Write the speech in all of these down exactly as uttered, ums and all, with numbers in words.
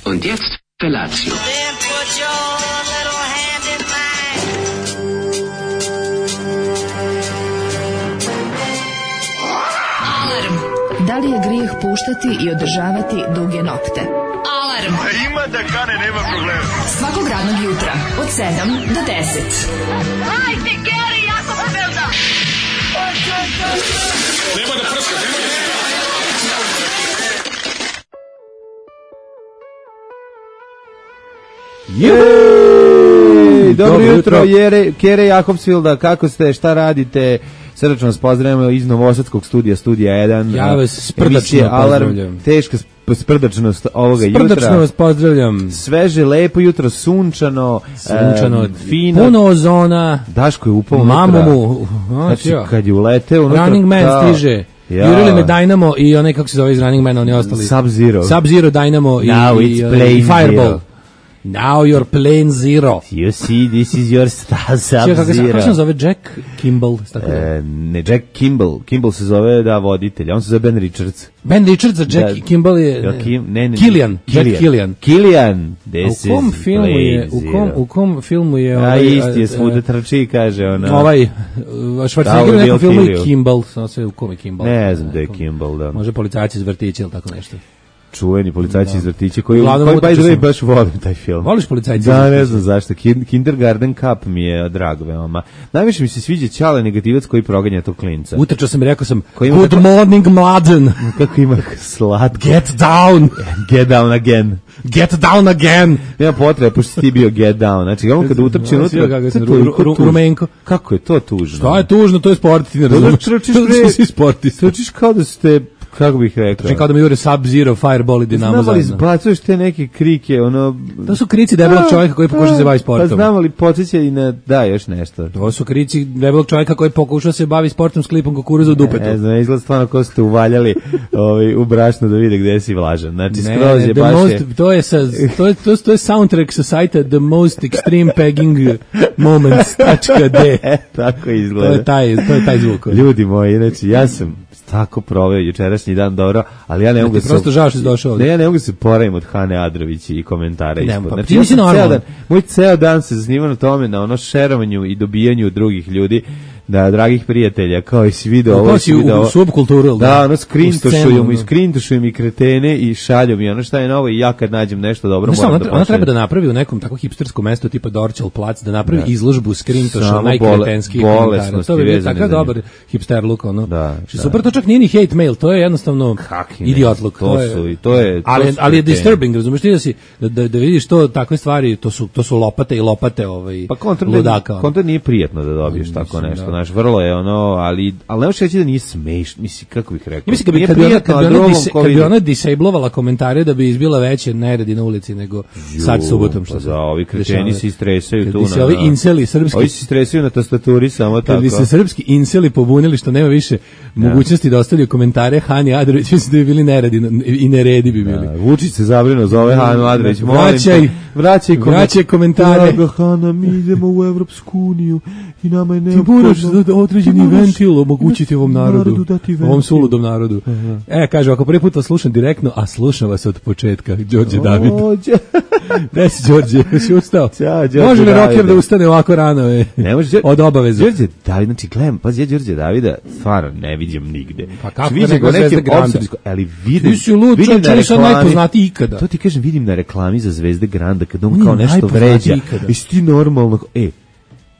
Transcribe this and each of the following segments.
Und jetzt Felatio. Then put your little hand in mine. Alarm. Da li je grijeh puštati i održavati duge nokte? Alarm. A ima da kane, nema problema. Svakog radnog jutra od sedam do deset. Hajde, Geri, jako se velda. Nema da prska, nema da prska. Jej! Dobro jutro, Jere, Kere Jakobsvilda, kako ste, šta radite? Srdačno vas pozdravljamo iz Novosadskog studija, studija jedan. Ja vas sprdačno pozdravljam. Teška sprdačnost ovoga jutra. Sprdačno vas pozdravljam. Sveže, lepo jutro, sunčano, Sunčano, e, fino. puno ozona. Daško je upao Mamu unutra. mu. Znači, kad je uleteo unutra. Running Man kao, stiže. ja. Jurili me Dynamo i onaj, kako se zove iz Running Man, oni ostali. Sub-Zero. Sub-Zero, Dynamo i, Now i, it's i plain Fireball. zero. Now you're plain zero. You see, this is your star Čekaj, kako se Sub-Zero. kako se zove Jack Kimball? Tako da. E, ne, Jack Kimball. Kimball se zove, da, voditelj. On se zove Ben Richards. Ben Richards, a Jack Da. Kimball je... Ja, Kim, ne, ne, Killian. Jack Killian. Killian. A This u kom is filmu je, u kom, u kom filmu je A ovaj, isti je a, svuda a, trči, kaže ona. ovaj Schwarzenegger u Bill nekom filmu je Killian. Kimball, samo sve u kom je Kimball. Ne znam da je Kimball, da. Može policajac iz vrtića ili tako nešto. Čuveni policajci iz vrtića koji, Uglavnom koji by utrčao the way sam. baš volim taj film. Voliš policajce iz Da, vrtića? ne znam zašto. Kin- Kindergarten Cup mi je drag veoma. Najviše mi se sviđa Ćale negativac koji proganja tog klinca. Utrčao sam i rekao sam, Koji ima good tako- morning, mladen. Kako ima slatko. Get down. Get down again. Get down again. Nema potrebe, pošto si ti bio get down. Znači, on kada utrči Znaš, unutra, kako to sam je ru- toliko ru- tužno. rumenko. Kako je to tužno? Šta je tužno, to je sport, ti ne Da razumeš. trčiš, To bre. su svi sportisti. Trčiš kao da ste, kako bih rekao. Trčim kao da mi jure Sub-Zero, Fireball i Dinamo Znam ali zajedno. izbacuješ te neke krike, ono... To su krici debelog čovjeka koji pokuša se bavi sportom. Pa znam, ali podsjeća i na... Da, još nešto. To su krici debelog čovjeka koji pokuša se bavi sportom s klipom kukuruza u dupetu. Ne znam, izgleda stvarno ko ste uvaljali ovaj, u brašno da vide gde si vlažan. Znači, Ne, skroz ne, je the baš... most, je, to je sa to je to, to je soundtrack sa sajta The Most Extreme Pegging Moments.d. e, tako To izgleda. je taj to je taj zvuk. Ljudi moji, znači, ja sam tako proveo jučerašnji dan dobro, ali ja ne mogu ti prosto žao što si došao ovde. Ne, ja ne mogu se poravim od Hane Adrović i komentara Ne, ispod. pa Znači, ti ja nisi sam ceo normalan. dan, moj ceo dan se zasniva na tome, na ono šerovanju i dobijanju drugih ljudi, da, dragih prijatelja, kao i si video ovo, Kao si si video u ovo. subkulturu, ili Da, ono U skrintošuju scenu, mi, ono. skrintošuju mi kretene i šalju mi ono šta je novo i ja kad nađem nešto dobro Znaš, moram ona, da ona pošaljem. treba da napravi u nekom tako hipsterskom mestu tipa Dorćol plac, da napravi Da. izložbu skrintoša Samo najkretenskih bole- komentara. bolesnosti To bi bio vezane takav za njih. dobar hipster look, ono. Da, Što da. super, to čak nije ni hate mail, to je jednostavno Kakvi ne, idiot look. to su i to je- to ali, su ali je kreteni. disturbing, razumiješ ti da, si, da, da, da vidiš to, takve stvari, to su, to su lopate i lopate ovaj, Pa kontra, ludaka. ono. kontra nije prijatno da dobiješ Mislim, tako nešto, da. znaš, vrlo je ono, ali, ali ne možeš reći da nije smešno, misli, kako bih rekao. Ja mislim kad bi, Nije kad bi ona, prijatno, kad bi a ona, drugom dise, ko kad bi vidi. ona disablovala komentare da bi izbila veće neredi na ulici nego sad subotom što Pa se da, ovi kreteni dešava. se istresaju Kad tu bi na... se ovi inceli srpski Ovi se istresaju na tastaturi samo Kad tako. bi se srpski inceli pobunili što nema više mogućnosti da ostavljaju komentare Hani Adrović, mislim da bi bili neredi i neredi bi bili. Da, Vučić se zabrinuo za ove Hanu Adrović, molim Vraćaj, te, vraćaj, koment- vraćaj komentare. Draga Hana, mi idemo u Evropsku uniju i nama je Ti neophodno... moraš da određeni Ti moraš ventil omogućiti ovom narodu, narodu dati ventil. ovom suludom narodu. E, kaže, ako prvi put vas slušam direktno, a slušam vas od početka, Đorđe David. Ođe. Gde si, Đorđe? Si ustao? Ćao, Đorđe Može li Davide. rocker da ustane ovako rano? E? Ne može, Od obaveza. Đorđe David, znači gledam, pazi, ja Đorđe Davida stvarno ne vidim nigde. Pa kako Vidim nego ga nekim Zvezda Granda? opsedijsko- ali vidim, Ti si lud, vidim čovječe, na on je sad reklami- najpoznatiji ikada. To ti kažem, vidim na reklami za Zvezde Granda, kada on On je kao nešto najpoznatiji vređa. ikada. Jesi ti normalno, e,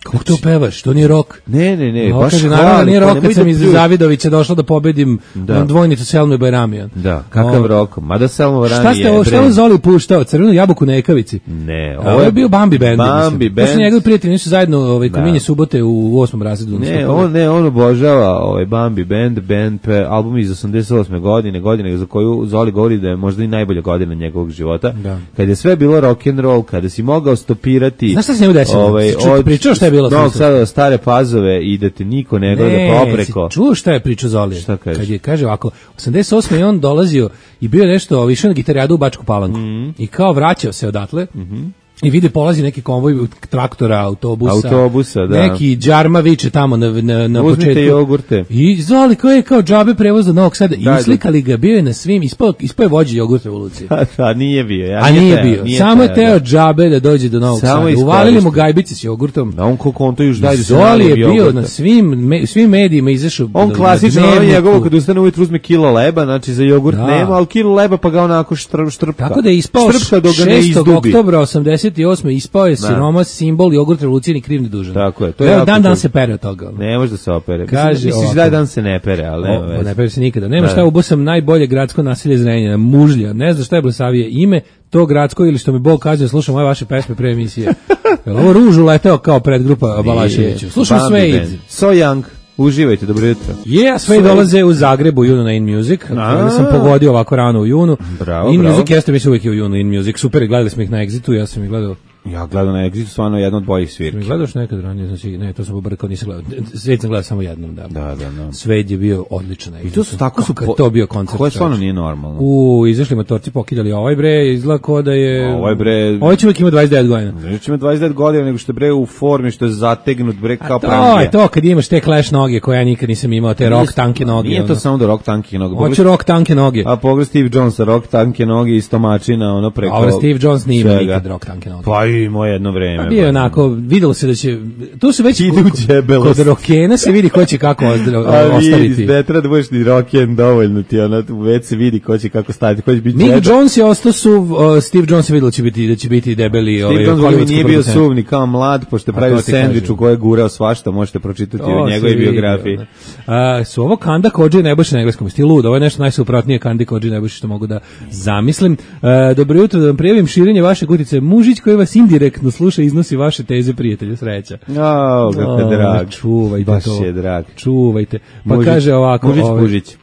Kako to pevaš? To nije rok. ne, ne, ne, No, baš kaže, hvali, naravno, nije pa rok nemoj kad sam da iz pljuješ. Zavidovića došla da pobedim Da. on dvojnicu Selme Bajramijan. Da, kakav O, rok, mada Selma Varani Šta ste je ovo, šta je brend. Zoli puštao? Crvenu jabuku na Ekavici? Ne, Ovo je bio Bambi band. Bambi mislim. To su band. njegovi prijatelji, nisu zajedno ovaj, Da. kominje subote u osmom razredu. Ne, on ne, on obožava ovaj Bambi band, band pe, album iz osamdeset osme godine, godine za koju Zoli govori da je možda i najbolja godina njegovog života. Da. Kad je sve bilo rock and roll, kada si mogao stopirati. Znaš šta se njemu desilo? Ovaj, Si čuo- pričao šta je bilo? Novog Sada do Stare Pazove i da te niko ne gleda popreko. si čuo šta je pričao Zoli? Šta kaže? Kad je, kaže ovako, osamdeset osme je on dolazio i bio nešto, išao na gitarijadu u Bačku Palanku. I kao vraćao se odatle, i vide polazi neki konvoj traktora, autobusa, autobusa da. neki džarma viče tamo na, na, na Uzmite početku. jogurte. I zvali koji je kao džabe prevoz do Novog Sada. I uslikali ga, bio je na svim, ispao, ispao je vođa jogurt revolucije. A nije bio. Ja, A nije, nije teo, bio. nije Samo je teo, teo da. džabe da dođe do Novog Samo Sada. Uvalili mu gajbice s jogurtom. Da on koliko on to još daje da se Zoli je nalivi bio jogurta. na svim, me, svim medijima izašao. On na- klasično na ono dnevniku. njegovo kad ustane ujutru uzme kilo leba, znači za jogurt Da. nema, ali kilo leba pa ga onako štr, štrpka. Tako da je ispao Štrpka dok ga ne šestog izdubi. oktobra osamdeset osme ispao je siroma simbol jogurt revolucije ni kriv ni dužan. Tako je, to je Evo, jako dan dan cool. se pere od toga. Ne može da se opere. Kaže Mislim, misliš ovako. da je dan se ne pere, ali nema O, veze. ne pere se nikada. Nema Da. šta, ubosam najbolje gradsko naselje Zrenjanina, Mužlja. Ne znam šta je Blesavije ime, to gradsko ili što mi Bog kaže, slušam moje vaše pesme pre emisije. Jel ovo ružu leteo kao predgrupa Balaševiću. Slušam Bambi Suede. band. So Young. Uživajte, dobro jutro. Je, sve dolaze u Zagrebu u junu na In Music. Ja sam pogodio ovako rano u junu. Bravo, In bravo. Music jeste mi se uvijek je u junu In Music. Super, gledali smo ih na Exitu, ja sam ih gledao. Ja gledam na Exitu, stvarno jedna od boljih Mi svirki. gledaš nekad ranije, znači ne, to sam pobrkao, nisam gledao. Svet sam gledao samo jednom, da. Da, da, da. Svet je bio odličan. I to su tako su Kako je to bio koncert. Koje stvarno čoveče. nije normalno. U, izašli motorci, pokiljali ovaj bre, izgleda kao da je... Ovaj bre- Ovaj čovjek ima dvadeset devet godina. Znači ima dvadeset devet godina, nego što je bre u formi, što je zategnut bre kao A to prangija. je to, kad imaš te Clash noge koje ja nikad nisam imao, te rock tanke noge. Nije to ono. samo da rock tanke noge. Hoće rock tanke noge. A pogled Steve Jonesa, rock tanke noge i stomačina, ono preko... A ovo Steve Jones nije imao svega. nikad rock tanke noge. Pa i imao jedno vreme. Pa bio je onako, videlo se da će, tu se već Ide u kod- djebelost. kod rokena se vidi ko će kako ozdra- A ostaviti. vidi, ne treba da budeš ni rock'n'roll dovoljno ti, ono, već se vidi ko će kako staviti, ko će biti Mick džebe. Jones je ostao suv, uh, Steve Jones je videlo će biti, da će biti debeli Steve ovaj, Jones hollywoodski nije bio producent. suvni kao mlad, pošto je A pravio to ti sendvič kažem. u kojoj je gurao svašta, možete pročitati To u se njegovoj vidi, biografiji. ono. A, su ovo Kanda Kodži Nebojša na engleskom stilu, ovo je nešto najsuprotnije Kandi Kodži Nebojša što mogu da zamislim. A, dobro jutro, da vam prijavim širenje vaše utice. Mužić koji vas indirektno sluša i iznosi vaše teze, prijatelju, sreća. O, kako je O, drag. čuvajte Baš to. je drag. Čuvajte. Pa Mužić- kaže ovako, Mužić, ovaj, Mužić.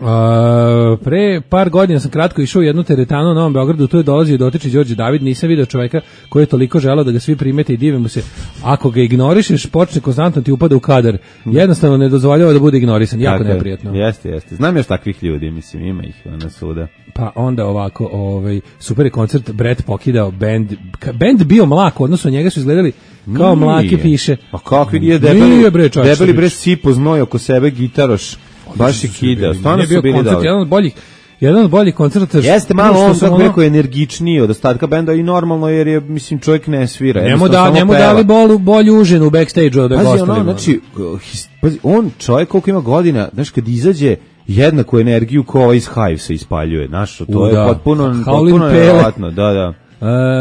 A, pre par godina sam kratko išao u jednu teretanu u Novom Beogradu, tu je dolazio dotični Đorđe David, nisam video čoveka koji je toliko želeo da ga svi primete i dive mu se. Ako ga ignorišeš, počne konstantno ti upada u kadar. Jednostavno ne dozvoljava da bude ignorisan, jako Tako je. neprijatno. Jeste, jeste. Znam još takvih ljudi, mislim, ima ih na suda. Pa onda ovako, ovaj super je koncert, Brett pokidao bend, ka- bend bio mlak, odnosno njega su izgledali kao Nije. mlake piše. A kakvi nije debeli, Nije, bre, čovječe, debeli bre bić. sipo znoj oko sebe gitaroš. Baš je kidao. Stvarno Nije su bio bili koncert, dobri. jedan od boljih, jedan od boljih koncerta. Jeste malo što on sam kako ono- rekao energičniji od ostatka benda i normalno jer je mislim čovjek ne svira. Njemu jednostavno da, samo njemu peva. dali bolu, bolju užinu u backstage-u da Pazi, gostali. ono, znači, his- pazi, on čovjek koliko ima godina, znaš, kad izađe jednaku energiju ko ovaj iz Hivesa ispaljuje, znaš, to U, je da. potpuno, Howlin' potpuno Pele. nevjerovatno, da, da.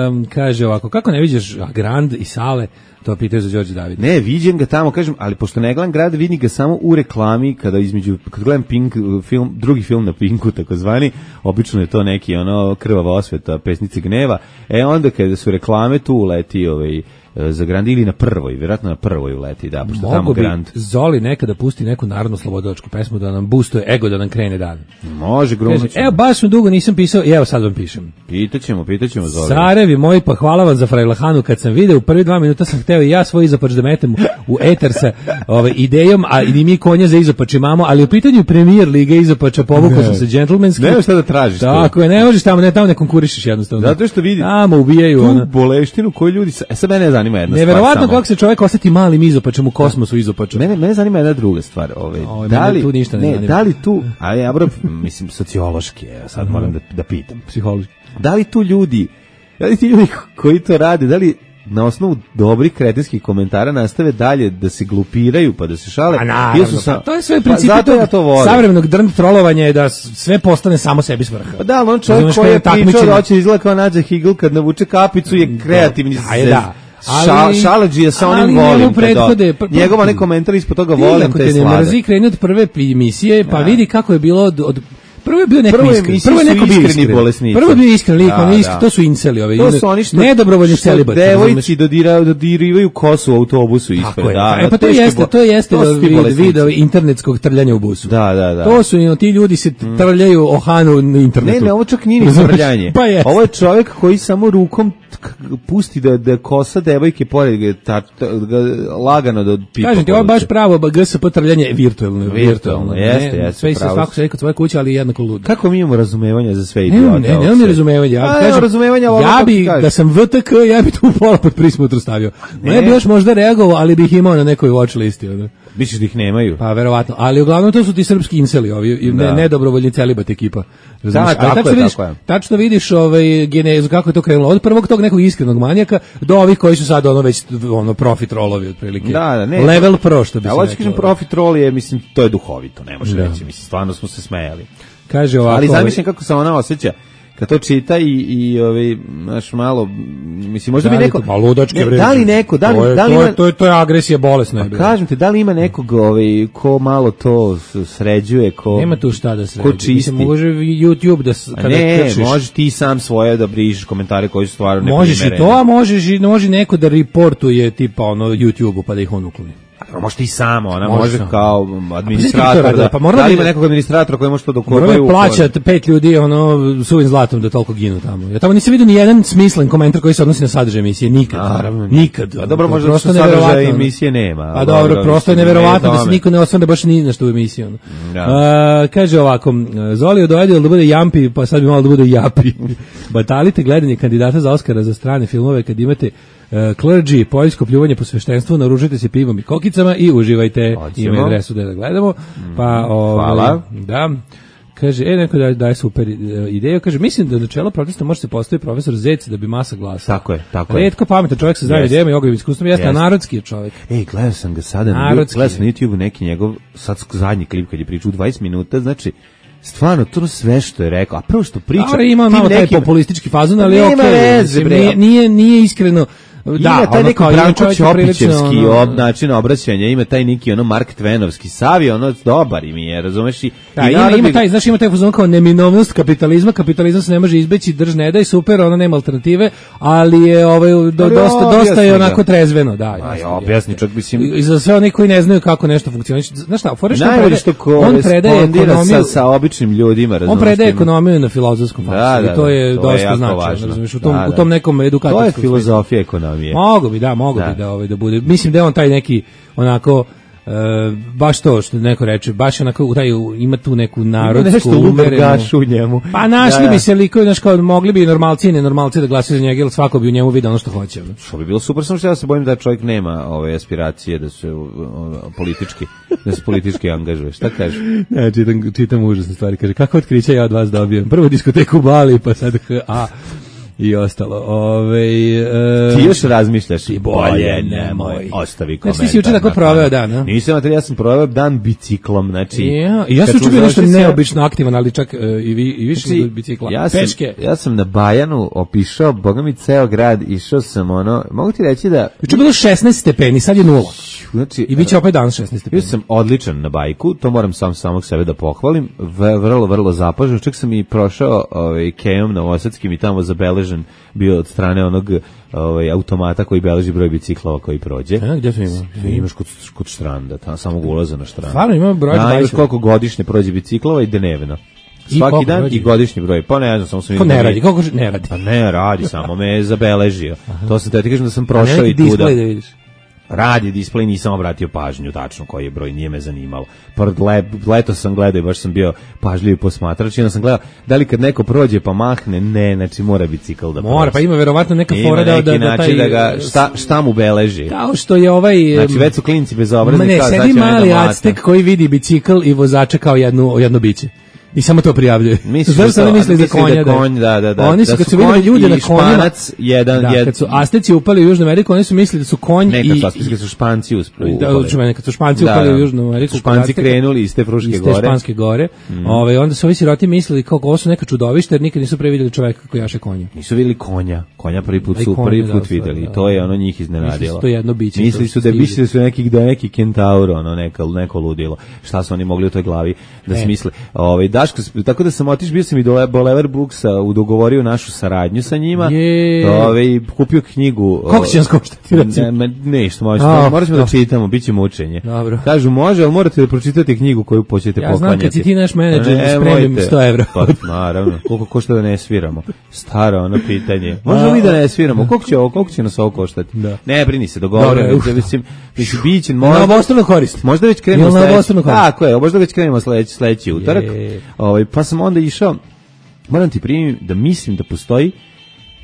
Um, kaže ovako, kako ne vidiš Grand i Sale, to pitaju za Đorđe David. Ne, viđem ga tamo, kažem, ali pošto ne gledam grad, vidim ga samo u reklami, kada između, kad gledam Pink film, drugi film na Pinku, takozvani, obično je to neki, ono, krvava osveta, pesnice gneva, e onda kada su reklame, tu uleti ovaj, za Grand ili na prvoj, vjerojatno na prvoj uleti, da, pošto tamo Mogu bi Grand. Zoli nekada pusti neku narodnu slobodilačku pesmu da nam boostuje ego, da nam krene dan. Može, Kaže, grunut ćemo. evo, baš sam dugo nisam pisao i evo sad vam pišem. Pitaćemo, pitaćemo Zoli. Carevi moji, pa hvala vam za Frajlahanu, kad sam video u prvi dva minuta sam hteo i ja svoj izopač da metem u eter sa ovaj, idejom, a i mi konja za izopač imamo, ali u pitanju premijer Liga izopača povukao sam se džentlmenski. Nema šta da tražiš. Tako je, ne možeš tamo, ne, tamo ne konkurišeš jednostavno. Zato što vidi- Tamo ubijaju. Tu ono. boleštinu koju ljudi... sa- E sad mene zanima jedna Neverovatno stvar samo. kako se čovjek osjeti malim izopačem u kosmosu izopačem. Mene, mene zanima jedna druga stvar. Ove, Ove, da mene li, tu ništa ne zanima. da li tu, a ja bro, mislim, sociološki, evo, sad moram da, da pitam. Psihološki. Da li tu ljudi, da li ti ljudi koji to rade, da li na osnovu dobrih kretenskih komentara nastave dalje da se glupiraju pa da se šale? A Ili naravno, su sa- pa to je sve Pa princip zato ja to volim. savremenog drnd trolovanja je da s- sve postane samo sebi svrha. Pa da, ali on čovjek Razumeš, koji je kao pričao takmičenje. da hoće izgleda kao Nađa Higl kad navuče kapicu je kreativni. Da, je da. Šal, Ali- šaladžija sa ali onim njemu volim. prethode- to. Njegov onaj komentar ispod toga Ti, volim ako te te ne slade. mrzi, kreni od prve emisije, pa Da. vidi kako je bilo od, od prvo je bio neko Prvo iskren. emisije Prvo je su neko bio iskreni iskren. bolesnici. Prvo je bio iskren lik, Da, on je iskren, da. to su inceli ovi. To su oni što nedobrovoljni što celibati. razumeš? devojci dodira, dodirivaju kosu u autobusu ispred. Tako je. Da, e, pa to teški jeste, bo- to jeste to su ti vid, bolesnici. video internetskog trljanja u busu. Da, da, da. To su i ti ljudi se trljaju o Hanu na internetu. Ne, ne, ovo čak nije ni Razumeš? trljanje. Pa jeste. Ovo je čovjek koji samo rukom k- pusti da, da kosa devojke pored ga, ta, ta, ga lagano da pipa. Kažem ti, ovo je baš povuče. pravo G S P trljanje virtualno. Virtualno, jeste, Ne, jeste, sve se pravo svako si. sve kod svoje kuće, ali jednostavno jednako lud. Kako mi imamo razumevanja za sve Ne, idiote? ne, ne, ne razumevanja. Ja, A, kažem, razumevanja, ovo ja kako bi, ti kažeš. da sam V T K, ja bi tu pola pod prismutru stavio. Ne. ne bi još možda reagovao, ali bih imao na nekoj watch listi. Ono. Misliš da ih nemaju? Pa verovatno, ali uglavnom to su ti srpski inseli, ovi, i ne, Da. nedobrovoljni celibat ekipa. Da, Ali tako tačno je, vidiš, tako je. tačno vidiš ovaj, genezu, kako je to krenulo. Od prvog tog nekog iskrenog manjaka do ovih koji su sad ono već ono profit rolovi otprilike. Da, da, ne. Level pro, što bi se A hoćeš reklo. kažem, profit roll je, mislim, to je duhovito, ne može Da. reći, mislim, stvarno smo se smejali. Kaže ovako, Ali ovaj, zamišljam kako se ona osjeća kad to čita i i ovaj naš malo mislim možda bi da li neko to- ma ludačke ne, vređe. da li neko da To li je- da li to je- ima to je to je agresija bolesna je Pa bila. kažem ti, da li ima nekog ovaj ko malo to s- sređuje, ko Nema tu šta da se ko radi. čisti. Mislim, može YouTube da s- A kada ne, kršiš. možeš ti sam svoje da brišeš komentare koji su stvarno neprimereni. Možeš i to, a možeš i može neko da reportuje tipa ono YouTube-u pa da ih on ukloni. A možeš ti samo, ona Može može samo. kao Pa administrator pa da, pa mora da li da- ima nekog administratora koji može to da Moramo ukorbaju. plaćati pet ljudi ono suvim zlatom da toliko ginu tamo. Ja tamo nisam vidio ni jedan smislen komentar koji se odnosi na sadržaj emisije, nikad. Naravno. Nikad. A dobro, To je možda prosto su sadržaja neverovatno, ono. emisije nema. Pa dobro, prosto je mislim, neverovatno ne da se tome. niko ne osvrne baš ni na što u emisiji. Ono. Da. A, kaže ovako, Zoli od Ojedil da bude Jampi, pa sad bi malo da bude Japi. Batalite gledanje kandidata za Oskara za strane filmove kad imate uh, clergy, poljsko pljuvanje po sveštenstvu, naružite se pivom i kokicama i uživajte. Hoćemo. Ima adresu da da gledamo. Pa, ovaj, hvala. Da. Kaže, e, neko da daje super e, ideju, kaže, mislim da do čela protesta može se postaviti profesor Zec da bi masa glasa. Tako je, tako je. Retko pametan čovjek sa zdravim Jeste. idejama i ogromnim iskustvom, jeste, a Jeste. narodski je čovjek. Ej, gledao sam ga sada na, Narodski gledao sam je. na YouTube neki njegov sad zadnji klip kad je pričao u dvadeset minuta, znači stvarno to sve što je rekao, a prvo što priča Dobro, ima tim malo taj nekim- populistički fazon, ali Nema okej, veze, mislim, bre. nije, nije, nije iskreno. Ima Da, taj ono neki kao, ima Branko čovjek je prilično, Ćopićevski ono- ob, način obraćanja, ima taj neki ono Mark Tvenovski, Savi, ono dobar im je, razumeš? I, Da, i ima, narod ima bi- taj, znaš, ima taj fazon kao neminovnost kapitalizma, kapitalizam se ne može izbeći, drž ne daj, super, ono nema alternative, ali je ovaj, do, Ali dosta, dosta objasni je ga. onako trezveno, da. Aj, jasno, objasni, jeste. čak mislim- I, i za sve oni koji ne znaju kako nešto funkcioniše, znaš šta, fore što on Najbolje prede- što on predaje korespondira ekonomiju, sa, sa običnim ljudima, razumeš? on predaje ima- ekonomiju na filozofskom faksu, Da, da, i to je da, to je dosta jako značajno, važno. razumeš, u tom, Da, da. u tom nekom edukatorskom To je smislu. filozofija ekonomije. Mogu bi, da, mogu Da. bi da, ovaj, da bude. Mislim da je on taj neki, onako, e, baš to što neko reče, baš onako, u taj, ima tu neku Ima narodsku, nešto umerenu- lubergašu u njemu. Pa našli Da, da. bi se likovi, znaš, kao mogli bi i normalci i nenormalci da glasaju za njega, jer svako bi u njemu vidio ono što hoće. ono. Što bi bilo super, samo što ja se bojim da čovjek nema ove aspiracije da se o, o, politički, da se politički angažuje. Šta kaže? Ne, čitam, čitam užasne stvari. Kaže, kako otkrića ja od vas dobijem? Prvo diskoteku u Bali, pa sad H A i ostalo. Ove, e, Ti još razmišljaš? Ti bolje nemoj. Ostavi Znači, komentar. ti si juče tako na proveo kanal. dan, a? Nisam, materi, ja sam proveo dan biciklom, znači... Ja, i ja kad sam smo čuo bio nešto završili sve- neobično aktivan, ali čak e, i, vi, i više Znači, od bicikla. ja sam, Peške. ja sam na Bajanu opišao, boga mi, ceo grad, išao sam ono, mogu ti reći da... Juče je bilo šesnaest stepeni, sad je nula. Znači, I bit će opet danas šesnaest stepeni. bio sam odličan na bajku, to moram sam samog sebe da pohvalim, v- vrlo, vrlo zapažen, čak sam i prošao ovaj, kejom novosadskim i tamo zabeležen bio od strane onog ovaj, automata koji beleži broj biciklova koji prođe. A, gdje to ima? Sve imaš kod, kod štranda, tamo samog ulaza na štrand. Stvarno ima broj Da, imaš dvadeset. koliko godišnje prođe biciklova i dnevno. I Svaki koliko dan prođe? i godišnji broj. Pa ne znam, samo sam Ko vidio ne da mi- radi? Kako že- ne radi? Pa ne radi, samo me je zabeležio. To sam te ti kažem da sam prošao Neki i tuda. display da vidiš. Radi display, nisam obratio pažnju tačno koji je broj, nije me zanimalo. Pored le, leto sam gledao i baš sam bio pažljiv posmatrač i onda sam gledao da li kad neko prođe pa mahne, ne, znači mora bicikl da Mora, prođe. pa ima verovatno neka Ima fora da, neki da, da način taj... da ga, šta, šta mu beleži. Kao što je ovaj... Znači em, već su klinci bez Ma obrazni. ne, kao, sedi sad će mene mali da mlate. Aztek koji vidi bicikl i vozača kao jednu, jedno biće. I samo to prijavljuje. Misliš Znaš da šta to- oni misle za misli da konja? konj, da, da, da. Oni su, Da kad su su videli konj ljude i na konjima... Španac, jedan- da, jed- kad su Asteci upali u Južnu Ameriku, oni su mislili da su konj Ne, i... kad su, kad su Španci uspali. Da, uči mene, kad su Španci upali u Južnu Ameriku, Su Španci kod Azteka, krenuli iz te Fruške iz te gore. Španske gore. Ovaj, onda su ovi siroti mislili kako ovo su neka čudovišta jer nikad nisu pre vidjeli čoveka koji jaše konja. Nisu vidjeli konja. Konja prvi put A i su konja, prvi da, put stvari, videli. da. I to je ono njih Mislili iznenadilo. su to jedno biće, Mislili to su su da stigli. mislili su neki da je neki kentaur, ono neka neko ludilo. Šta su oni mogli u toj glavi da Ne. smisle? Ovaj Daško, tako da sam otišao, bio sam i do Bolever Booksa, u dogovorio našu saradnju sa njima. Je. Ovaj kupio knjigu. Koliko će nas koštati, recimo? Ne, me- nešto, A, možemo, morat ćemo da dobro. čitamo, bit će mučenje. Dobro. Kažu, može, ali morate da pročitate knjigu koju hoćete Ja poklanjati. znam kad si ti naš menadžer, Ne, spremim mojte. sto evra. Pa, naravno, koliko košta da ne sviramo? Staro ono pitanje. Možemo li da ne sviramo? Koliko će ovo, koliko će nas ovo koštati? Da. Ne, brini se, Dobro, dogovorimo. uf. Mislim, mislim, biće, Na možda, obostranu korist. možda već krenemo Jel na sledeći. obostranu korist? Tako je, možda već krenemo sledeći, sledeći utorak. Je. Ovaj, pa sam onda išao, moram ti primiti da mislim da postoji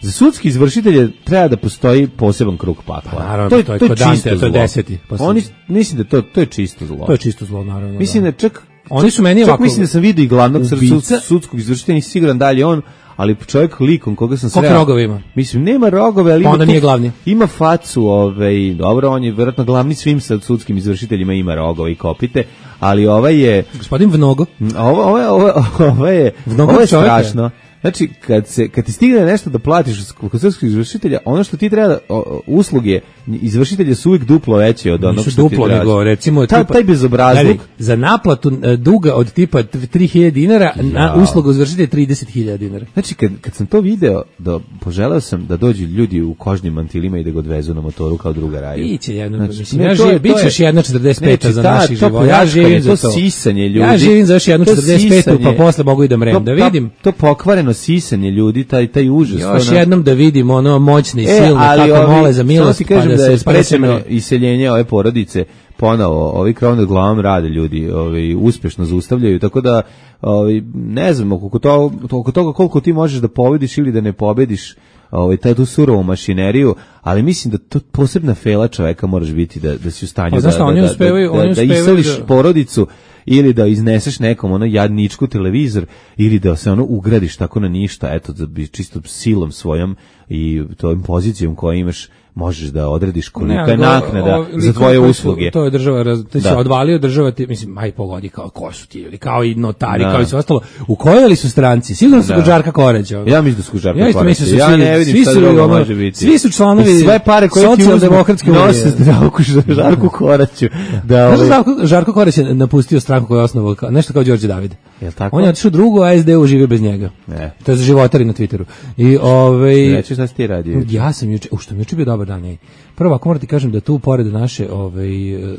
za sudski izvršitelje treba da postoji poseban krug pakla. Pa naravno, to je, to je to je kod čisto Dante, to je zlo. deseti. Pa sam- Oni, mislim da to, to je čisto zlo. To je čisto zlo, naravno. Mislim da čak Oni su meni čak ovako- mislim da sam vidio i glavnog Ubica- sud, sudskog izvršitelja, nisam siguran da li je on, ali čovjek likom koga sam Koliko sreo. rogova ima? Mislim, nema rogove, ali Pa ima onda tu- nije glavni. Ima facu, ovaj, dobro, on je vjerojatno glavni svim sad sudskim izvršiteljima, ima rogove i kopite, ali ovaj je, Gospodin Vnogo. ovo, ovo, je- ovo, ovo je, Mnogo ovo je čovjeka. strašno. Znači, kad, se, kad ti stigne nešto da platiš kod sudskog izvršitelja, ono što ti treba, da, o, o, usluge izvršitelja su uvijek duplo veće od onog Nisu što duplo, ti traži. nego recimo Ta, tipa- taj bezobrazluk. Gledaj, za naplatu e, duga od tipa tri hiljade dinara na Ja. uslugu izvršitelja trideset hiljada dinara. Znači, kad, kad sam to video, da, poželeo sam da dođu ljudi u kožnim mantilima i da ga odvezu na motoru kao druga raju. Biće jedno, Znači, mislim, ne, ja to je- živim, bit to će je- još jedna četrdeset peta Znači, za ta- naših to života. Ja pljačkanje, živim za to to. sisanje ljudi. Ja živim za još jednu To četrdeset petu, pa sisanje. posle mogu i da mrem. To- Da ta- vidim. To pokvareno sisanje ljudi, taj, taj užas. Još to na- jednom da vidim ono moćne i E, silne ali kako ovi- mole za samo milost, ti pa kažem da da se je sprečeno. sprečeno iseljenje ove porodice ponovo, ovi krov nad glavom rade ljudi, ovi uspešno zaustavljaju, tako da ovi, ne znam, oko toga, oko toga koliko ti možeš da pobediš ili da ne pobediš ovaj taj tu surovu mašineriju, ali mislim da to posebna fela čoveka moraš biti da da si u stanju Pa, da znaš šta, da, oni da, uspevaju- da, oni da uspevaju iseliš da- porodicu ili da izneseš nekom ono jadničku televizor ili da se ono ugradiš tako na ništa, eto da bi čisto silom svojom i tvojom pozicijom koju imaš možeš da odrediš kolika je Ne, naknada o- o- za tvoje koji su- usluge. To je država, raz, te se Da. odvalio država, ti, mislim, aj pogodi kao ko su ti ljudi, kao i notari, Da. kao i sve ostalo. U kojoj li su stranci? Sigurno su Da. kod Žarka Koreća. Ja mislim da su Žarka Ja isto Koreća. mislim da su Ja svi- ne vidim svi šta su drugo ono- može biti. svi su članovi I sve pare koje ti uzmu Socijaldemokratske unije. nose zdravku Žarku Koraću. Da, Znaš da ovaj, Žarko, Žarko Koreć je napustio stranku koju je osnovao, kao- nešto kao Đorđe David. Jel tako? On je otišao drugo, a es de u živi bez njega. Ne. To je za životari na Twitteru. I ovaj Reći šta si ti radio? ja sam juče, u što mi je juče bio dobar dan, ej. Prvo, ako moram ti kažem da tu pored naše, ovaj,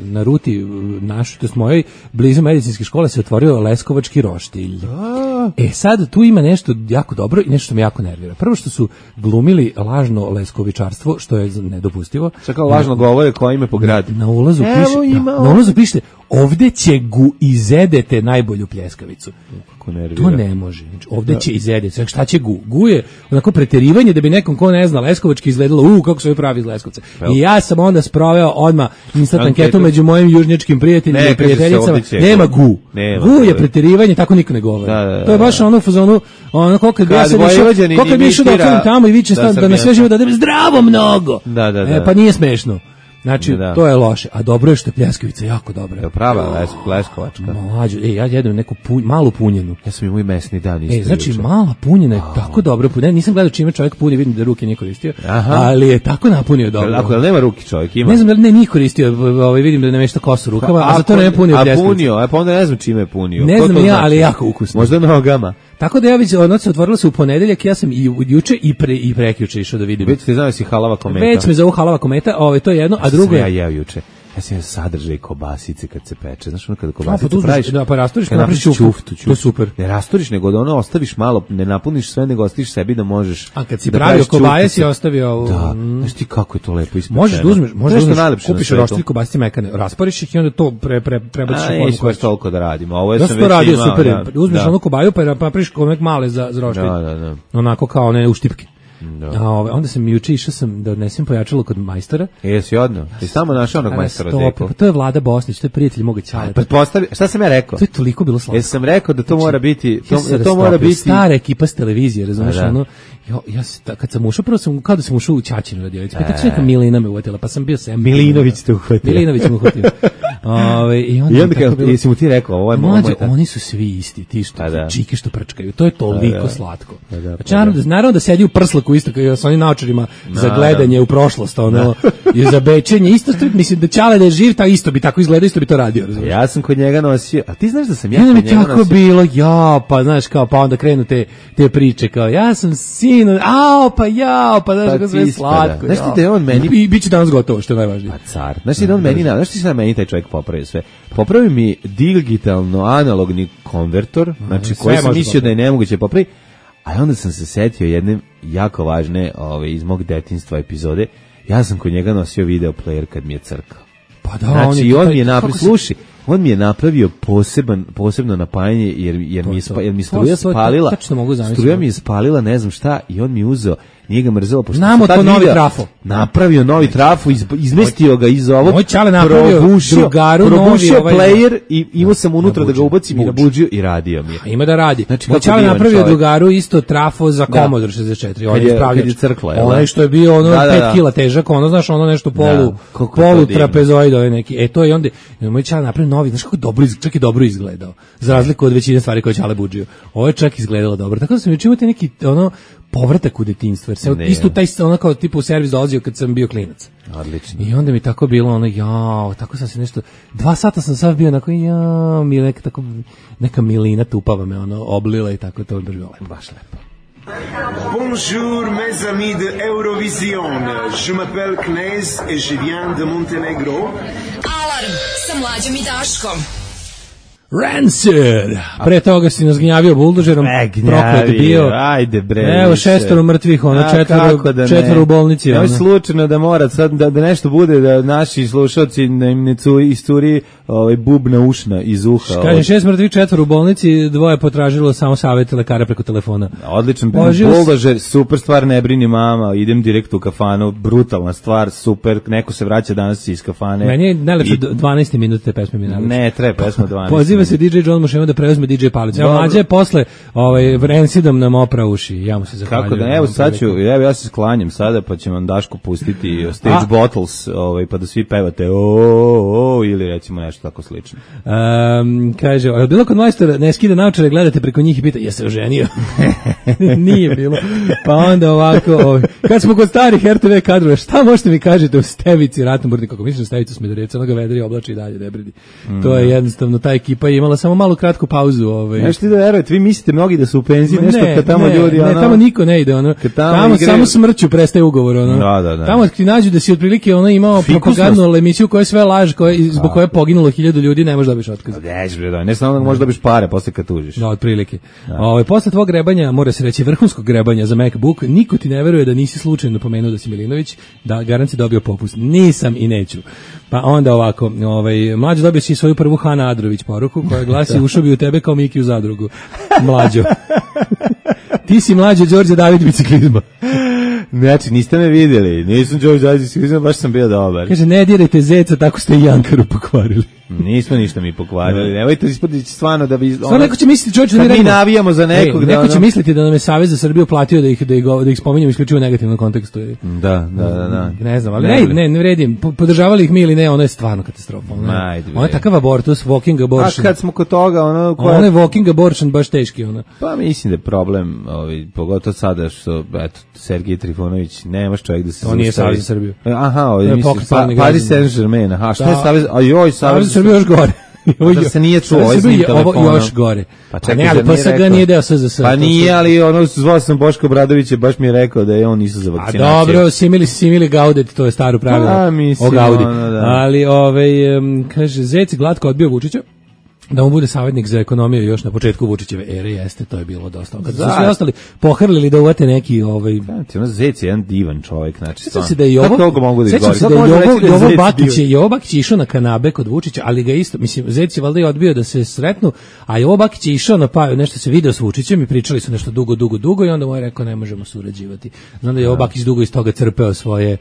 na ruti našu, to jest mojoj, blizu medicinske škole se otvorio Leskovački roštilj. E sad, tu ima nešto jako dobro i nešto što me jako nervira. Prvo što su glumili lažno leskovičarstvo, što je nedopustivo. Čekao lažno govore koja ime po gradu. Na ulazu Evo piše, ima da, na ulazu piše, ovde će gu izedete najbolju pljeskavicu. Kako nervira. To ne može. Znači, ovde će izedeti. Znači, šta će gu? Gu je onako preterivanje da bi nekom ko ne zna Leskovački izgledalo, u, kako se ovi pravi iz Leskovca. I ja sam onda sproveo odmah instant Anketu. anketu među mojim južnjačkim prijateljima Ne, i kaže se prijateljicama. ovde će Nema gu. gu. Nema Gu je gu. preterivanje, tako niko ne govori. Da, da, da, to je baš da. ono u fazonu, ono kako kad bi ja Kad sad išao, Vojvođanin kako kad bi išao da imitira otvorim tamo i viče da da, da na sve Srbijanca. živo da dam zdravo mnogo. Da, da, da. E, pa nije smešno. Znači, Da. to je loše. A dobro je što je pljeskavica jako dobra. Je prava les, Leskovačka. Mlađo, ej, ja jedem neku pu, malu punjenu. Ja sam imao i mesni dan isto. E, znači, juče. mala punjena je tako dobro punjena. Nisam gledao čime čovjek puni, vidim da ruke nije koristio, Aha. ali je tako napunio dobro. Ako jel nema ruki čovjek, ima. Ne znam da li ne nije koristio, ovaj, vidim da ne nešto kosu rukama, a zato ne punio A pljeskavicu. punio, a pa onda ne znam čime je punio. Ne Ko znam to ni ja, znači? ali je jako ukusno. Možda nogama. Tako da ja već, ono se otvorilo se u ponedeljak, ja sam i u- juče i pre i prekjuče išao da vidim. Već ti znaš si halava kometa. Već me zovu halava kometa, ovaj, to je jedno, a drugo Sam ja je... jeo juče. Ja sam jeo sadržaj kobasice kad se peče. Znaš ono kada A, pa kobasicu tu uzmeš- praviš? da, pa rasturiš, kad pa napraviš napraviš ćuftu. ćuftu, ćuftu. To je super. Ne rasturiš, nego da ono ostaviš malo, ne napuniš sve, nego ostaviš sebi da možeš. A kad si da pravio praviš kobaje ćuftice. si ostavio ovu... Da, znaš ti kako je to lepo ispečeno. Možeš da uzmeš, možeš da Nešto uzmeš, najlepše na kupiš svetu. roštilj kobasice mekane, rasporiš ih i onda to pre, pre, prebaciš A, u formu neću koja baš toliko da radimo. Ovo je Ja sam sam to već radio imao, super. da. Uzmeš Da. onu kobaju pa napraviš onak male za, za roštilj. Da, da, da. Onako kao one uštipke. Da. A ove, onda sam juče išao sam da odnesem pojačalo kod majstora. E, jesi odno? Ti samo našao onog A, majstora stop, Deku. pa to je Vlada Bosnić, to je prijatelj moga ćaleta. Pretpostavljam, šta sam ja rekao? To je toliko bilo slatko. Jesam rekao da to mora biti, to, Ja sam se da to mora rastopio. biti Stara ekipa s televizije, razumeš, A, da. ono, ja, ja se, ta- kad sam ušao, prvo sam, kao da sam ušao u Ćaćinu radionicu, pa E. tako se neka Milina me uvatila, pa sam bio sem. Milinović te uhvatio. Milinović me uhvatio. Ove, I onda, I onda je tako kad bilo- jesi mu ti rekao, ovo je mo- Mlađe, moj ta- oni su svi isti, ti što, Pa da. čike što prčkaju, to je toliko Pa da. slatko. Pa da, pa Znači, naravno, da, naravno da sedi u prslaku isto kao sa onim naočarima za gledanje u prošlost, ono, i za bečenje, isto što, mislim da Ćale da je živ, ta isto bi tako izgledao, isto bi to radio, razumiješ? Ja sam kod njega nosio, a ti znaš da sam ja Ja nam kod je njega tako nosio... bilo, ja, pa znaš kao, pa onda krenu te, te priče, kao, ja sam sin, ao, pa jao, pa znaš Pa kako sve ti slatko. ispada. Znaš ti jao. da je on meni- I bit će danas gotovo, što je najvažnije. Pa car. Znaš ti da on meni, na, znaš ti šta meni taj čovjek popravio sve? Popravio mi digitalno analogni konvertor, znači sve koji sam može mislio da je nemoguće popraviti, a onda sam se setio jedne jako važne ove, iz mog detinjstva epizode. Ja sam kod njega nosio video player kad mi je crkao. Pa da, Znači, on je i on taj- mi je napred, kako se- sluši, on mi je napravio poseban, posebno napajanje, jer, jer, mi, je spa, jer mi struja spalila, struja mi je spalila, ne znam šta, i on mi je uzeo, nije ga mrzelo, pošto znamo to novi trafo. Napravio novi trafo, iz, izmestio ga iz ovog, moj čale napravio probušio, drugaru probušio novi, ovaj, player i imao sam unutra da ga ubacim i nabuđio i radio mi je. Ima da radi. Znači, moj čale napravio čovjek. Drugaru isto trafo za Commodore šezdeset četiri. On je ispravljač. Onaj što je bio ono da, da, da. pet kila težak, ono znaš, ono nešto polu, da, polu trapezoid, ovaj neki. E to je onda, moj čale napravio novi, znaš kako dobro, čak i dobro izgledao. Za razliku od većine stvari koje čale buđio. Ovo je čak izgledalo dobro. Tako da sam juče imao te neki, ono, povratak u detinjstvo, jer se isto taj ono kao tipa u servis dolazio kad sam bio klinac. Odlično. I onda mi tako bilo ono, jao, tako sam se nešto, dva sata sam sad bio onako, jao, mi neka, tako, neka milina tupava me ono oblila i tako, to je bilo baš lepo. Bonjour mes amis de Eurovision, je m'appelle Knez et je viens de Montenegro. Alarm sa Mlađom i Daškom. Rancid. Pre toga si nas gnjavio buldožerom, proklet bio. Ajde bre. Evo šestoro mrtvih, ono četvoro, da četvoro u bolnici. Evo slučajno da mora sad da, da nešto bude da naši slušalci da im ne curi isturi ovaj bubna ušna iz uha. Kaže šest mrtvih, četvoro u bolnici, dvoje potražilo samo savjet lekara preko telefona. Odličan buldožer, super stvar, ne brini mama, idem direkt u kafanu, brutalna stvar, super, neko se vraća danas iz kafane. Meni je najlepše I... dvanaest minuta te pesme mi najlepše. Ne, treba pesma dvanaest. Poziva se D J John Mušema da preuzme D J Palić. Evo mlađe je posle ovaj Rancidom nam opra uši. Ja mu se zahvaljujem. Kako da, evo sad ću, evo ja se sklanjam sada, pa će vam Daško pustiti Stage A? Bottles, ovaj, pa da svi pevate o, o, o ili recimo nešto tako slično. Um, kaže, ali bilo kod majstora, ne skida naočare, gledate preko njih i pita, je se oženio? Nije bilo. Pa onda ovako, ovaj, kad smo kod starih R T V kadrova, šta možete mi kažete o Stevici Ratnoburni, kako mislim Stevicu Smederevca, ono ga vedri oblači i dalje, ne bridi. Mm. To je jednostavno, ta ekipa je imala samo malu kratku pauzu. Ovaj. Nešto ti da verujete, vi mislite mnogi da su u penziji, nešto ne, kad tamo ne, ljudi... Ne, ono, tamo niko ne ide, ono, tamo, tamo igre... samo smrću prestaje ugovor, ono. Da, da, da. Tamo ti nađu da si otprilike ono imao propagandnu emisiju koja je sve laž, koja, zbog koje je poginulo hiljadu ljudi, ne možeš dobiš otkaz. Ne, ne samo da možeš dobiš pare posle kad tužiš. Da, otprilike. Ovaj posle tvog grebanja, mora se reći vrhunskog grebanja za MacBook, niko ti ne veruje da nisi slučajno pomenuo da si Milinović, da garanci dobio popust. Nisam i neću. Pa onda ovako, ovaj mlađi dobio si svoju prvu Hana Adrović poruku koja glasi ušao bi u tebe kao Miki u zadrugu. Mlađo. Ti si mlađi Đorđe David biciklizma. Znači, niste me vidjeli. Nisam Đorđe David biciklizma, baš sam bio dobar. Kaže, ne dirajte zeca, tako ste i Jankaru pokvarili. Nismo ništa mi pokvarili. Nemojte ispodići stvarno da bi... Stvarno neko će misliti, čovječe, da mi navijamo za nekog. Ej, neko da će ono... misliti da nam je Savez za Srbiju platio da ih, da ih, da ih spominjamo isključivo u negativnom kontekstu. Da, da, da. da. Ne znam, ali ne, ne, ne, ne vredim. Podržavali ih mi ili ne, ono je stvarno katastrofa. Ono, ono je takav abortus, walking abortion. A kad smo kod toga, ono... Koja... Ono je walking abortion baš teški, ono. Pa mislim da je problem, ovaj, pogotovo sada što, eto, Sergej Trifunović, nemaš čovjek da se... To nije Savez za Srbiju. Aha, ovaj, mislim, pa, Paris Saint-Germain, aha, šta je Savez... Ajoj, Savez za Srbiju još gore. Da se nije čuo ovaj znim telefonom. Još gore. Pa čekaj, ne, ali pa sad ga nije deo S Z S. Pa nije, ali ono, zvao sam Boško Obradovića, baš mi je rekao da je on nisu za vakcinaciju. A dobro, simili, simili gaudet, to je staro pravilo. A, mislim, o gaudi. Ono, da. Ali, ovaj, um, kaže, Zec glatko odbio Vučića, da mu bude savjetnik za ekonomiju još na početku Vučićeve ere, jeste, to je bilo dosta. Kad su svi ostali pohrlili da uvate neki ovaj znači ono Zec je jedan divan čovjek, znači stvarno. Da je ovo, kako mogu da izgovori? Sećam se da je Jovo Bakić je Jovo Bakić išao na kanabe kod Vučića, ali ga isto, mislim, Zec je valjda i odbio da se sretnu, a Jovo Bakić je išao na pa nešto se video s Vučićem i pričali su nešto dugo, dugo, dugo i onda mu je rekao ne možemo surađivati. Znam da je Jovo Bakić dugo iz toga crpeo svoje,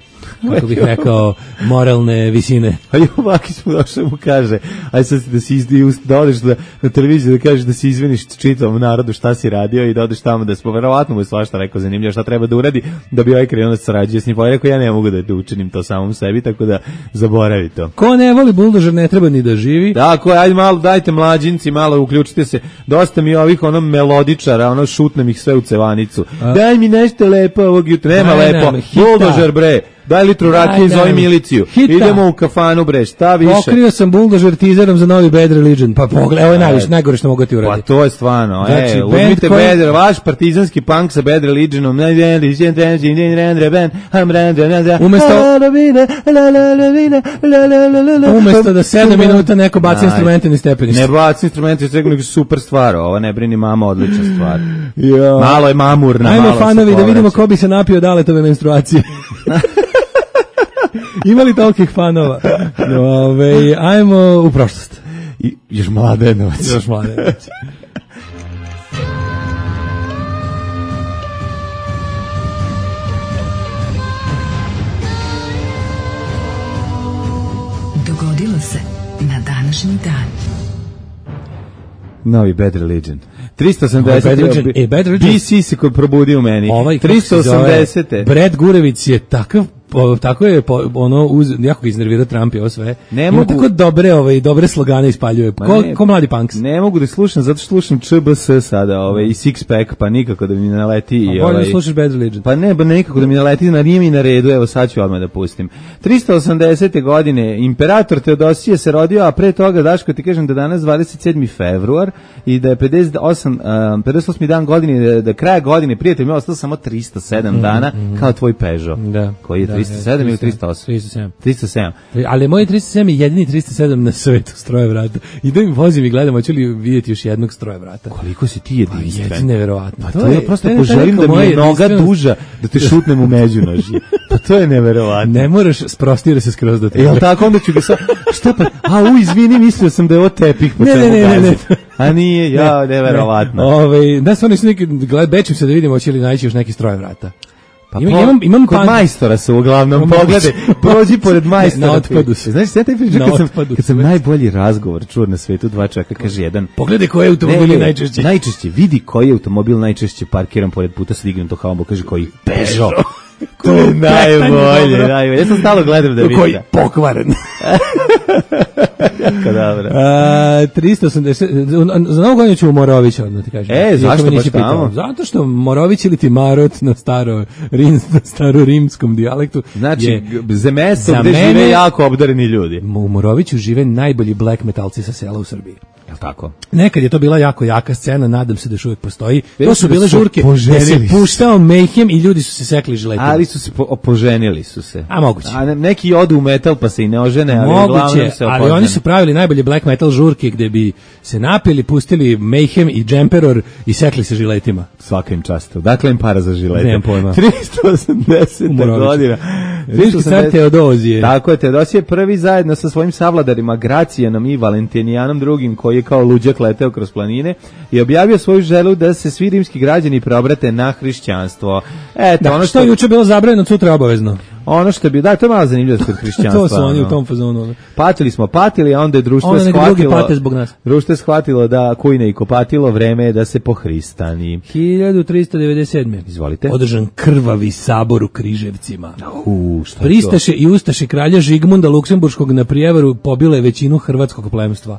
kako bih rekao, moralne visine. A Jovo Bakić mu došao mu kaže, aj sad da si izdi da odeš da, na televiziju da kažeš da se izviniš čitavom narodu šta si radio i da odeš tamo da smo verovatno mu je svašta rekao zanimljivo šta treba da uradi da bi ovaj krenuo da sarađuje s njim. Pa rekao ja ne mogu da učinim to samom sebi, tako da zaboravi to. Ko ne voli buldožer ne treba ni da živi. Tako je, ajde malo, dajte mlađinci, malo uključite se. Dosta mi ovih ono melodičara, ono šutnem ih sve u cevanicu. A? Daj mi nešto lepo ovog jutra. Nema ne, lepo. Ne, buldožer bre. Daj litru rakije, zove miliciju. Hita. Idemo u kafanu, bre, šta više? Pokrio sam buldožer teaserom za novi Bad Religion. Pa pogledaj, ovo je najviše, najgore što mogu ti uraditi. Pa to je stvarno. Znači, e, uzmite koji... Bad, vaš partizanski punk sa Bad Religionom. Umesto, umesto da sedam minuta neko baci instrumente ni stepenište. Ne baci instrumente, nego super stvar. Ovo ne brini mama, odlična stvar. Malo je mamurna. Ajmo fanovi da vidimo ko bi se napio daletove menstruacije. Ima li tolikih fanova? Ove, ajmo u prošlost. I još Mladenovac. Još Mladenovac. Dogodilo se na današnji dan. Novi Bad Religion. tristo osamdeset. Bad Religion. E, Bad Religion. B C se koji probudio u meni. Ovaj, tristo osamdeset. Brad Gurević je takav po, tako je po, ono uz jako ga iznervirao Trump i ovo sve. Ne Ima mogu, tako dobre ovaj dobre slogane ispaljuje. Ko, ne, ko mladi punks. Ne mogu da slušam zato što slušam Č B S sada, ovaj i Six Pack, pa nikako da mi naleti i ovaj. Bolje da slušaš Bad Religion. Pa ne, ba nikako da mi naleti, na nije mi na redu, evo sad ću odmah da pustim. tristo osamdesete godine imperator Teodosije se rodio, a pre toga Daško ti kažem da danas dvadeset sedmi februar i da je pedeset osam, pedeset osmi dan godine, da, da kraja godine prijatelj mi je ostalo samo tristo sedam mm, dana mm. kao tvoj Peugeot. Da. Koji je tristo sedam ili tristo osam? tristo sedam. tristo sedam. Ali moj tristo sedam je jedini tristo sedam na svetu stroje vrata. I da mi vozim i gledam, hoću li vidjeti još jednog stroje vrata. Koliko si ti jedinstven? Pa je neverovatno. Pa to, to je, je prosto poželim da mi je noga duža, da te šutnem u međunožje. Pa to je neverovatno. Ne moraš sprostiti se skroz do tebe. Jel tako, onda ću ga sa... Šta pa? A, u, izvini, mislio sam da je ovo tepih. Po ne, ne, ne, ne, ne. A nije, ja, ne, neverovatno. Ove, da se oni su neki, gled, bećem se da vidimo hoće li naći još neki stroje vrata. Pa imam, imam, imam kod pan... majstora su uglavnom, pogledaj, prođi pored majstora. Na otpadu su. Znaš, sve taj priča, kad, sam, kad sam najbolji razgovor čuo na svetu, dva čovjeka, kaže jedan. Pogledaj koji automobil je najčešće. Najčešće, vidi koji automobil najčešće parkiran pored puta sa dignutom haumbo, kaže koji Peugeot. To je najbolje, najbolje. Ja sam stalo gledam da vidim. Koji pokvaren. Jako dobro. A, tristo osamdeset, za novu godinu ću u Morovića, odmah ti kažem. E, zašto baš tamo? Zato što Morović ili ti Marot na staro, rim, na staro rimskom dijalektu. Znači, je, za mesto gde mene, žive jako obdareni ljudi. U Moroviću žive najbolji black metalci sa sela u Srbiji. Jel tako? Nekad je to bila jako jaka scena, nadam se da još uvijek postoji. Već to su bile žurke gde se puštao Mayhem i ljudi su se sekli žiletima. Ali su se po, poženili su se. A moguće. A neki odu u metal pa se i ne ožene, ali moguće, uglavnom se opožene. Ali oni su pravili najbolje black metal žurke gde bi se napili, pustili Mayhem i Jumperor i sekli se žiletima. Svaka im čast. Dakle im para za žilete. Nemam pojma. tristo osamdeseta godina. Rimski car Teodozije. Tako je, Teodosije prvi zajedno sa svojim savladarima Gracijanom i Valentinijanom drugim, koji je kao luđak leteo kroz planine i objavio svoju želju da se svi rimski građani preobrate na hrišćanstvo. Eto, da, ono što je juče bilo zabranjeno, sutra obavezno. Ono što bi, da, to je malo zanimljivo kod hrišćanstva. To su oni u tom fazonu. Patili smo, patili, a onda je društvo onda shvatilo. Drugi pate zbog nas. Društvo je shvatilo da kujne i kopatilo, vreme je da se pohristani. hiljadu tristo devedeset sedme. Izvolite. Održan krvavi sabor u Križevcima. U, šta Pristaše i ustaše kralja Žigmunda Luksemburškog na prijevaru pobile većinu hrvatskog plemstva.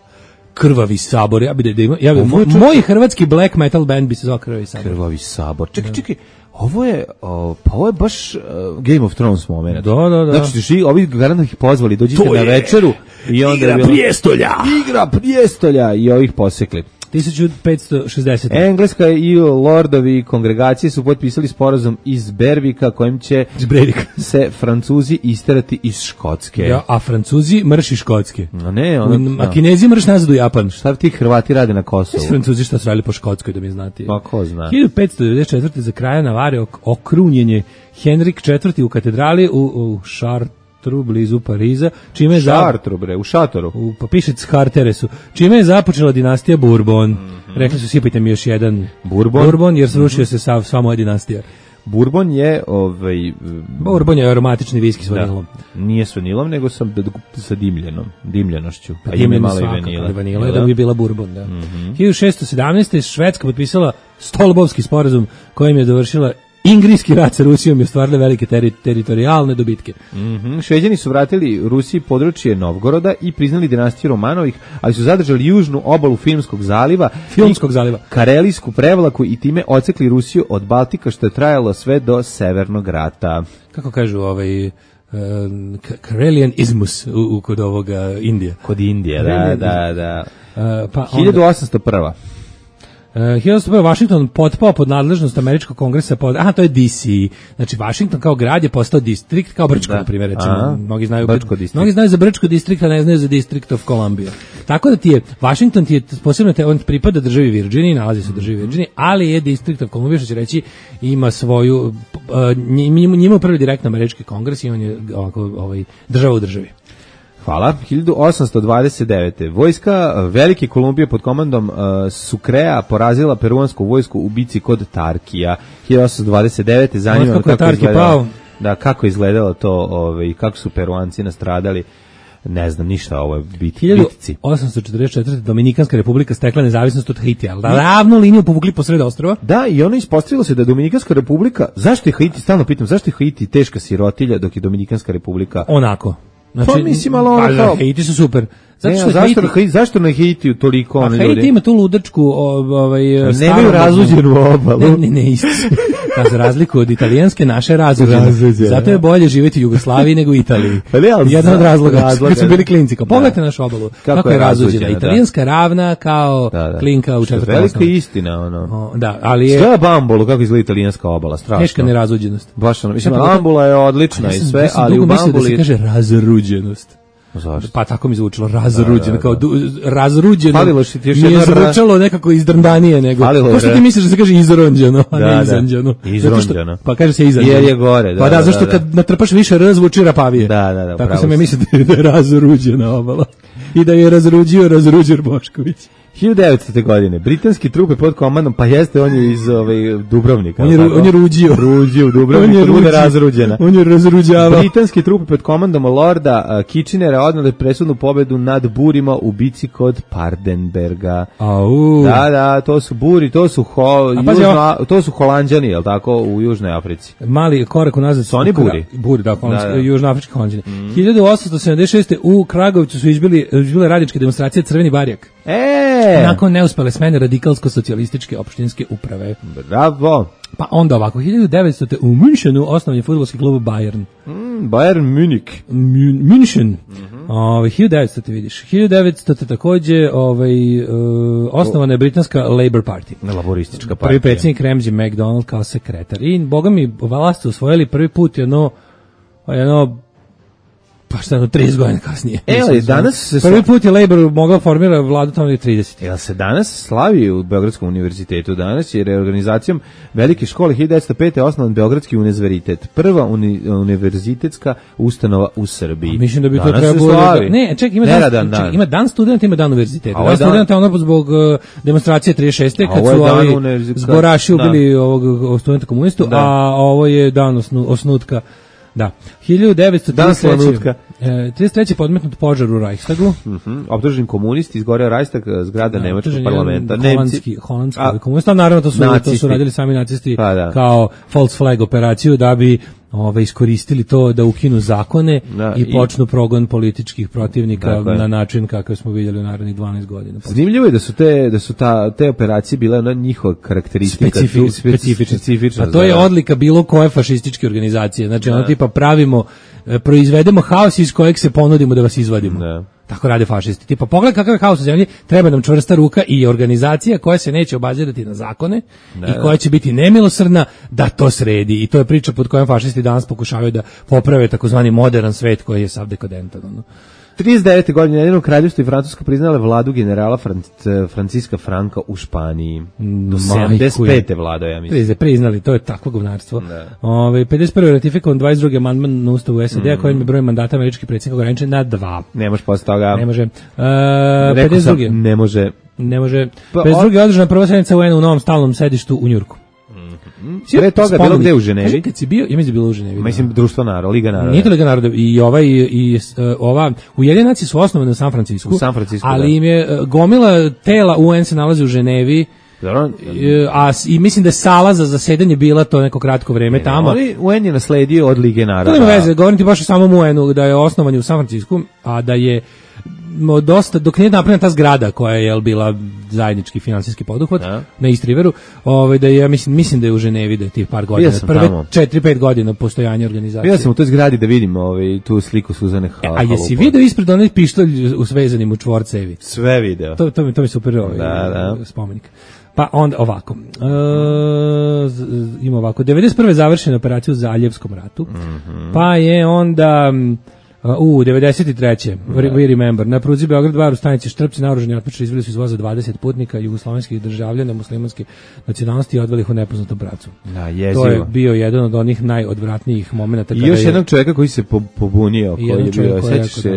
Krvavi sabor, ja bih da ima, ja bi, mo, moj hrvatski black metal band bi se zvao Krvavi sabor. Krvavi sabor. Čekaj, čekaj, ovo je, o, pa ovo je baš uh, Game of Thrones moment. Da, da, da. Znači, ži, ovi garantno ih pozvali, dođite na večeru i onda igra bilo, prijestolja. Igra prijestolja i ovih posekli. tisuću petsto šezdeset. Engleska i lordovi kongregacije su potpisali sporazum iz Bervika kojim će se Francuzi isterati iz Škotske. Ja, a Francuzi mrš iz Škotske. A ne, ono, a Kinezi mrš nazad u Japan. Šta ti Hrvati rade na Kosovu? Svi Francuzi šta su radili po Škotskoj, da mi znate. Pa ko zna. hiljadu petsto devedeset četvrte za kraja Navare okrunjenje Henrik četvrti u katedrali u, u Chartres blizu Pariza, čime je Šartru, bre, u šatoru. U, pa piše Charteresu. Čime je započela dinastija Bourbon. Mm -hmm. Rekli su, sipajte mi još jedan Bourbon, Bourbon jer srušio mm -hmm. se sav, sva moja dinastija. Bourbon je ovaj Bourbon je aromatični viski s vanilom. Nije s vanilom, nego sa sa dimljenom, dimljenošću. Pa ima malo i vanila. Vanila da bi bila Bourbon, da. Mm -hmm. hiljadu šessto sedamnaeste Švedska potpisala Stolbovski sporazum kojim je dovršila Ingrijski rat sa Rusijom i ostvarili velike teri, teritorijalne dobitke. Mm-hmm. Šveđani su vratili Rusiji područje Novgoroda i priznali dinastiju Romanovih, ali su zadržali južnu obalu Filmskog zaliva, Filmskog zaliva, Karelijsku prevlaku i time odsekli Rusiju od Baltika, što je trajalo sve do Severnog rata. Kako kažu ovaj... Uh, Karelian Ismus u, u, kod ovoga Indije. Kod Indije, da, da, da. Uh, pa hiljadu osamsto prva. Uh, hiljadu osamsto prva Washington potpao pod nadležnost Američkog kongresa. Pod, aha, to je D C. Znači, Washington kao grad je postao distrikt, kao Brčko, na primjer, rečemo. Mnogi znaju, mnogi znaju za Brčko distrikt, a ne znaju za District of Columbia. Tako da ti je, Washington ti je posebno, te, on pripada državi Virginiji, nalazi se u državi Virginiji, ali je District of Columbia, što će reći, ima svoju, uh, njima upravlja direktno Američki kongres i on je ovako, ovaj, država u državi. Hvala. hiljadu osamsto dvadeset devete. Vojska Velike Kolumbije pod komandom uh, Sucrea porazila peruansku vojsku u bici kod Tarkija. hiljadu osamsto dvadeset devete. Zanima kako, kako je izgledalo. Da, kako izgledalo to, ovaj, kako su Peruanci nastradali. Ne znam ništa o ovoj biti. hiljadu osamsto četrdeset četvrte. Dominikanska republika stekla nezavisnost od Haitija. Ravnu liniju povukli posred ostrva. Da, i ono ispostavilo se da je Dominikanska republika, zašto je Haiti, stalno pitam, zašto je Haiti teška sirotilja dok je Dominikanska republika onako. Znači, pa mislim, ali ono kao... Haiti su super. Zato ne, što zašto, Haiti, na, zašto na Haitiju toliko oni ljudi? Haiti ima tu ludačku ovaj, nemaju razluđenu obalu. Ne, ne, ne, isto. Pa za razliku od italijanske, naše razluđene. Zato je bolje živjeti u Jugoslaviji nego u Italiji. Jedan od razloga, razloga kad su bili klinci. Kao, pogledajte našu obalu. Kako, kako je razluđena. Italijanska ravna kao da, da. Klinka u četvrtom velika istina, ono. O, da, ali je... Sve Bambolu, kako izgleda italijanska obala, strašno. Teška nerazluđenost. Baš ono, mislim, Bambula je odlična i sve, ali u Bambuli... da se kaže razruđenost. Zašto? Pa tako mi zvučilo razruđeno, da, da, da. kao du, razruđeno. Falilo što ti još nije zvučalo nekako izdrndanije nego. Ko što ti misliš da se kaže izronđeno, a da, ne izanđeno. Da. Izronđeno. Pa kaže se izanđeno. Jer je gore, da. Pa da, da zašto da, kad natrpaš više r zvuči rapavije. Da, da, da. Tako sam ja mislio da je razruđena obala. I da je razruđio Razruđer Bošković. hiljadu devetste. godine britanski trupe pod komandom, pa jeste on je iz ovaj Dubrovnika. On je, on je ruđio. Ruđio u Dubrovniku, on bude razruđena. On je razruđavao. Britanski trupe pod komandom Lorda uh, Kitchenera odnele presudnu pobedu nad Burima u bici kod Pardenberga. Au. Da, da, to su Buri, to su ho, južno, to su Holanđani, je l' tako, u Južnoj Africi. Mali korak unazad. Su oni Buri? Buri, da, da, da. Južnoafrički Holanđani. Mm. hiljadu osamsto sedamdeset šeste. u Kragovicu su izbili, izbile radničke demonstracije Crveni barjak. E! Nakon neuspele smene radikalsko-socijalističke opštinske uprave. Bravo. Pa onda ovako, hiljadu devetste. u Münchenu osnovan je fudbalski klub Bayern. Mm, Bayern Munich. München. Mm-hmm. Ove, hiljadu devetste. vidiš. hiljadu devetste. takođe ovaj, uh, osnovana je britanska Labour Party. Laboristička partija. Prvi predsjednik Ramsay MacDonald kao sekretar. I boga mi, vlast su osvojili prvi put jedno, jedno pa šta jedno trideset godina kasnije. E, ali danas se prvi put je Labour mogao formira vladu tamo je trideset. Jel se danas slavi u Beogradskom univerzitetu? Danas je reorganizacijom Velike škole hiljadu devetsto pete. osnovan Beogradski univerzitet. Prva uni, univerzitetska ustanova u Srbiji. A mislim da bi danas to trebalo. Ne, čekaj, ima dan, dan. Ček, ima dan studenta, ima dan univerziteta. Dan studenta ono zbog uh, demonstracije trideset šeste. kad su ovi zboraši ubili ovog studenta komunistu, da. A ovo je dan osnu, osnutka. Da. hiljadu devetsto trideset treće. E, trideset treće podmetnut požar u Reichstagu. Mhm. Optužen komunist izgoreo Reichstag, zgrada da, nemačkog parlamenta. Holandski, holandski komunista, naravno to su nacisti. To su radili sami nacisti pa, da. Kao false flag operaciju da bi ove iskoristili to da ukinu zakone da, i počnu i, progon političkih protivnika dakle, na način kakav smo vidjeli u narednih dvanaest godina. Zanimljivo je da su te da su ta te operacije bile ona njihova karakteristika Specifi, specifična. specifična. A to je odlika bilo koje fašističke organizacije. Znači ono tipa pravimo proizvedemo haos iz kojeg se ponudimo da vas izvadimo. Da. Tako rade fašisti. Tipa, pogledaj kakav je haos u zemlji, treba nam čvrsta ruka i organizacija koja se neće obazirati na zakone da, i koja će biti nemilosrdna da to sredi. I to je priča pod kojom fašisti danas pokušavaju da poprave takozvani modern svet koji je sav dekadentan. No. trideset devete. godine Ujedinjeno kraljevstvo i Francuska priznale vladu generala Franc- Franciska Franka u Španiji. Do sedamdeset pete vladao, ja mislim. Priznali, to je takvo govnarstvo. Ove, pedeset prve ratifikovan dvadeset drugi amandman na ustavu S A D-a mm. kojim je broj mandata američkih predsjednika ograničen na dva. Ne može posle toga. Ne može. Uh, pedeset drugi. Ne može. Ne može. Pa, pedeset drugi. održana prva sednica U N u novom stalnom sedištu u Njujorku. Pre toga bilo gde u Ženevi? Kaži, kad si bio, ja mislim da bilo u Ženevi. Mislim, društvo naroda, Liga naroda. Nije to Liga naroda, i ova, i, i ova, Ujedinjene nacije su osnovane u San Francisku, u San Francisku ali da. im je gomila tela U N se nalazi u Ženevi, Dobro. A, i mislim da je sala za zasedanje bila to neko kratko vreme ne, tamo. Ali U N je nasledio od Lige naroda. To nema veze, govorim ti baš o samom U N-u, da je osnovan u San Francisku, a da je dosta, dok nije napravljena ta zgrada koja je bila zajednički finansijski poduhvat ja. na East Riveru, ovaj, da je, ja mislim, mislim da je u Ženevi da je tih par godina, prve četiri pet godina postojanja organizacije. Ja sam u toj zgradi da vidim ovaj, tu sliku Suzane Hal. A jesi video ispred onaj pištolj usvezanim u čvorcevi? Sve video. To, to, mi, to mi super ovaj, da, da. spomenik. Pa onda ovako, e, ima ovako, devedeset prve završena operacija u Zaljevskom ratu, mm-hmm. pa je onda... U, devedeset treće We remember. Na pruzi Beograd-Var u stanici Štrpci naoružani otmičari izveli su iz voza dvadeset putnika jugoslovenskih državljana muslimanske nacionalnosti i odveli ih u nepoznatom pravcu. Da, jezivo. To je bio jedan od onih najodvratnijih momenata. I još jednog čovjeka koji se pobunio, koji je bio, sećaš se...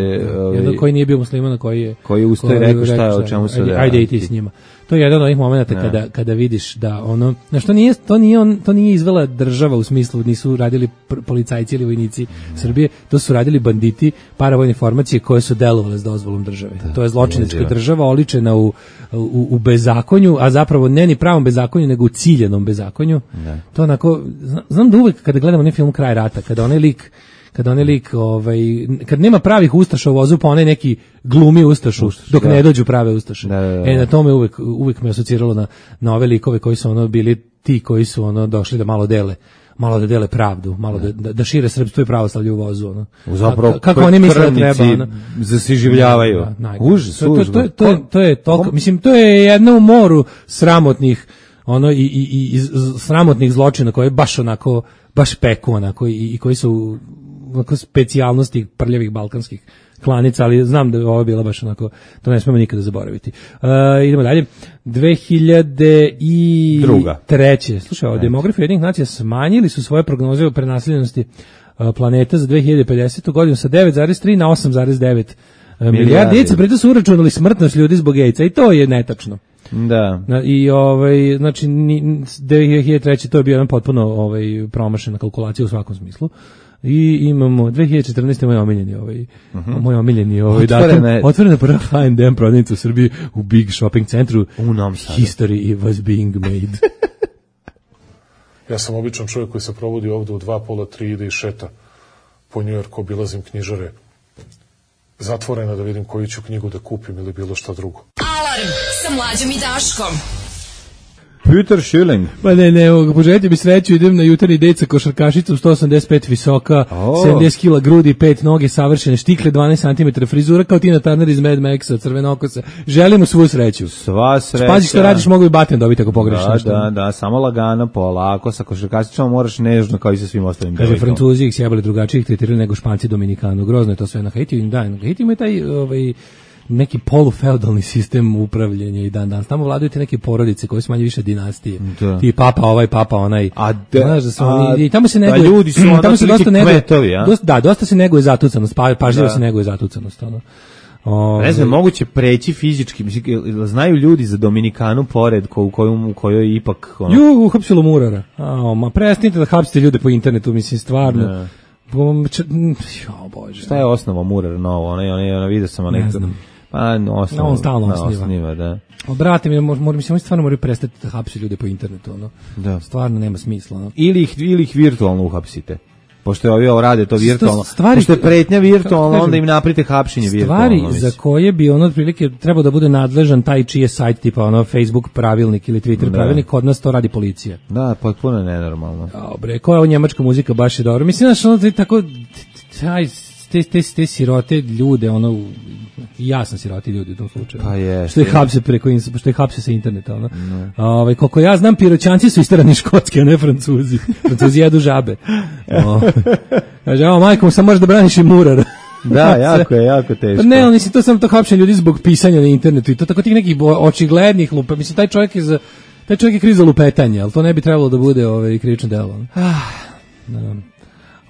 Jedan koji nije bio musliman, koji je... Koji je ustao i rekao šta je, o čemu se da... Ajde i ti s njima. To je jedan od onih momenata kada, kada vidiš da ono, na što nije, to nije on, to nije izvela država u smislu, nisu radili policajci ili vojnici Srbije, to su radili banditi, paravojne formacije koje su delovale s dozvolom države. Da, to je zločinačka država oličena u, u, u bezakonju, a zapravo ne ni pravom bezakonju, nego u ciljenom bezakonju. Da. To onako, znam da uvek kada gledamo onaj film Kraj rata, kada onaj lik kada onaj lik, ovaj, kad nema pravih ustaša u vozu, pa onaj neki glumi ustašu, Ustaš, dok da. ne dođu prave ustaše. Da, da, da. E, na tome uvek, uvek me asociralo na, na ove likove koji su ono bili ti koji su ono došli da malo dele, malo da dele pravdu, malo da, da, da šire srpstvo i pravoslavlje u vozu. Ono. Zapravo, kako oni misle da treba? Ono. Zasiživljavaju. Da, užas, to, to, to, to, to je toliko, mislim, to je jedno u moru sramotnih ono i, i, i, i sramotnih zločina koje baš onako, baš peku onako i, i koji su onako specijalnosti prljavih balkanskih klanica, ali znam da je ovo bila baš onako, to ne smemo nikada zaboraviti. Uh, idemo dalje. dve hiljade treće Slušaj, demografi Ujedinjenih nacija smanjili su svoje prognoze o prenaseljenosti uh, planeta za dve hiljade pedesetu godinu sa devet zarez tri na osam zarez devet milijardi djece, preto su uračunali smrtnost ljudi zbog AIDS-a i to je netačno. Da. I ovaj znači dve hiljade treće to je bio jedan potpuno ovaj promašena kalkulacija u svakom smislu. I imamo dve hiljade četrnaeste moj omiljeni ovaj uh-huh. moj omiljeni ovaj datum otvorena prva H and M prodavnica u Srbiji u Big Shopping centru u Novom Sadu. History was being made. Ja sam običan čovjek koji se provodi ovde u dva pola tri ide i šeta po Njujorku, obilazim knjižare zatvorena da vidim koju ću knjigu da kupim ili bilo šta drugo. Alarm sa Mlađom i Daškom. Peter Schilling. Pa ne, ne, poželite mi sreću, idem na jutarnji dejt sa košarkašicom, sto osamdeset pet visoka, oh. sedamdeset kilograma grudi, pet noge, savršene štikle, dvanaest centimetara frizura, kao Tina Turner iz Mad Maxa, crvenokosa. Želimo svu sreću. Sva sreća. Pazi što radiš, mogu i baten dobiti ako pogrešiš da, nešto. Da, da, samo lagano, polako, sa košarkašicom moraš nežno kao i sa svim ostalim. Kaže, Francuzi ih sjebali drugačije, ih tretirali nego Španci Dominikanu. Grozno je to sve na Haitiju. Da, na Haitiju ima taj ovaj neki polufeudalni sistem upravljanja i dan danas. Tamo vladaju te neke porodice koje su manje više dinastije. Da. Ti papa ovaj, papa onaj. A de, znaš da su oni, i tamo se neguje, ljudi su ono tamo se dosta neguje, kvetovi, a? Dosta, da, dosta se neguje zatucanost, pa, pažljivo da. se neguje zatucanost. Ono. O, ne znam, moguće preći fizički, mislim, znaju ljudi za Dominikanu pored ko, u, kojoj, u kojoj ipak... Ono... Ju, uhapsilo Murara. A, ma prestanite da hapsite ljude po internetu, mislim, stvarno. Ne. Jo, Bože. Šta je osnova Murara novo? Ona, ona, ona vidio sam onaj... Ne znam. Pa, osnova, on stalno osniva. osniva, da. O, brate, mi, mor, mislim, oni stvarno moraju prestati da hapsi ljude po internetu, ono. Da. Stvarno nema smisla, ono. Ili ih, ili ih virtualno uhapsite. Pošto je ovi ovo rade to virtualno. Stvari, pošto je pretnja virtualno, kažem, onda im naprite hapšenje virtualno. Stvari za koje bi ono otprilike trebao da bude nadležan taj čiji je sajt, tipa ono Facebook pravilnik ili Twitter da. pravilnik, kod nas to radi policija. Da, potpuno je nenormalno. Dobre, koja je ovo njemačka muzika, baš je dobro. Mislim, znaš, ono tako, taj, te, te, te sirote ljude, ono, ja sam siroti ljudi u tom slučaju. Pa je. Što je hapse preko, što je hapse sa interneta, ono. No. Ovaj, koliko ja znam, Piroćanci su istarani Škotske, a ne Francuzi. Francuzi jedu žabe. O, kaže, evo, majko, sam možeš da braniš i Murara. Da, jako je, jako teško. Ne, ali mislim, to sam to hapšenje ljudi zbog pisanja na internetu i to tako tih nekih očiglednih lupa. Mislim, taj čovjek je za, taj čovjek je kriv za lupetanje, ali to ne bi trebalo da bude ovaj, krivično delo. Ah, da.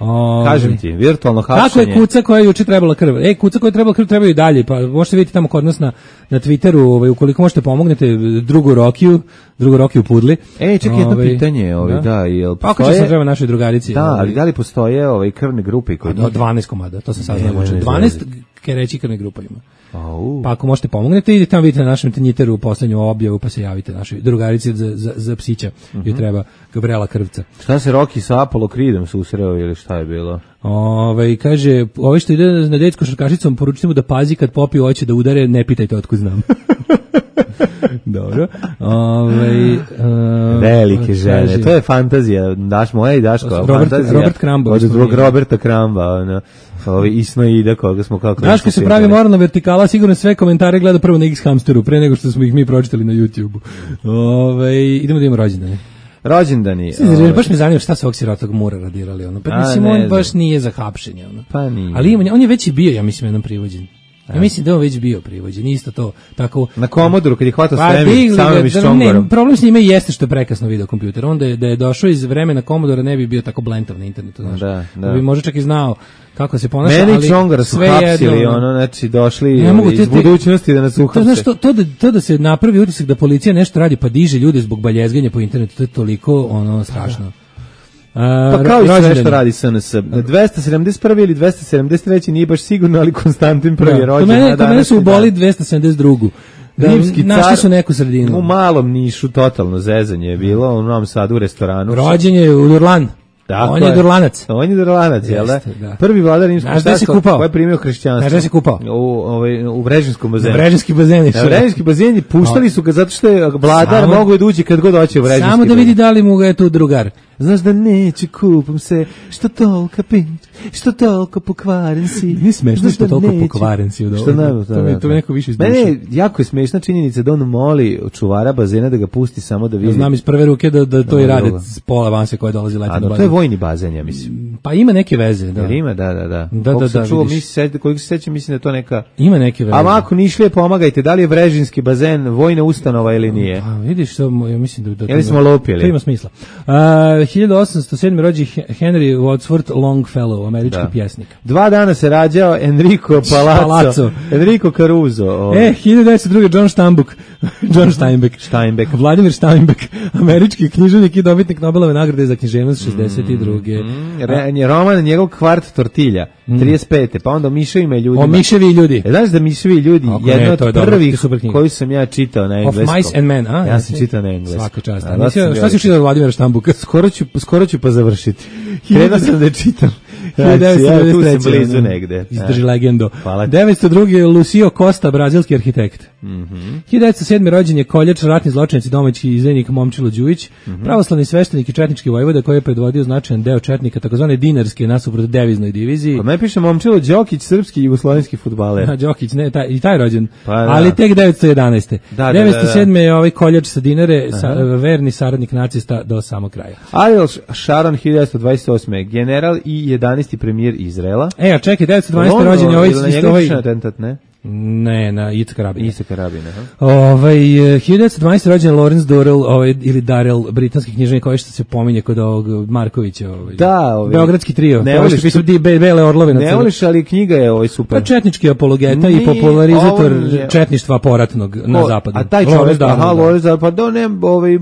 O, kažem ti, virtualno hapšenje. Kako je kuca koja je juče trebala krv? E, kuca koja je trebala krv trebaju i dalje, pa možete vidjeti tamo kod nas na, na Twitteru, ovaj, ukoliko možete pomognete drugu Rokiju, drugu Rokiju Pudli. E, čekaj, jedno ovaj, pitanje, ovaj, da, da jel postoje... Kako će se treba našoj drugarici? Da, ali da li postoje ovaj, krvne grupe? Koje... Do dvanaest komada, to sam saznao. dvanaest kereći krvne grupa ima. Au. Pa ako možete pomognete, idite tamo, vidite na našem Twitteru u poslednju objavu, pa se javite našoj drugarici za, za, za psića, uh-huh. joj treba Gabriela Krvca. Šta se Roki sa Apollo Creedom susreo ili šta je bilo? Ove, kaže, ovo što ide na dejt s košarkašicom, poručite mu da pazi kad popiju hoće da udare, ne pitajte otkud znam. Dobro. Ove, uh, velike žene, kaže, to je fantazija, daš moja i Daško, Robert, fantazija. Robert Kramba. Od drugog Roberta Kramba, ono. Ovi Ismaida koga smo kako Daško se pravi moralna vertikala, sigurno sve komentare gleda prvo na X Hamsteru pre nego što smo ih mi pročitali na YouTubeu. Ovaj idemo da imamo rođendane. rođendani. Znači, baš me zanima šta su ovog sirotog Mura radirali, ono. Pa mislim, on baš nije za hapšenje, ono. Pa nije. Ali ima, on je već i bio, ja mislim, jednom privođen. Ja mislim da on već bio privođen, isto to, tako... Na Komodoru, kad je hvatao pa, svemir, samim iz Čongorom. Problem s njime jeste što je prekasno video kompjuter. Onda je, da je došao iz vremena Komodora, ne bi bio tako blentav na internetu, znaš. Da, da. Da bi možda čak i znao kako se ponaša, meni ali Čongora su hapsili, ono, znači, došli iz te, budućnosti da nas uhapse. To, znaš, to, to, da, to da se napravi utisak da policija nešto radi, pa diže ljude zbog baljezganja po internetu, to je toliko, ono, strašno. A, pa kao i sve što radi S N S. dvesta sedamdeset prvi ili dvesta sedamdeset treći nije baš sigurno, ali Konstantin prvi je rođen. To mene, to mene su uboli dvesta sedamdeset drugi. Da, našli su neku sredinu. U malom Nišu totalno zezanje je bilo, u Novom Sadu u restoranu. Rođen je u Durlan. Dakle, on je Durlanac. On je Durlanac, jel da? da? Prvi vladar Rimskog carstva koji je primio hrišćanstvo. Znaš gde se kupao? U, ovaj, u Vrežinskom bazenu. Vrežinski bazeni. Ja, Vrežinski bazeni puštali su ga zato što je vladar mogu da uđe kad god hoće u Vrežinski. Samo da vidi da li mu ga je tu drugar. Znaš da neće, kupam se, što tolika pinč, što toliko pokvaren si. Nije smešno što toliko pokvaren si. Što naravno, to mi to neko više izduša. Mene jako je smešna činjenica da on moli čuvara bazena da ga pusti samo da vidi. Ja znam iz prve ruke da, da to i rade s pola vanse koje dolazi leti na bazen. To je vojni bazen, ja mislim. Pa ima neke veze, da. Jer ima, da, da, da. Da, da, da, čuo, mi se, koliko se sećam, mislim da to neka... Ima neke veze. A ako Nišlije, pomagajte, da li je Vrežinski bazen vojna ustanova ili nije? Pa vidiš, to, ja mislim da... da Jeli smo lopili? To ima smisla. Uh, hiljadu osamsto sedme rođen Henry Wadsworth Longfellow, američki da. pjesnik. Dva dana se rađao Enrico Palazzo. Palazzo. Enrico Caruso. Ovaj. E, hiljadu devetsto druge. John Steinbeck. John Steinbeck. Steinbeck. Vladimir Steinbeck, američki književnik i dobitnik Nobelove nagrade za književnost šezdeset druge. Mm, mm. Roman njegov Kvart tortilja, mm. trideset pete. Pa onda o miševima i ljudima. O miševi ljudi. E, znaš da miševi i ljudi, Ako jedno ne, od prvih koji sam ja čitao na engleskom. Of Mice and Men, a? Ja sam čitao na engleskom. Svaka čast. A, a šta si čitao od Vladimira Steinbecka? Skoro ću, skoro ću pa završiti. Krenuo sam da čitam. hiljadu devetsto devedeset treće. Tu sam blizu negde. Izdrži legendo. devetsto druge. Lucio Costa, brazilski arhitekt. Mm -hmm. hiljadu devetsto sedme. rođen je koljač, ratni zločinac i domaći izdajnik Momčilo Đujić, mm -hmm. pravoslavni sveštenik i četnički vojvoda koji je predvodio značajan deo četnika, takozvane dinarske nasuprot deviznoj diviziji. Kod me piše Momčilo Đokić, srpski jugoslovenski fudbaler. A Đokić, ne, taj, i taj rođen. Pa, da. Ali tek devetsto jedanaeste. Da, da, devetsto sedme. da, da. je ovaj koljač sa Dinare, sa, verni saradnik nacista do samog kraja. Ariel Sharon, hiljadu devetsto dvadeset osme. general i jedanaesti premijer Izraela. E, a čekaj, devetsto dvanaeste. rođen je ovaj... Ili na njega atentat, ne? Ne, na Itzhak Rabina. Itzhak Rabina, ha. Ovaj hiljadu devetsto dvanaeste. rođen Lawrence Durrell, ovaj ili Darrell, britanski književnik koji što se pominje kod ovog Markovića, ovaj. Da, ovaj. Beogradski trio. Ne voliš što ti bele orlove na Ne voliš, ali knjiga je ovaj super. Pa četnički apologeta Nije, i popularizator je... četništva poratnog Ko, na zapadu. A taj čovjek, aha, Lawrence, pa do ne, ovaj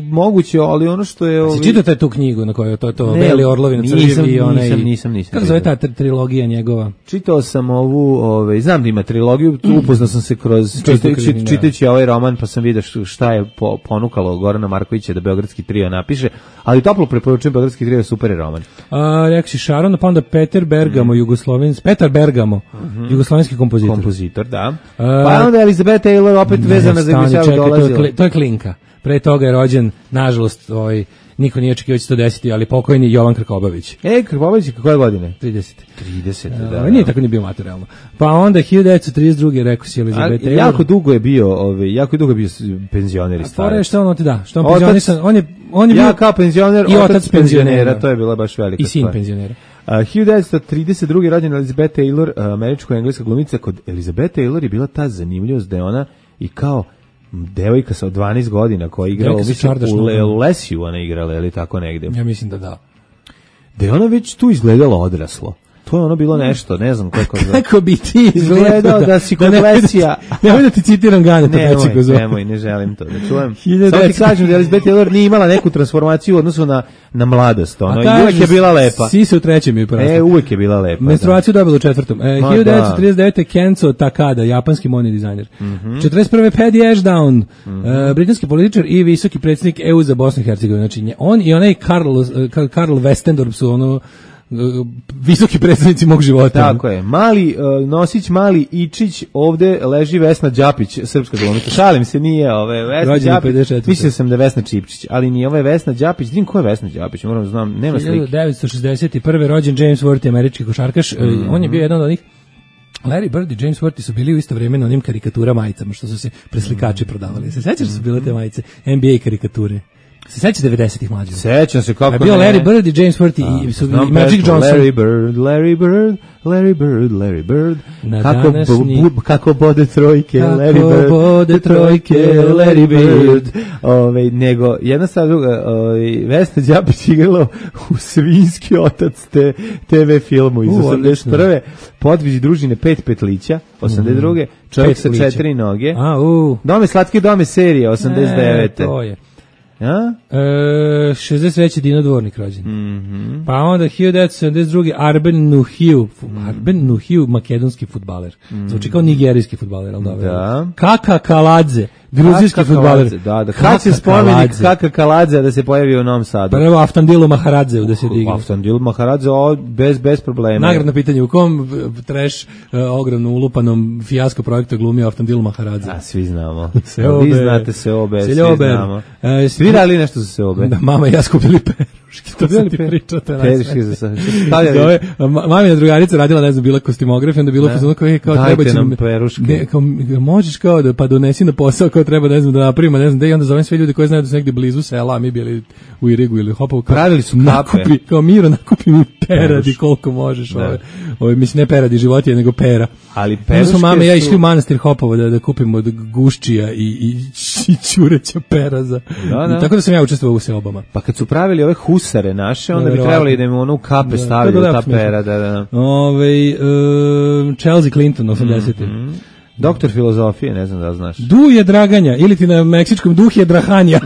moguće, ali ono što je ovaj. Si čitao tu knjigu na kojoj to to beli orlovi na crvi i onaj. Nisam, nisam, nisam. Kako zove ta trilogija njegova? Čitao sam ovu, ovaj, znam da ima trilogiju, upoznao sam se kroz čitajući, čitajući ovaj roman, pa sam vidio šta je ponukalo Gorana Markovića da Beogradski trio napiše, ali toplo preporučujem, Beogradski trio je super roman. A, rekao si Sharon, pa onda Peter Bergamo, mm. jugoslovenski, Petar Bergamo, mm -hmm. jugoslovenski kompozitor. Kompozitor, da. A, pa onda Elizabeth Taylor opet ne, vezana za Gvišavu dolazila. To je, to je klinka. Pre toga je rođen, nažalost, ovaj, niko nije očekivao će to desiti, ali pokojni Jovan Krkobabić. E, Krkobabić, koje godine? trideset. trideset, da. da. Uh, nije tako ni bio materijalno. Pa onda hiljadu devetsto trideset druge. rekao si Elizabeth Taylor. Jako dugo je bio, ovaj, jako dugo je bio penzioner i starac. A fora što on ti da, što on penzionisan, on je on je ja bio kao penzioner, i otac, otac penzionera, penzionera, to je bila baš velika i sin stvar. penzionera. Uh, hiljadu devetsto trideset druge. rođena Elizabeth Taylor, uh, američko-engleska glumica. Kod Elizabeth Taylor je bila ta zanimljivost da je ona i kao devojka sa dvanaest godina koja je igrala u, Le, u Lesiju, ona igrala, ili tako negde. Ja mislim da da. Da je ona već tu izgledala odraslo. To je ono bilo nešto, ne znam kako zove. Kako bi ti izgledao da, da si kod Lesija. Nemoj da ti citiram Ganeta Peciko. Nemoj, ne želim to da čujem. Samo ti kažem da Elizabeth Taylor nije imala neku transformaciju u odnosu na, na mladost. Ono, i uvek je bila lepa. Si se u trećem je porastao. E, uvek je bila lepa. Menstruaciju dobila u četvrtom. E, hiljadu devetsto trideset devete. Kenzo Takada, japanski modni dizajner. Mm -hmm. četrdeset prve. Paddy Ashdown, mm -hmm. uh, britanski političar i visoki predsjednik E U za Bosnu i Hercegovinu. Znači, on i onaj Karl, uh, Karl Westendorp su ono visoki predstavnici mog života. Tako je. Mali uh, nosić Mali Ičić, ovde leži Vesna Đapić, srpska glumica. Šalim se, nije ove Vesna Đapić. Mislio sam da je Vesna Čipčić, ali nije, ovo je Vesna Đapić. Znam ko je Vesna Đapić, moram da znam, nema slike. hiljadu devetsto šezdeset prve. rođen James Worthy, američki košarkaš. Mm -hmm. On je bio jedan od onih. Larry Bird i James Worthy su bili u isto vrijeme na onim karikatura majicama što su se preslikači prodavali. Se sećaš da su bile te majice? N B A karikature. Se seća devedesetih mlađih? Sećam se kako je bio ne. Larry Bird i James Worthy i, su, i Magic Johnson. Larry Bird, Larry Bird, Larry Bird, Larry Bird. Na kako, današnji... bu, kako bode trojke, kako Larry Bird. bode trojke, Larry Bird. Ove, nego, jedna stvar druga, ove, Vesna Đapić igrala u Svinjski otac te, te ve filmu iz osamdeset prve. Podvizi družine Pet petlića, osamdeset druge. Čovjek sa četiri noge. A, u. Dome slatke dome serije, osamdeset devete. E, to je. Ja? E, šezdeset treći Dino Dvornik rođen. Mm -hmm. Pa onda hiljadu devetsto sedamdeset druge Arben Nuhiu. Mm. Arben Nuhiu, makedonski fudbaler. Mm. Zvuči kao nigerijski fudbaler, ali dobro. Da. Kaka Kaladze, gruzijski fudbaler. Da, da. Kad će spomenik Kaka Kaladze da se pojavi u Novom Sadu? Prvo Aftandilu Maharadzeu da se digne. Aftandilu Maharadzeu, bez, bez problema. Nagradno pitanje, u kom trash uh, ogromno ulupanom fijasko projektu glumio Aftandilu Maharadzeu? A, svi znamo. Seobe. Vi znate Seobe, svi znamo. E, svi radili nešto za Seobe? Da, mama i ja skupili peruški, to sam ti pričao. Peruški za sve. Zove, mamina drugarica radila, ne znam, bila kostimograf, onda bilo fazonu kao, kao treba će nam peruške. Ne, kao, možeš kao da, pa donesi na posao, kao treba, ne znam, da napravimo, ne znam, da i onda zovem sve ljudi koji znaju da su negde blizu sela, a mi bili u Irigu ili Hopovu. Pravili su kape. Nakupi, kao Miro, nakupi mi peradi koliko možeš. Ove, ove, mislim, ne peradi životinje, nego pera. Ali peruške su... mama i ja išli su... u manastir Hopovo da, da kupimo od guščija i, i, i čureća peraza. Da, da. I tako da sam ja učestvovao u seobama. Pa kad su pravili ove husare naše, onda da, bi trebali da im ono u kape da, stavili da, ta pera. Da, da. Ove, uh, Chelsea Clinton, osamdesete. Mm -hmm. Doktor filozofije, ne znam da znaš. Du je Draganja, ili ti na meksičkom Duh je Drahanja,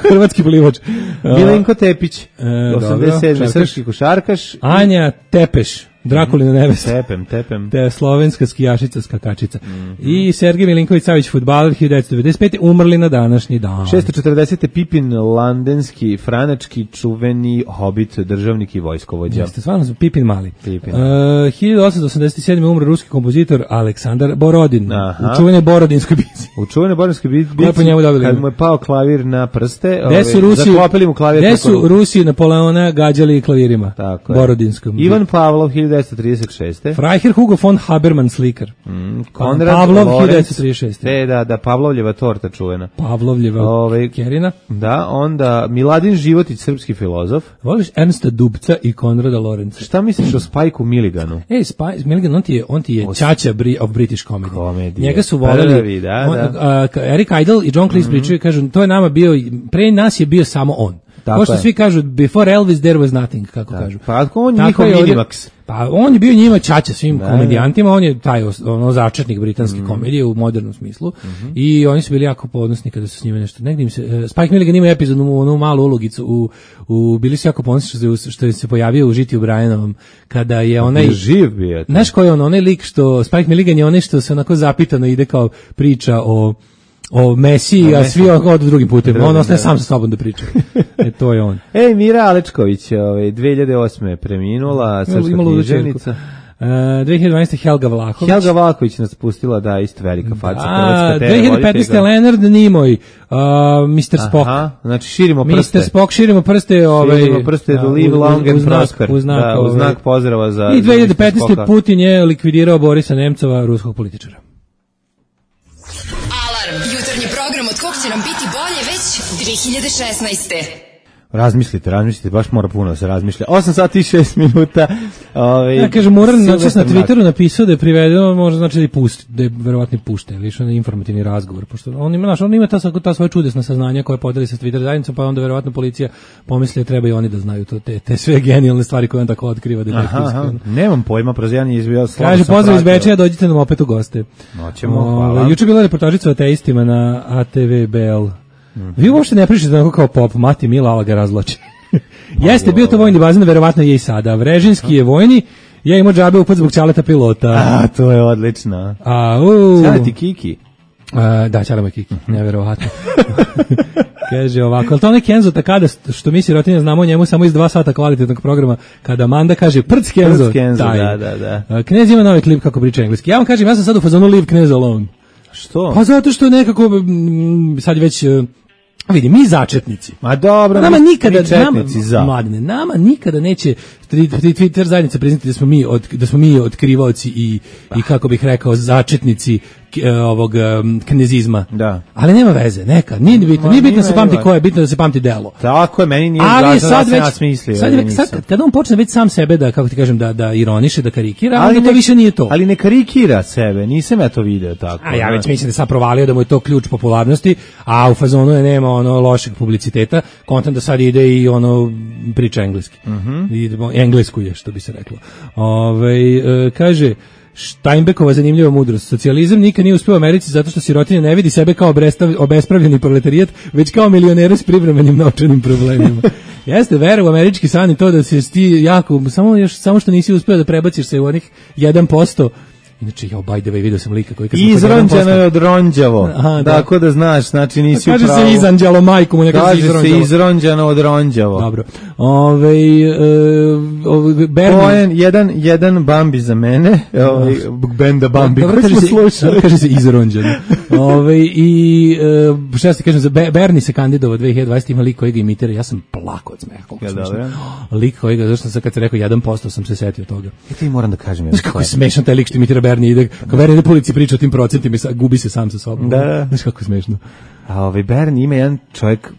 hrvatski plivač. Milenko Tepić, e, osamdeset sedme srpski košarkaš. Anja Tepeš, Drakulina nevesta. Tepem, tepem. Te slovenska skijašica, skakačica. Mm -hmm. I Sergej Milinković-Savić, fudbaler, hiljadu devetsto devedeset pete. umrli na današnji dan. šesto četrdesete Pipin Landenski, franački čuveni hobit, državnik i vojskovođa. Jeste, stvarno su Pipin mali. Pipin. Uh, hiljadu osamsto osamdeset sedme. umre ruski kompozitor Aleksandar Borodin. Aha. U čuvenoj Borodinskoj bici. U čuvenoj Borodinskoj bici, kad mu je pao klavir na prste, ove, zaklopili mu klavir. Gde su Rusi Napoleona gađali klavirima? Tako Borodinskom. Ivan Pavlov, hiljadu devetsto trideset šeste. Freiherr Hugo von Habermann slikar. Mm, Konrad Pavlov, Lorenz, hiljadu devetsto trideset šeste. Te, da, da, Pavlovljeva torta čuvena. Pavlovljeva Ove, Kerina. Da, onda Miladin Životić, srpski filozof. Voliš Ernsta Dubca i Konrada Lorenza. Šta misliš o Spajku Milliganu? Ej, Spike Milligan, on ti je, on ti je Os... čača bri, of British comedy. Komedije. Njega su voleli. Prvi, da, on, da. Uh, Eric Idle i John Cleese mm-hmm. pričaju, kažu, to je nama bio, pre nas je bio samo on. Kao što svi kažu, before Elvis there was nothing, kako da. kažu. Pa on je njihov Minimax. Pa on je bio njima čača svim da, komedijantima, on je taj ono začetnik britanske mm. komedije u modernom smislu mm-hmm. i oni su bili jako ponosni kada su s njima nešto. Negdje im se, uh, Spike Milligan ima epizodnu onu malu ulogicu, u, u, bili su jako ponosni što, što je se pojavio u Žitiju Brianovom, kada je onaj... Živ bio. Znaš ko je on, onaj lik što, Spike Milligan je onaj što se onako zapitano ide kao priča o o Mesiji, a svi odu drugim putem. On ostaje sam sa sobom da priča. E, to je on. Ej, Mira Alečković, ovaj, dve hiljade osme preminula, srpska književnica. Uh, dve hiljade dvanaeste. Helga Vlahović. Helga Vlahović nas pustila, da, isto velika faca. Da, dve hiljade petnaeste. Leonard Nimoy, uh, mister Spock. Aha, znači širimo prste. mister Spock, širimo prste. Ovaj, širimo prste, da, live long and prosper. U znak, da, u znak pozdrava za... I dve hiljade petnaeste. Putin je likvidirao Borisa Nemcova, ruskog političara. Jutarnji program od kog će nam biti bolje već dve hiljade šesnaeste. Razmislite, razmislite, baš mora puno da se razmišlja. osam sati i šest minuta. Ove, ja kažem, Muran noćas na Twitteru napisao da je privedeno, možda znači da je pusti, da je verovatno pušte, ili što je informativni razgovor, pošto on ima, znaš, on ima ta, ta svoje čudesna saznanja koje podeli sa Twitter zajednicom, pa onda verovatno policija pomisli da treba i oni da znaju to, te, te sve genijalne stvari koje on tako otkriva. Da aha, aha, nemam pojma, prozjan je izbio slabo. Kaže, pozdrav iz Bečeja, dođite nam opet u goste. Noćemo, hvala. Juče bila reportažica o ateistima na A T V B L. Mm-hmm. Vi uopšte ne pričate onako kao pop, Mati Mila, ali ga razvlači. Jeste, bio to vojni bazen, verovatno je i sada. Vrežinski je vojni, ja imao džabe upad zbog Ćaleta pilota. A, to je odlično. A, u... Ćaleti Kiki. A, da, Ćalema Kiki, neverovatno. Kaže ovako, ali to onaj Kenzo Takada, što mi sirotinja znamo o njemu samo iz dva sata kvalitetnog programa, kada Amanda kaže prc Kenzo, prc Kenzo taj. Da, da, da. Knez ima novi klip kako priča engleski. Ja vam kažem, ja sam sad u fazonu Leave Knez Alone. Što? Pa zato što nekako, sad već... vidi, mi začetnici. Ma dobro, nama mi, nikada, mi četnici nama, za. Mladine, nama nikada neće Twitter zajednica priznati da smo mi od, da smo mi otkrivaoci i i kako bih rekao začetnici ovog um, knezizma. Da. Ali nema veze, neka, nije bitno, nije bitno da se pamti ko je, bitno da se pamti delo. Tako je, meni nije ali važno sad da već, se smisli. sad, već, sad kada on počne već sam sebe da, kako ti kažem, da, da ironiše, da karikira, ali onda to više nije to. Ali ne karikira sebe, nisam ja to video tako. A ja već mislim da sam provalio da mu je to ključ popularnosti, a u fazonu je nema ono lošeg publiciteta, kontent da sad ide i ono priča engleski. Mm-hmm. Idemo, englesku je, što bi se reklo. Ove, e, kaže, Steinbeckova zanimljiva mudrost. Socijalizam nikad nije uspio u Americi zato što sirotinja ne vidi sebe kao obespravljeni proletarijat, već kao milionere s privremenim novčanim problemima. Jeste, vera u američki san i to da se ti jako, samo, još, samo što nisi uspio da prebaciš se u onih jedan posto. Inače, ja by the way, vidio sam lika koji kad sam izronđeno je od ronđavo. Aha, da. Tako da znaš, znači nisi kaže upravo. Kaže se izanđalo majku mu, neka kaže se izronđalo. se izronđeno od ronđavo. Dobro. Ove, uh, Bernie. Poen, jedan, jedan Bambi za mene, ovaj, benda Bambi, dobro, koji smo slušali. Kaže se izronđeno. Ove, I uh, šta se kažem, za Bernie se kandidovao dve hiljade dvadesete. ima lik koji ga imitira, ja sam plako od smeha. Ja, dobro. Lik koji ga, zašto sam kad se rekao jedan posto sam se setio toga. I ti moram da kažem. Znaš kako je smešan taj lik što imitira Bernie, ide, kao Bernie ide po ulici priča o tim procentima i gubi se sam sa sobom. Da. Znaš kako je smešno. A ovaj Bernie ima jedan čovjek,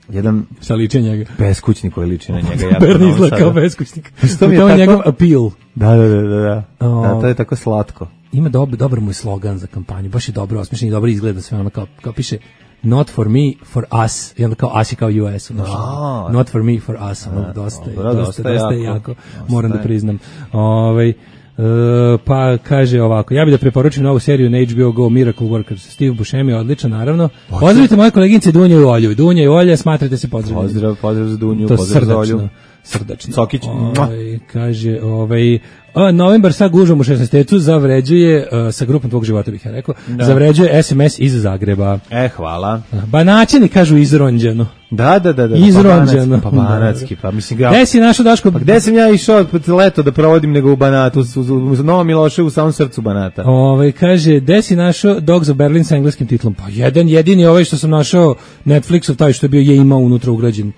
jedan sa liče njega. Beskućnik koji liči na njega. Bernie izgleda kao beskućnik. Što mi je tako? Njegov appeal. Da, da, da, da. O, da, to je tako slatko. Ima dobar, dobar mu je slogan za kampanju, baš je dobro osmišljen i dobro izgleda sve, ono kao, kao piše not for me, for us, i onda kao us je kao U S, no, not for me, for us, ono, dosta, dobro, dosta, dosta, dosta je jako, jako, dosta moram je. da priznam. Ovaj Uh, pa kaže ovako, ja bih da preporučim novu seriju na H B O Go, Miracle Workers. Steve Buscemi je odličan, naravno. Pozdravite moje koleginice Dunju i Olju. Dunja i Olja, smatrate se pozdravljeni. Pozdrav, pozdrav za Dunju, to pozdrav za Olju. Srdačno. Sokić. Ovaj, kaže, ovaj, a, novembar sa gužvom u šesnaestecu zavređuje, uh, sa grupom tvog života bih ja rekao, da. zavređuje S M S iz Zagreba. E, hvala. Banaćani kažu izronđeno. Da, da, da, da. Izronđeno. Pa Banatski, pa mislim ga. Gde si našao, Daško? Pa gde sam ja išao leto da provodim nego u Banatu, u, u, u Novom Miloševu, u samom srcu Banata. Ovaj kaže, gde si našao Dogs of Berlin sa engleskim titlom? Pa jedan jedini ovaj što sam našao Netflixov, taj što je bio je imao unutra ugrađen.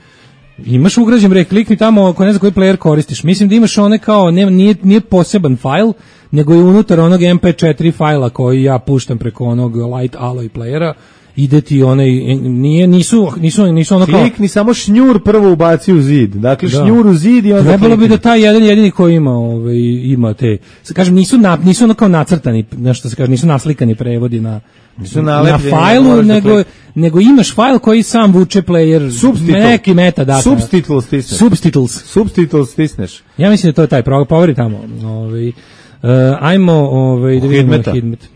Imaš ugrađen bre, klikni tamo ako ne znam koji player koristiš. Mislim da imaš one kao, ne, nije, nije poseban fajl, nego je unutar onog M P četiri fajla koji ja puštam preko onog Light Alloy playera. Ide ti onaj, nije, nisu, nisu, nisu ono kao... Klikni samo šnjur prvo ubaci u zid. Dakle, da. Šnjur u zid i onda trebalo klikni. bi da taj jedan jedini koji ima, ovaj, ima te... Kažem, nisu, na, nisu ono kao nacrtani, nešto se kaže, nisu naslikani prevodi na... Nisu na fajlu, nego, nego imaš fajl koji sam vuče player, Substitle. neki meta data. Subtitles stisneš. Subtitles. Subtitles stisneš. Ja mislim da to je taj, poveri tamo. Ovaj, uh, ajmo ovaj, da vidimo Hidmeta. Hidmet.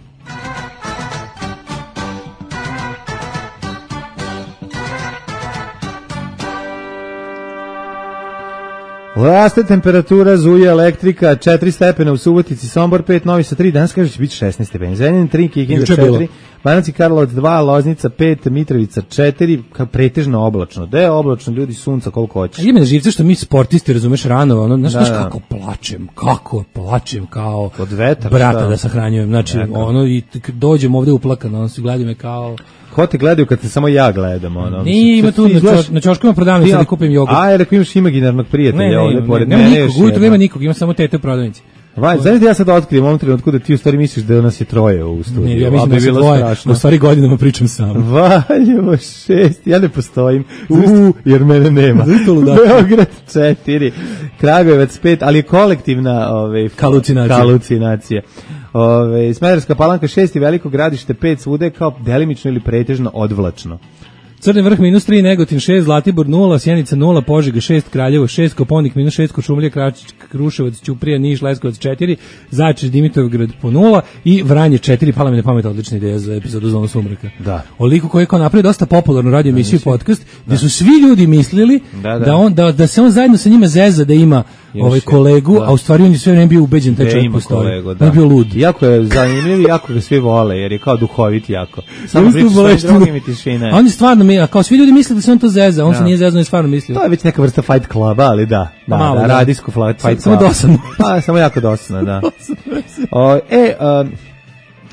Raste temperatura, zuje elektrika, četiri stepena u Subotici, Sombor pet, Novi Sad tri, danas kaže će biti šesnaest stepeni. Zrenjanin tri, Kikinda četiri, Banatski Karlovac dva, Loznica pet, Mitrovica četiri, kao pretežno oblačno. Da je oblačno, ljudi, sunca koliko hoće. Ima na živce što mi sportisti, razumeš, rano, ono, znaš, da, znaš kako plačem, kako plačem kao od vetra, brata šta? Da sahranjujem. Znači, Neka. ono, i dođem ovde uplakan, ono, se gledaju me kao... Ko te gledaju kad te samo ja gledam, ono? Nije, ima tu, na, čoš, na čoškovima prodavnici da kupim jogurt. A, jer ako imaš imaginarnog prijatelja, ne, ne, ovdje pored nema mene nikog, ujutro nema nikog, ima samo tete u prodavnici. Vaj, znaš da ja sad otkrijem u ovom trenutku da ti u stvari misliš da nas je troje u studiju. Ne, ja mislim da je bilo dvoje, strašno. U stvari godinama pričam sam. Valjevo šest, ja ne postojim, u, jer mene nema. Beograd četiri, Kragujevac pet, ali je kolektivna ove, halucinacija. halucinacija. Ove, Smederevska Palanka šest i Veliko Gradište pet, svude kao delimično ili pretežno odvlačno. Crni vrh minus tri, Negotin šest, Zlatibor nula, Sjenica nula, Požega šest, Kraljevo šest, Koponik minus šest, Košumlija, Kruševac, Ćuprija, Niš, Leskovac četiri, Zaječar, Dimitrovgrad po nula i Vranje četiri, pala mi na pamet odlična ideja za epizodu Zonu sumraka. Da. O liku koji je kao napravio dosta popularnu radio emisiju i podcast, gde su svi ljudi mislili da, da. Da, on, da, da se on zajedno sa njima zeza da ima ovaj kolegu, da. A u stvari on je sve vreme bio ubeđen taj čovjek postoji. On je bio lud. Jako je zanimljiv i jako ga svi vole, jer je kao duhovit jako. Samo priča svojim drugim i tišina. On je stvarno, a kao svi ljudi misle da se on to zeza, on da. Se nije zezno i stvarno mislio. To je već neka vrsta Fight Cluba, ali da. Da, malo, da, da. Radijsko Fight Club. Samo dosadno. Pa, samo jako dosadno, da. o, e, um,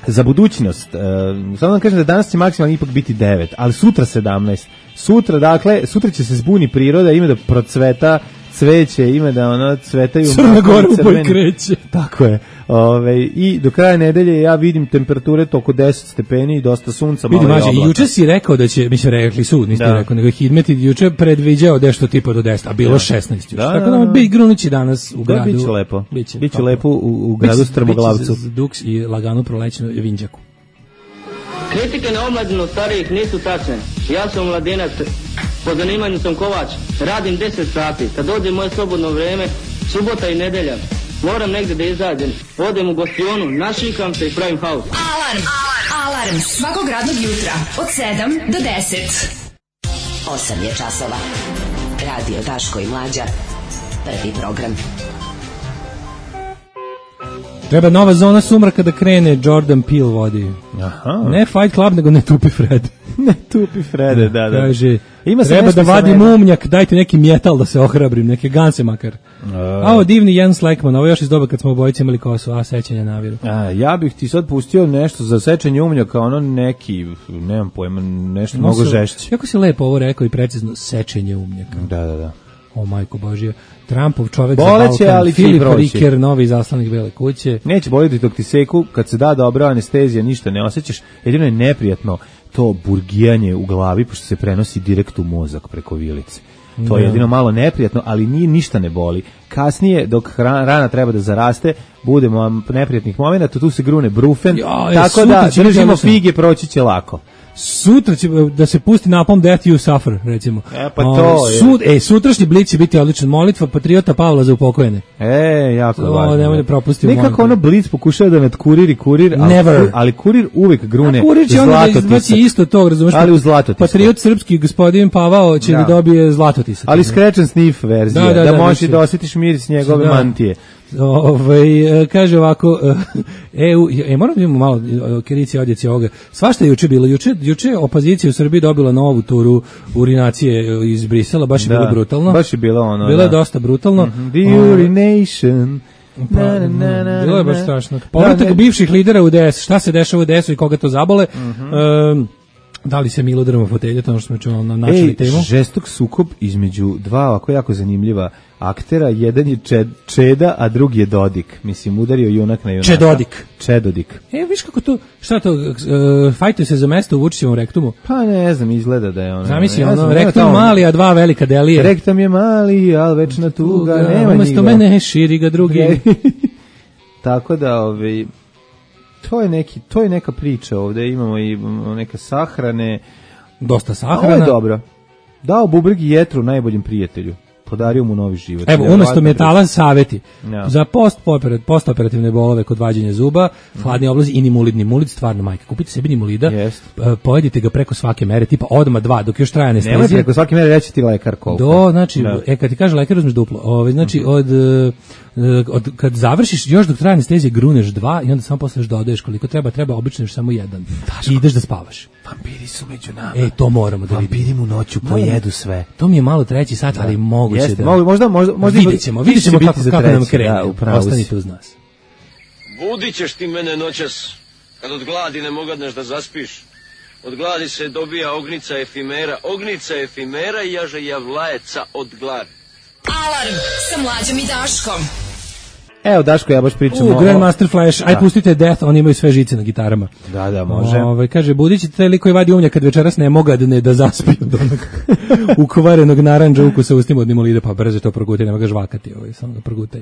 za budućnost, um, samo da kažem da danas će maksimalno ipak biti devet, ali sutra sedamnaest. Sutra, dakle, sutra će se zbuni priroda, ima da procveta cveće, ima da ono cvetaju Crna Gora u boj kreće. Tako je. Ove, i do kraja nedelje ja vidim temperature oko deset stepeni i dosta sunca, malo vidi, je mađe, oblaka. juče si rekao da će, mislim, rekli su, niste da. rekao, nego Hidmet juče predviđao nešto tipa do deset, a bilo da. šesnaest. Da, tako da, da, da. Bi grunući danas u gradu. Da, biće lepo. Biće, biće lepo u, u gradu Strmoglavcu. Biće duks i lagano prolećeno Vinđaku. Kritike na omladinu starijih nisu tačne. Ja sam mladinac, po zanimanju sam kovač, radim deset sati. Kad dođe moje slobodno vreme, subota i nedelja, moram negde da izađem. Odem u gostionu, našikam se i pravim haos. Alarm! Alarm! Svakog radnog jutra od sedam do deset. osam je časova. Radio Daško i Mlađa. Prvi program. Treba nova zona sumraka da krene, Jordan Peele vodi. Aha. Ne Fight Club, nego ne Tupi Fred. Ne Tupi Frede, da, da. Kaže, ima treba da vadim umnjak, dajte neki metal da se ohrabrim, neke ganse makar. A ovo divni Jens Lekman, ovo još iz doba kad smo obojice imali kosu, a sećanja naviru. A, ja bih ti sad pustio nešto za sečenje umnjaka, ono neki, nemam pojma, nešto no, mnogo žešće. Kako si lepo ovo rekao i precizno, sečenje umnjaka. Da, da, da. O majko Božije, Trumpov čovek Boleće, za Balkan, Filip Riker, novi zaslanik Bele kuće. Neće boliti dok ti seku, kad se da dobra anestezija, ništa ne osjećaš, jedino je neprijatno to burgijanje u glavi, pošto se prenosi direkt u mozak preko vilice. To je jedino malo neprijatno, ali ni ništa ne boli. Kasnije, dok rana treba da zaraste, budemo neprijatnih momenata, tu se grune brufen, ja, tako da držimo fige, proći će lako. Sutra će da se pusti napom Death You Suffer, recimo. E, pa to je. Sud, e, sutrašnji Blic će biti odličan. Molitva patriota Pavla za upokojene. E, jako o, važno. Nemoj da propustimo. Nekako ono Blic pokušava da nadkuriri kurir, ali, Never. ali kurir uvek grune kurir će onda da izbaci isto to, razumeš? Ali u zlatotisak. Patriot srpski gospodin Pavao će da, da dobije zlatotisak. Ali scratch and sniff verzija, da, da, da, da možeš da osjetiš miris njegove da. mantije. Ove, kaže ovako e, e, moram da imamo malo kerici odjeci ovoga. Svašta je juče bilo. Juče, juče opozicija u Srbiji dobila novu turu urinacije iz Brisela, baš je da, bilo brutalno. Baš je bilo ono. Bilo je da. dosta brutalno. Mm-hmm. The urination. Pa, na, na, na, bilo je baš strašno. Povratak da, bivših lidera u D S. Šta se dešava u D S-u i koga to zabole? Mm-hmm. Um, da li se Milo drma fotelje, to ono što smo čuli na načeli temu. Ej, žestok sukob između dva ovako jako zanimljiva aktera, jedan je Čed, Čeda, a drugi je Dodik. Mislim, udario junak na junaka. Čedodik. Čedodik. E, viš kako to, šta to, uh, fajtuje se za mesto u Vučićevom rektumu? Pa ne znam, izgleda da je ono. Zamisli, ono, ono, rektum tamo, mali, a dva velika delije. Rektum je mali, ali večna tuga, tuga nema umesto mene širi ga drugi. Tako da, ovaj, to je neki, to je neka priča ovde, imamo i neke sahrane. Dosta sahrana. Ovo je dobro. Dao bubreg i jetru najboljem prijatelju. Podario mu novi život. Evo, umesto metala saveti. No. Za post-operativne post bolove kod vađenja zuba, mm. hladni oblazi i nimulid. Nimulid stvarno majka. Kupite sebi nimulida, yes. pojedite ga preko svake mere, tipa odma dva, dok još traje anestezija. Nemoj preko svake mere, reći ti lekar koliko. Do, znači, no. e, kad ti kaže lekar, uzmeš duplo. Ove, znači, mm-hmm. od... Od, kad završiš, još dok traje anestezija, gruneš dva i onda samo posle dodaješ koliko treba, treba obično još samo jedan. Daško. I ideš da spavaš. Vampiri su među nama. E, to moramo da vidimo. Vampiri mu noću pojedu sve. To mi je malo treći sat, da. ali moguće Jeste, da... Možda, možda, možda vidjet ćemo, vidjet ćemo kako, kako nam krene. Da, ostanite uz nas. Budit ćeš ti mene noćas, kad od gladi ne mogadneš da zaspiš. Od gladi se dobija ognica efimera, ognica efimera i jaže javlajeca od gladi. Alarm sa Mlađom i Daškom. Evo, Daško, ja baš pričam u o... Grandmaster Flash, aj pustite Death, oni imaju sve žice na gitarama. Da, da, može. Ove, kaže, budit ćete taj lik koji vadi umnjak kad večeras ne mogadne da zaspiju od onog ukvarenog naranđa ukusa ustima od nimulida, pa brzo to progutaj, nema ga žvakati, ovaj, samo ga progutaj.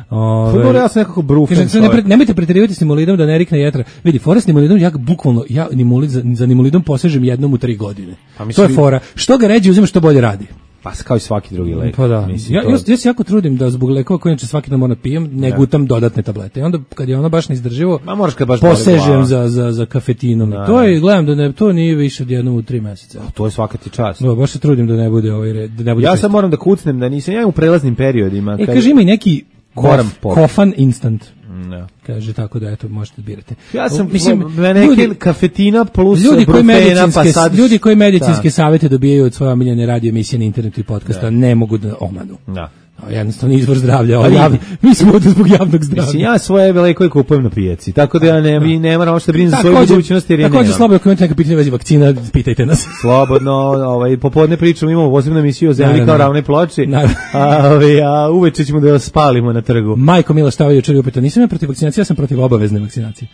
Ove, ja sam nekako brufen. Kaže, ne, nemojte preterivati s nimulidom da ne rikne jetra. Vidi, fora s nimulidom, ja bukvalno, ja nimulid, za, za nimulidom posežem jednom u tri godine. Pa, mislim, to je fora. Što ga ređe uzima, što bolje radi. Pa kao i svaki drugi lek. Pa da. Mislim, ja, ja, ja se jako trudim da zbog lekova koje inače svaki dan moram pijem, ne da. gutam dodatne tablete. I onda kad je ono baš neizdrživo, ma moraš kad baš posežem za, za, za kafetinom. Da. To je, gledam da ne, to nije više od jednom u tri meseca. To je svaka ti čast. No, baš se trudim da ne bude ovaj red. Da ne bude ja sam moram da kucnem, da nisam, ja u prelaznim periodima. E, kad... kaže ima i neki kof, kofan instant. No. Kaže tako da eto možete birati. Ja sam mislim neki kafetina plus ljudi koji medicinske pa sad... ljudi koji medicinske da. savete dobijaju od svoje omiljene radio emisije na internetu i podcasta da. ne mogu da omanu. Da. Jednostavno izvor zdravlja, ali javno, mi smo ovdje zbog javnog zdravlja. Mislim, ja svoje lekove kupujem na pijaci, tako da ja ne, mi ne moram što brinem za svoju budućnost jer je također slobodno, ako imate neka pitanja vezi vakcina, pitajte nas. Slobodno, ovaj, popodne pričamo, imamo posebnu emisiju o zemlji kao ravnoj ploči, a, ovaj, a uveče ćemo da vas spalimo na trgu. Majko Mila Štava jučer je upeta, nisam ja protiv vakcinacije, ja sam protiv obavezne vakcinacije.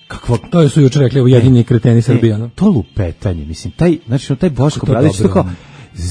Kakvo? To su jučer rekli ujedinjeni kreteni Srbija. No? To lupetanje, mislim, taj, znači, taj Boško Obradović, to kao,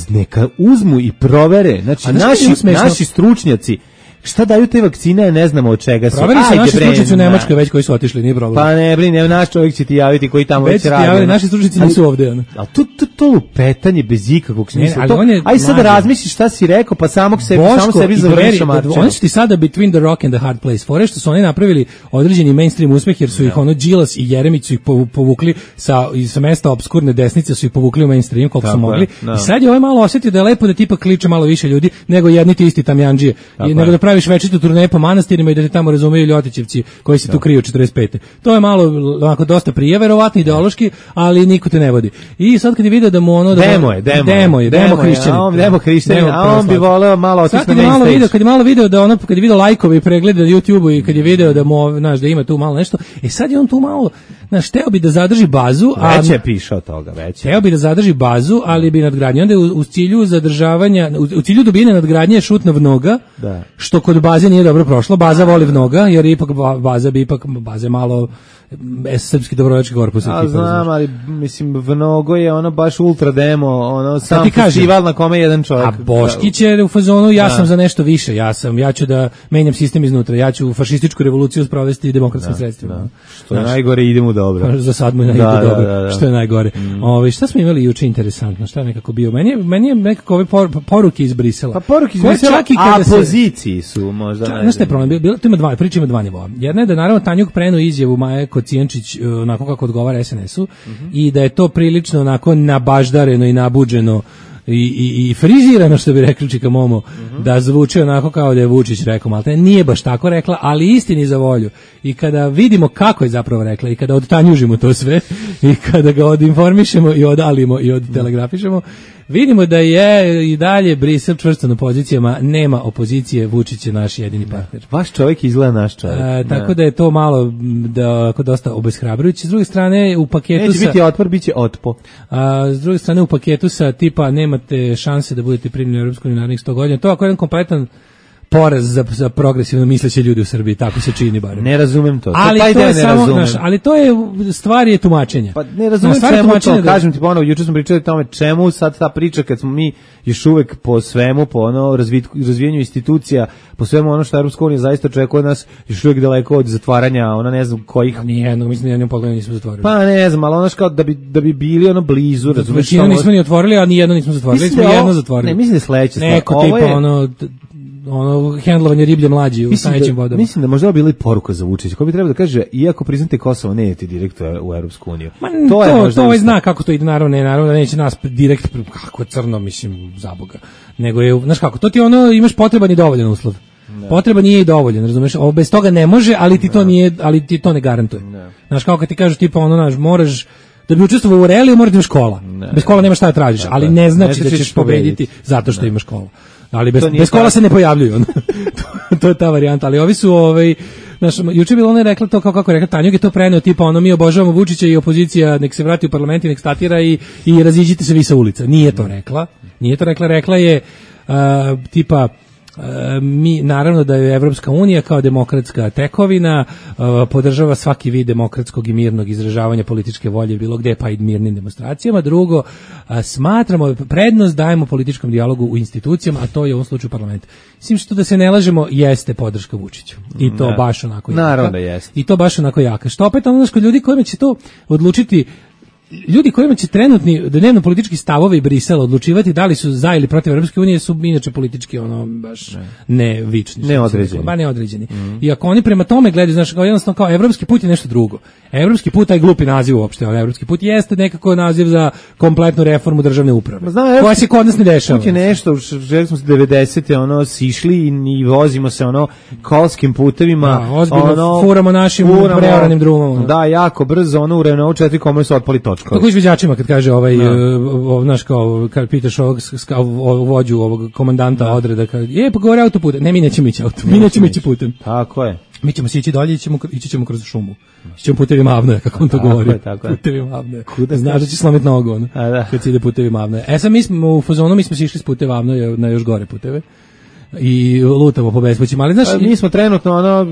neka uzmu i provere, znači, naši, naši stručnjaci, šta daju te vakcine, ne znamo od čega su. Proveri se naši stručnjaci u Nemačkoj već koji su otišli, nije problem. Pa ne, brini, naš čovjek će ti javiti koji tamo već, već radi. Javili, naši stručnjaci nisu ovde. Ono. Ali to, to, to lupetanje bez ikakvog smisla. Ne, aj sad razmisliš šta si rekao, pa samog sebi, samo sebi završiš marčeva. Oni su ti sada between the rock and the hard place. Fore što su oni napravili određeni mainstream uspeh, jer su ih ono Đilas i Jeremić su ih povukli sa, sa mesta obskurne desnice, su ih povukli u mainstream koliko su mogli. I sad je ovaj malo osjetio da je lepo da tipa kliče malo više ljudi nego jedni ti isti tamjandžije. Nego da praviš večitu turneju po manastirima i da te tamo razumeju Ljotićevci koji se tu kriju četrdeset pete. To je malo onako dosta prije, verovatno ideološki, ali niko te ne vodi. I sad kad je video da mu ono da demo je, demo, demo je, demo hrišćanin. A on demo hrišćanin, a on bi voleo malo otići na main stage. Kad je malo video da ono kad je video lajkove i preglede na YouTubeu i kad je video da mu, znaš, da ima tu malo nešto, e sad je on tu malo, znaš, teo bi da zadrži bazu, a već je pišao toga, već. Teo bi da zadrži bazu, ali bi nadgradnja onda u, u cilju zadržavanja, u, u cilju dobijanja nadgradnje šut na vnoga, da. Što kod baze nije dobro prošlo. Baza voli vnoga, jer ipak baza bi ipak baze malo srpski dobrovoljački korpus. A znam, ali mislim vnogo je ono baš ultra demo, ono sam festival na kome jedan čovjek. A Boškić je u fazonu, ja sam za nešto više, ja sam, ja ću da menjam sistem iznutra, ja ću fašističku revoluciju sprovesti demokratskim sredstvima. Što je najgore, idemo dobro. Za sad mu ide dobro, što je najgore. Ovaj šta smo imali juče interesantno, šta je nekako bio? Meni je meni je nekako ove poruke iz Brisela. Pa poruke iz Brisela, a poziciji su možda. Znaš šta je problem? Bilo to ima dva, priča ima dva nivoa. Jedna je da naravno Tanjug prenuo izjavu Maje Kocijančić onako kako odgovara es en esu mm-hmm. i da je to prilično onako nabaždareno i nabuđeno i, i, i frizirano, što bi rekli Čika Momo, mm-hmm. da zvuči onako kao da je Vučić rekao, malte nije baš tako rekla, ali istini za volju. I kada vidimo kako je zapravo rekla i kada odtanjužimo to sve i kada ga odinformišemo i odalimo i odtelegrafišemo, vidimo da je i dalje Brisel čvrsto na pozicijama, nema opozicije, Vučić je naš jedini partner. Vaš čovjek izgleda naš čovjek. A, tako da je to malo da, ako dosta obeshrabrujuće. S druge strane u paketu neće sa... biti otpor, bit će otpo. A, s druge strane u paketu sa tipa nemate šanse da budete primljeni u Europsku uniju narednih sto godina. To ako je jedan kompletan poraz za, za progresivno misleće ljudi u Srbiji, tako se čini barem. Ne razumem to. Ali to, to je samo, naš, ali to je stvar je tumačenja. Pa ne razumem čemu to, da... kažem ti ponovo, juče smo pričali o tome čemu sad ta priča kad smo mi još uvek po svemu, po ono razvitku, razvijanju institucija, po svemu ono što Europska unija zaista očekuje od nas, još uvek daleko od zatvaranja, ona ne znam kojih. Nijednog, mislim nijednog poglavlja nismo zatvorili. Pa ne znam, ali ono kao da bi da bi bili ono blizu, razumeš? Većinu nismo ni otvorili, a ni jedno nismo zatvorili, smo jedno zatvorili. Ne, mislim da je sledeće stvar. Neko tipa je... ono ono hendlovanje riblje mlađi u stajećim vodama. Mislim da možda bila i poruka za Vučića, ko bi trebao da kaže, iako priznate Kosovo, ne idete direkt u Europsku uniju. To, to je možda to zna kako to ide, naravno, ne, naravno da neće nas direkt, kako crno, mislim, za Boga. Nego je, znaš kako, to ti ono, imaš potreban i dovoljan uslov. Ne. Potreban nije i dovoljan, razumeš? Ovo bez toga ne može, ali ti ne. to nije, ali ti to ne garantuje. Ne. Znaš, kao kad ti kažu tipa ono, znaš, moraš da bi učestvovao u realiju, moraš da imaš škola. Ne. Bez škola nema šta da tražiš, ali ne znači ne da ćeš pobediti zato što imaš školu. Ali bez, bez kola se ne pojavljuju. to, to je ta varijanta. Ali ovi su, ovaj, znaš, juče bilo ona je rekla to kao kako je rekla Tanjug je to preneo, tipa ono mi obožavamo Vučića i opozicija, nek se vrati u parlament i nek statira i, i raziđite se vi sa ulica. Nije to rekla. Nije to rekla. Rekla je uh, tipa E, mi naravno da je Evropska unija kao demokratska tekovina e, podržava svaki vid demokratskog i mirnog izražavanja političke volje bilo gde pa i mirnim demonstracijama. Drugo, e, smatramo prednost dajemo političkom dijalogu u institucijama, a to je u ovom slučaju parlament. Mislim što da se ne lažemo jeste podrška Vučiću. I to ne. baš onako jaka. Naravno da jeste. I to baš onako jaka. Što opet ono kod ljudi kojima će to odlučiti ljudi kojima će trenutni dnevno politički stavovi Brisela odlučivati da li su za ili protiv Evropske unije su inače politički ono baš ne, ne vični, neodređeni. Ba neodređeni. Mm. I ako oni prema tome gledaju, znači kao jednostavno kao evropski put je nešto drugo. Evropski put taj glupi naziv uopšte, ali evropski put jeste nekako naziv za kompletnu reformu državne uprave. Znam, koja se kod nas ne dešava. Put je nešto, želi smo se devedesete ono sišli i, i vozimo se ono kolskim putevima, da, ono furamo našim preoranim drumom. Da, jako brzo ono u Renault četiri kome su otpali točkovi. Kako izviđačima kad kaže ovaj, no. Znaš kao, kad pitaš ovog, ovog vođu, ovog komandanta no. odreda, kad, je, pa govori autoputem. Ne, mi nećemo ići autoputem, mi nećemo ići putem. Tako je. Mi ćemo se ići dolje, ići ćemo, ići ćemo kroz šumu. Ići ćemo putevi Mavnoja, kako on to tako govori. Je, tako je. Putevi Mavnoja. Znaš da će slomiti nogu, ono, A, da. kad se ide putevi Mavnoja. E sad mi smo u fazonu, mi smo se išli s putevi Mavnoja na još gore puteve. I lutamo po bespućima, ali znaš... A, mi smo trenutno, ono,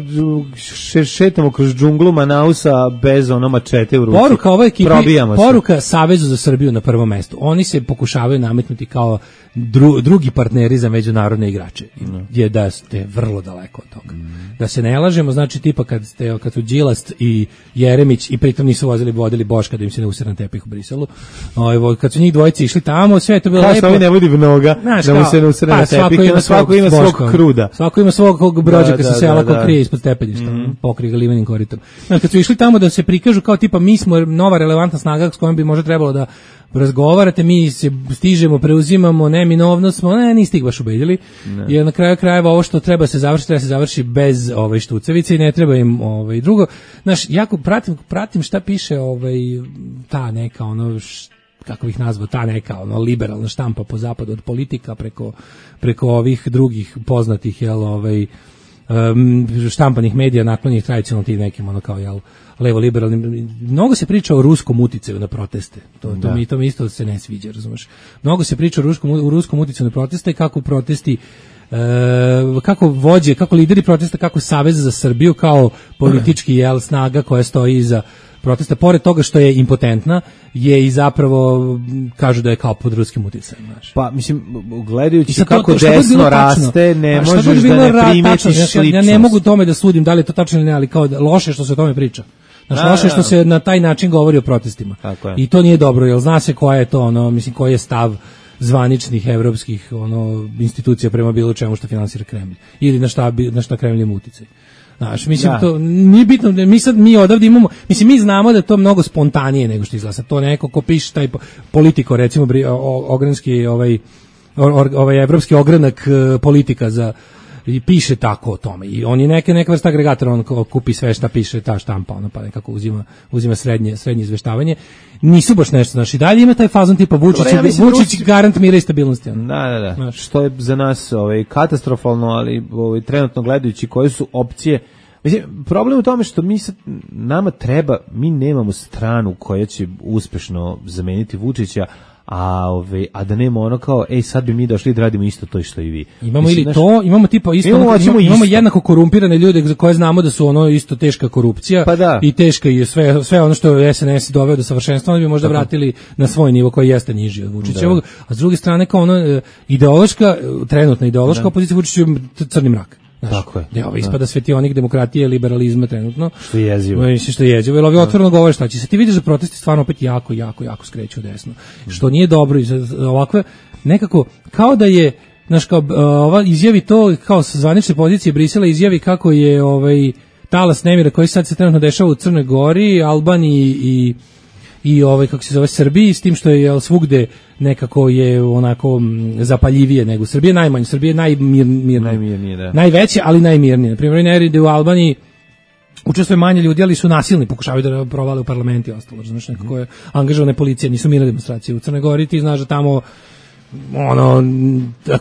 šetamo kroz džunglu Manausa bez ono mačete u ruci. Poruka ovoj ekipi, Probijamo poruka se. Savezu za Srbiju na prvom mestu. Oni se pokušavaju nametnuti kao dru, drugi partneri za međunarodne igrače. No. Je da ste vrlo daleko od toga. Mm. Da se ne lažemo, znači tipa kad ste kad su Đilast i Jeremić i pritom nisu vozili vodili Boška da im se ne usere na tepih u Briselu. Ovaj kad su njih dvojice išli tamo, sve je to bilo kao lepo. Kao ne vodi mnoga, znaš, da mu se ne usere na tepih, pa, svako ima svog Boška, kruda. Svako ima svog brođaka da, sa da, sela da, ko krije ispod stepeništa, mm. pokri ga limenim koritom. Znači kad su išli tamo da se prikažu kao tipa mi smo nova relevantna snaga s kojom bi možda trebalo da razgovarate, mi se stižemo, preuzimamo, neminovno smo, ne, niste ih baš ubedili. Jer na kraju krajeva ovo što treba se završiti, treba se završi bez ovaj štucevice i ne treba im ovaj drugo. Znaš, jako pratim, pratim šta piše ovaj ta neka ono š, kako bih nazvao, ta neka ono liberalna štampa po zapadu od politika preko preko ovih drugih poznatih jel ovaj um, štampanih medija naklonjenih tradicionalno tim nekim ono kao jel levo liberalnim. Mnogo se priča o ruskom uticaju na proteste. To to mi to mi isto se ne sviđa, razumeš. Mnogo se priča o ruskom o ruskom uticaju na proteste, kako protesti e, kako vođe, kako lideri protesta, kako Savez za Srbiju kao politički jel snaga koja stoji iza protesta, pored toga što je impotentna, je i zapravo, kažu da je kao pod ruskim uticajem. Znaš. Pa, mislim, gledajući to, kako to, desno raste, ne možeš da ne primetiš ličnost. Ja, ja ne mogu tome da sudim da li je to tačno ili ne, ali kao da, loše što se o tome priča. Znaš, loše što se na taj način govori o protestima. I to nije dobro, jer zna se koja je to, ono, mislim, koji je stav zvaničnih evropskih ono institucija prema bilo čemu što finansira Kremlj. Ili na šta, na šta Kremlj ima uticaj. Znaš, mislim, da. To nije bitno, mi sad, mi odavde imamo, mislim, mi znamo da je to mnogo spontanije nego što izgleda. To neko ko piše taj politiko, recimo, ogranski, ovaj, ovaj evropski ogranak politika za, i piše tako o tome. I on je neke, neka vrsta agregatora, on kupi sve šta piše ta štampa, ono pa nekako uzima, uzima srednje, srednje izveštavanje. Nisu baš nešto, znaš, i dalje ima taj fazon tipa Vučić, ja Vučić Rusi... garant mira i stabilnosti. Ono. Da, da, da. Znaš. Što je za nas ovaj, katastrofalno, ali ovaj, trenutno gledajući koje su opcije. Mislim, problem u tome što mi sad, nama treba, mi nemamo stranu koja će uspešno zameniti Vučića, a ove a da nema ono kao ej sad bi mi došli da radimo isto to što i vi. Imamo Mislim, ili naš, to, imamo tipa isto, imamo, ono, imamo, imamo jednako korumpirane ljude za koje znamo da su ono isto teška korupcija pa da. I teška je sve sve ono što je S N S doveo do savršenstva, oni bi možda Tako. vratili na svoj nivo koji jeste niži od Vučićevog, a s druge strane kao ono ideološka, trenutna ideološka da. opozicija Vučiću crni mrak. Znaš, tako je. Da, ovo ispada svetionik demokratije, liberalizma trenutno. Što je jezivo. Mislim što je jezivo. Jer ovi otvoreno govore šta će se. Ti vidiš da protesti stvarno opet jako, jako, jako skreću desno. Mm. Što nije dobro. Ovakve, nekako, kao da je, znaš, kao, ova izjavi to, kao sa zvanične pozicije Brisela izjavi kako je ovaj talas nemira koji sad se trenutno dešava u Crnoj Gori, Albaniji i i ovaj kako se zove Srbiji, s tim što je jel, svugde nekako je onako zapaljivije nego Srbije, najmanje Srbije najmirnije, najmirnije, da. Najveće, ali najmirnije. Na primjer, nerede u Albaniji učestvuje manje ljudi, ali su nasilni, pokušavaju da provale u parlament i ostalo. Znaš, nekako je angažovane policije, nisu mirne demonstracije. U Crnoj Gori ti znaš da tamo ono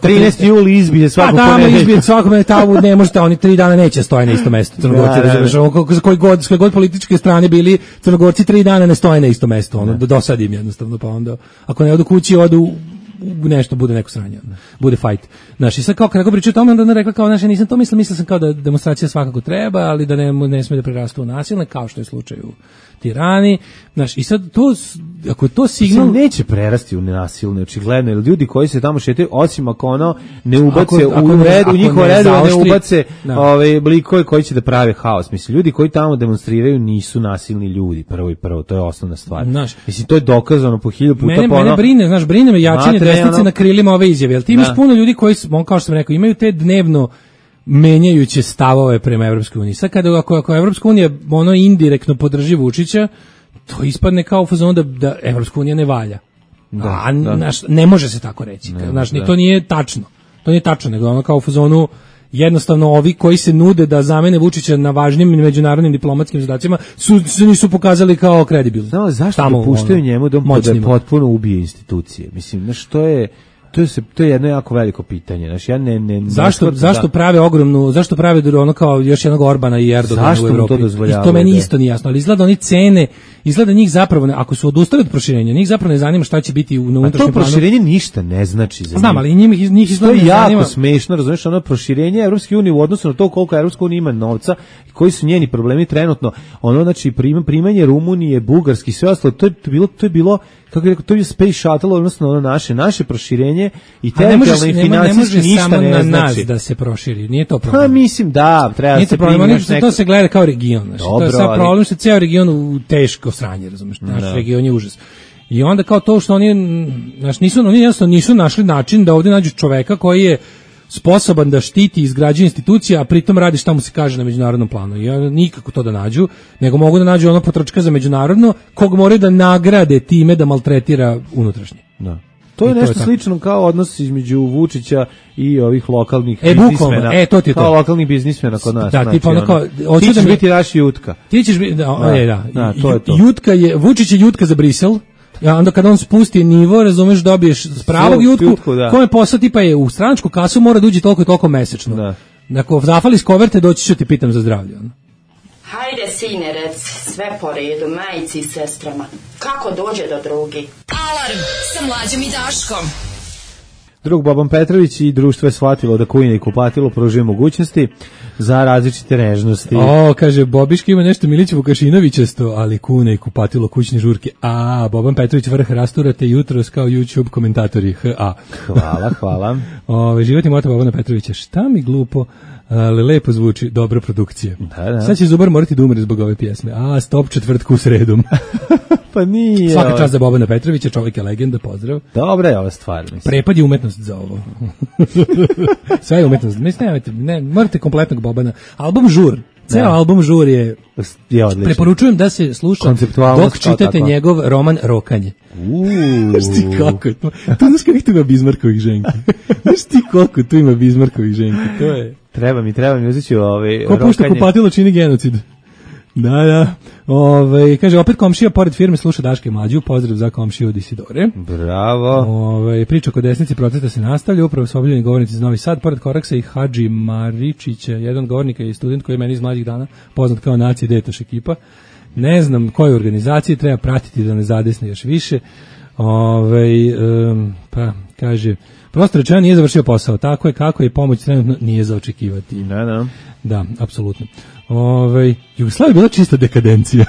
trinaesti juli izbije svako pa tamo izbije svako tamo ne možete, oni tri dana neće stoje na isto mesto Crnogorci, razumeš, koji god, s koje god političke strane bili Crnogorci tri dana ne stoje na isto mesto, ono, dosadim jednostavno, pa onda ako ne odu kući, odu nešto, bude neko sranje, bude fight. Znaš, i sad kao kako pričaju o tome, onda ona rekla kao, znaš, ja nisam to mislila, mislila sam kao da demonstracija svakako treba, ali da ne, ne smije da prerastu u nasilne, kao što je slučaj u Tirani, znaš, i sad to, ako je to signal... Mislim, neće prerasti u nasilne, očigledno, jer ljudi koji se tamo šetaju, osim ako ono ne ubace ako, ako u, red, u njihov redu, ne ubace ove blikove koji će da prave haos. Mislim, ljudi koji tamo demonstriraju nisu nasilni ljudi, prvo i prvo, to je osnovna stvar. Znaš, mislim, to je dokazano po hiljadu puta. Mene, po ono, mene brine, znaš, brine me jačanje desnice ono, na krilima ove izjave, jer ti imaš da. puno ljudi koji, kao što sam rekao, imaju te dnevno menjajuće stavove prema Evropskoj uniji. Sad kada ako, ako Evropska unija ono indirektno podrži Vučića, to ispadne kao fazon da, da Evropska unija ne valja. Da, A da. Naš, ne može se tako reći. Ne, naš, da. To nije tačno. To nije tačno, nego ono kao u fazonu jednostavno ovi koji se nude da zamene Vučića na važnim međunarodnim diplomatskim zadacima su se nisu pokazali kao kredibilni. Znamo zašto Tamo, dopuštaju ono, njemu da on moćnima. potpuno ubije institucije. Mislim, znaš, to je to je se to je jedno jako veliko pitanje. Znači ja ne ne zašto ne zašto da, prave ogromnu zašto prave ono kao još jednog Orbana i Erdogana u Evropi. To I to meni da. isto nije jasno, ali izgleda oni cene, izgleda njih zapravo ne, ako su odustali od proširenja, njih zapravo ne zanima šta će biti u unutrašnjem planu. A to proširenje ništa ne znači za njih. Znam, ali njih njih izgleda to je jako zanima. smešno, razumiješ, ono proširenje Evropske unije u odnosu na to koliko Evropska unija ima novca i koji su njeni problemi trenutno. Ono znači primanje Rumunije, Bugarske i sve ostalo, to je bilo to je bilo kako je rekao, to je Space Shuttle, odnosno ono naše, naše proširenje i teritorijalno i financijski ništa ne, ne na znači. Nas da se proširi, nije to problem. Pa mislim da, treba se primiti neko... To se gleda kao region, znači, Dobro, to je sad ali... problem što je ceo region u teško sranje, razumiješ, naš no. region je užas. I onda kao to što oni, znači, nisu, oni jednostavno nisu našli način da ovdje nađu čoveka koji je sposoban da štiti i izgrađuje institucija, a pritom radi šta mu se kaže na međunarodnom planu. I ja nikako to da nađu, nego mogu da nađu ono potrčka za međunarodno, kog moraju da nagrade time da maltretira unutrašnje. Da. To je I nešto to je slično kao odnos između Vučića i ovih lokalnih e, biznismena. E, to ti je to. Kao lokalnih biznismena kod nas. Da, znači, tipa ono kao... Ti ćeš da mi... biti naš Jutka. Ti ćeš biti... Da, da, je, da. da to je to. Jutka je, Vučić je Jutka za Brisel. Ja, onda kada on spusti nivo, razumeš, dobiješ s pravog jutku, jutku kome posao tipa je u stranačku kasu mora da uđe toliko i toliko mesečno. Da. Ako zafali s koverte, doći ću ti pitam za zdravlje. Ono. Hajde, sine, rec, sve po redu, majici i sestrama. Kako dođe do drugi? Alarm sa Mlađom i Daškom. Drug Boban Petrović i društvo je shvatilo da kujine i kupatilo pružuje mogućnosti za različite nežnosti. O, kaže, Bobiška ima nešto Milić Vukašinovićesto, ali kune i kupatilo kućne žurke. A, Boban Petrović vrh rasturate jutros kao YouTube komentatori. H A. Hvala, hvala. Ove, životni moto Bobana Petrovića. Šta mi glupo, ali lepo zvuči, dobra produkcija. Da, da. Sad će Zubar morati da umre zbog ove pjesme. A, stop četvrtku sredom. Pa nije. Svaka čast za Bobana Petrovića, čovjek je legenda, pozdrav. Dobra je ova stvar. Mislim. Prepad je umetnost za ovo. Sve je umetnost. Mislim, ne, ne, morate kompletnog Bobana. Album Žur. Ceo ja. album Žur je, je odličan. Preporučujem da se sluša dok čitate njegov roman Rokanje. Znaš ti kako je to? To znaš kako tu ima Bizmarkovih ženki. Znaš ti koliko tu ima Bizmarkovih ženki. To je... Treba mi, treba mi uzeti ću ovaj Ko pušta kupatilo čini genocid. Da, da. Ove, kaže, opet komšija pored firme sluša Daške Mlađu, pozdrav za komšiju od Isidore. Bravo. Ove, priča oko desnici protesta se nastavlja, upravo su obljeni govornici iz Novi Sad, pored Koraksa i Hadži Maričića, jedan govornika i student koji je meni iz mlađih dana, poznat kao Naci Detoš ekipa. Ne znam koje organizacije treba pratiti da ne zadesne još više. Ove, um, pa, kaže, prosto rečeno nije završio posao, tako je kako je pomoć trenutno nije za očekivati. Ne, ne. Da, apsolutno. Ove, Jugoslavija je bila čista dekadencija.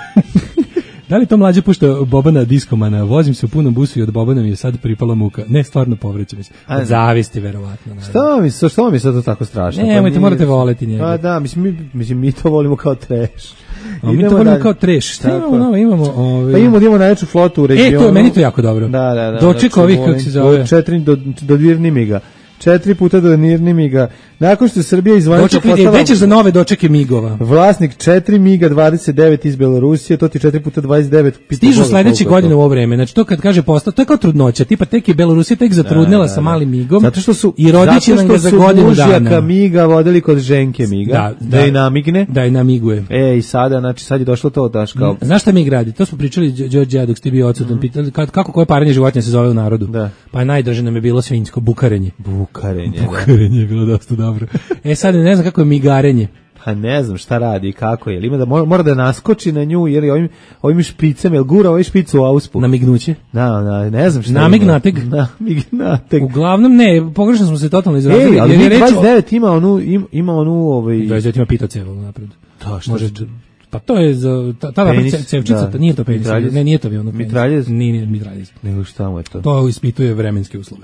Da li to Mlađe pušta Bobana diskomana? Vozim se u punom busu i od Bobana mi je sad pripala muka. Ne, stvarno povrećam se. Od zavisti, verovatno. Što mi, što mi je sad to tako strašno? Ne, nemojte, morate voleti njega. Pa da, mislim mi, mislim, mi to volimo kao trash. A mi to volimo kao trash. Šta imamo novo? Imamo, ove... Pa imamo, imamo najveću flotu u regionu. E, to je, meni to jako dobro. Da, da, da. Doček ovih, kako se zove. Do četiri, do, do Dvirnimiga. Četiri puta do Nirnimiga. Nakon što je Srbija izvanično postala... Već za nove dočeke migova. Vlasnik četiri miga dvadeset devet iz Belorusije, to ti četiri puta dvadeset devet. Stižu sledeće godine u ovo vreme. Znači to kad kaže postao, to je kao trudnoća. Tipa tek je Belorusija tek zatrudnila da, da, sa malim migom. Zato što su i rodiće nam ga za godinu dana. Zato što su miga vodili kod ženke miga. Da, da, da je namigne. Da je namiguje. E, i sada, znači sad je došlo to daš kao... Znaš šta mig radi? To smo pričali Đorđe dok ste bio odsutan. Mm. Pitali kako koje paranje životinja se zove u narodu. Da. Pa najdraže nam je bilo svinjsko bukarenje. Bukarenje, bukarenje je bilo dosta dobro. E sad ne znam kako je migarenje. Pa ne znam šta radi i kako je. Ili ima da mora, mora da naskoči na nju ili ovim ovim špicem, jel gura ovaj špicu u auspu. Na mignuće. Da, da, ne znam šta. Namignateg. Namignateg. Uglavnom ne, pogrešno smo se totalno izrazili. Ej, ali jer je dvadeset devet ima onu ima, ima onu ovaj dvadeset devet ima pitocevo napred. To što može pa to je za ta ta cevčica, da. Nije to penis. Mitraljez. Ne, nije to ono. Mitraljez. Nije, nije mitraljez. Nego šta mu je to? To ispituje vremenske uslove.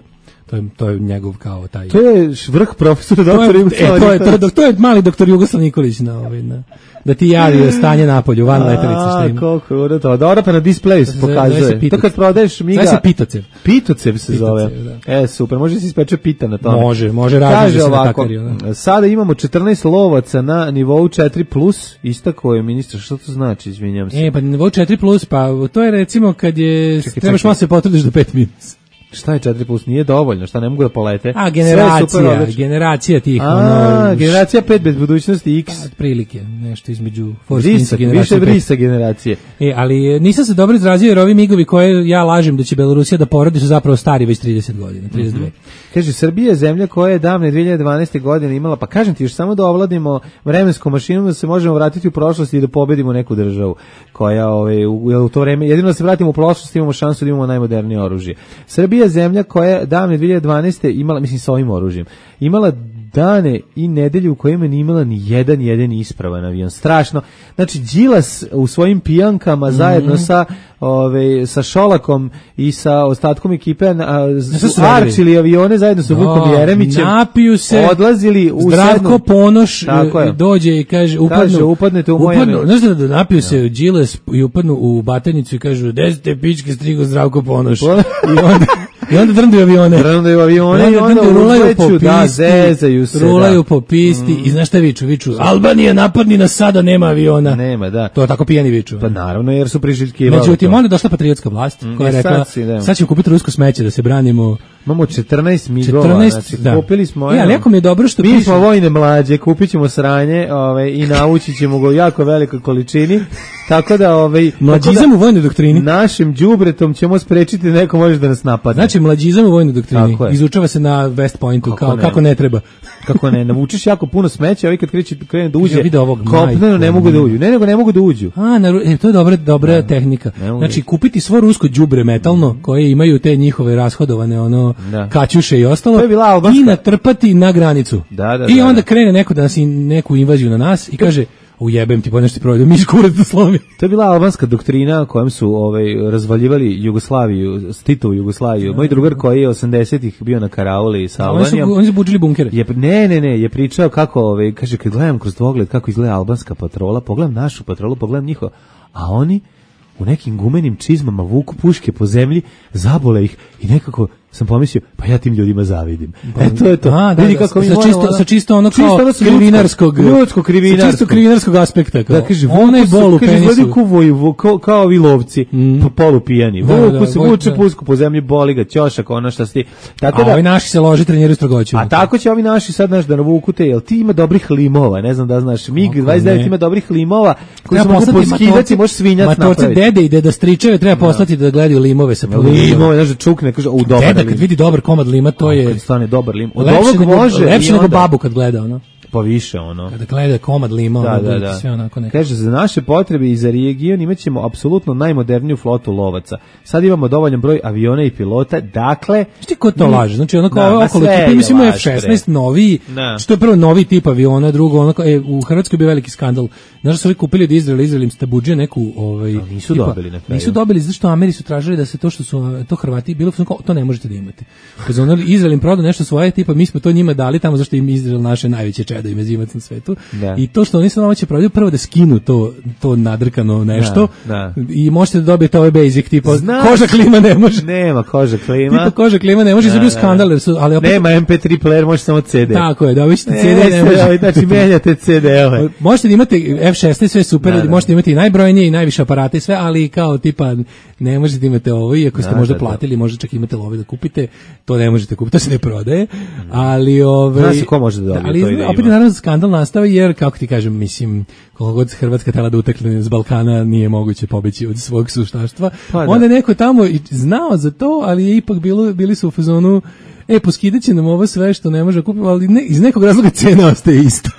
To je, to je njegov kao taj... To je vrh profesora doktor Jugoslav. E, to je, to, je, to je mali doktor Jugoslav Nikolić na ovaj, na, da ti javi stanje napolju, van letelice šta ima. A, koliko je to. Dobro, pa na displeju se pokazuje. To kad prodaješ miga... Zove se pitocev. Pitocev se pitocev, zove. Da. E, super, može se ispeče pita na tome. Može, može raditi se na takariju. Da. Sada imamo četrnaest lovaca na nivou četiri plus, istako je ministar, što to znači, izvinjam se. E, pa na nivou četiri plus, pa to je recimo kad je, čekaj, trebaš malo se potrudiš do pet minus. Šta je četiri plus? Nije dovoljno, šta ne mogu da polete? A, generacija, generacija tih. A, ono, generacija pet bez budućnosti X. Pa, prilike, nešto između Vrisak, više vrisa generacije. E, ali nisam se dobro izrazio jer ovi migovi koje ja lažem da će Belorusija da porodi su zapravo stari već trideset godina, trideset dve. Mm-hmm. Kaže, Srbija je zemlja koja je davne dve hiljade dvanaeste. godine imala, pa kažem ti, još samo da ovladimo vremenskom mašinom da se možemo vratiti u prošlost i da pobedimo neku državu koja ove, u, u to vreme, jedino da se vratimo u prošlost imamo šansu da imamo najmodernije oružje. Srbija je zemlja koja je davne dve hiljade dvanaeste. imala, mislim sa ovim oružjem, imala dane i nedelje u kojima nije imala ni jedan jedan ispravan avion. Strašno. Znači, Đilas u svojim pijankama mm-hmm. zajedno sa ove, sa Šolakom i sa ostatkom ekipe su arčili avione zajedno sa Vukom Jeremićem. Napiju se, odlazili u Zdravko sednu. Ponoš dođe i kaže, upadnu, kaže, upadnete u moje upadnu, znaš da napiju se no. Đilas i upadnu u batajnicu i kažu, gde ste pičke strigo Zdravko Ponoš? I onda I onda drndaju avione. Drndaju avione i onda, i onda rulaju po pisti, da, zezaju se. Rulaju da. po pisti mm. i znaš šta viču? Viču, Albanija napadni nas sada, nema aviona. Nema, da. To je tako pijani viču. Pa naravno, jer su priželjkivali. Međutim, onda je došla patriotska vlast mm. koja je rekla, sad, si, sad ćemo kupiti rusko smeće da se branimo. Imamo četrnaest migova, četrnaest, znači da. Kupili smo. Ja, jako mi je dobro što mi piše. smo vojne mlađe, kupit ćemo sranje ove, i naučit ćemo ga u jako velikoj količini. Tako da ovaj mlađizam u vojnoj doktrini našim đubretom ćemo sprečiti da neko može da nas napadne. Znači mlađizam u vojnoj doktrini izučava se na West Pointu kako kao ne. kako ne treba. Kako ne, navučeš jako puno smeća, ovi kad kreće krene da uđe. Kopneno ne mogu da uđu. Ne, nego ne mogu da uđu. A, na, e, to je dobra dobra ne, tehnika. Ne znači kupiti svo rusko đubre metalno mm. koje imaju te njihove rashodovane ono da. Kaćuše i ostalo i natrpati na granicu. Da, da, I da, onda da. krene neko da nas neku invaziju na nas i kaže ujebem ti, pa nešto ti provedu, mi skurac da slomi. To je bila albanska doktrina kojom su ovaj, razvaljivali Jugoslaviju, Titovu Jugoslaviju. Moj drugar koji je osamdesetih bio na karauli sa Albanijom. Oni su budžili bunkere. Je, ne, ne, ne, je pričao kako, ovaj, kaže, kad gledam kroz dvogled kako izgleda albanska patrola, pogledam našu patrolu, pogledam njihovo, a oni u nekim gumenim čizmama vuku puške po zemlji, zabole ih i nekako sam pomislio, pa ja tim ljudima zavidim. E, to je to. A, da, vidi kako da, sa, čisto, sa čisto ono kao čisto krivinarskog, ljudsko krivinarskog, čisto krivinarskog aspekta. Kao. Da, kaže, onaj bol u penisu. Kaže, kuvoju, kao, kao ovi lovci, mm. polupijani. Da, vuku da, se, vuče da. Pusku po zemlji, boli ga, ćošak, ono šta sti. Tako a da, ovi naši se loži, treniraju strogoću. A tako će ovi naši sad, znaš, da navuku te, jel ti ima dobrih limova, ne znam da znaš, mig dvadeset devet ima dobrih limova, koji se mogu poskidati, može svinjac napraviti. Matorci dede i deda stričeve treba poslati da gledaju limove sa limove, znaš, da čukne, kaže, u dobar. Deda kad vidi dobar komad lima, to je kad stane dobar lim. Od ovog može lepše nego babu kad gleda ono. Pa više ono. Kada gleda komad lima, da, ono da, da. Sve onako neko. Kaže, za naše potrebe i za region imaćemo apsolutno najmoderniju flotu lovaca. Sad imamo dovoljan broj aviona i pilota, dakle... Šti ko to laže? Znači, ono kao okolo tipa, mislimo F šesnaest novi, što je prvo novi tip aviona, drugo, ono kao, e, u Hrvatskoj je bio veliki skandal. Znaš da su ovi kupili od Izraela, Izrael im stabudžije neku... Ovaj, no, nisu tipa, dobili na kraju. Nisu dobili, zašto Ameri su tražili da se to što su, to Hrvati, bilo kao, to ne možete da imate. Kad ono, Izrael im prodao nešto svoje, tipa, mi smo to njima dali tamo zašto im Izrael naše najveće čedo i mezimac na svetu. Da. I to što oni su nama će prodaju, prvo da skinu to, to nadrkano nešto da, da. I možete da dobijete ove basic, tipa Znaš, koža klima ne može. Nema koža klima. Tipa koža klima ne može, da, bio skandal. Su, ali opet, nema em pe tri player, može samo ce de. Tako je, da vi ćete ce de, ne može. Znači, menjate ce de-ove. Možete da imate F šesnaest, sve super, da, da. Možete imati i najbrojnije i najviše aparate i sve, ali kao tipa ne možete da imate ovo, iako ste da, možda da, platili, možda čak imate love da kupite, to ne možete kupiti, to se ne prodaje, ali ove... Zna se ko može da dobije ali, to i da opet je naravno skandal nastao, jer, kako ti kažem, mislim, koliko god Hrvatska tela da utekne s Balkana, nije moguće pobeći od svog suštaštva. Pa, onda je neko tamo i znao za to, ali je ipak bilo, bili su u fazonu, e, poskidat će nam ovo sve što ne može kupiti, ali ne, iz nekog razloga cena ostaje ista.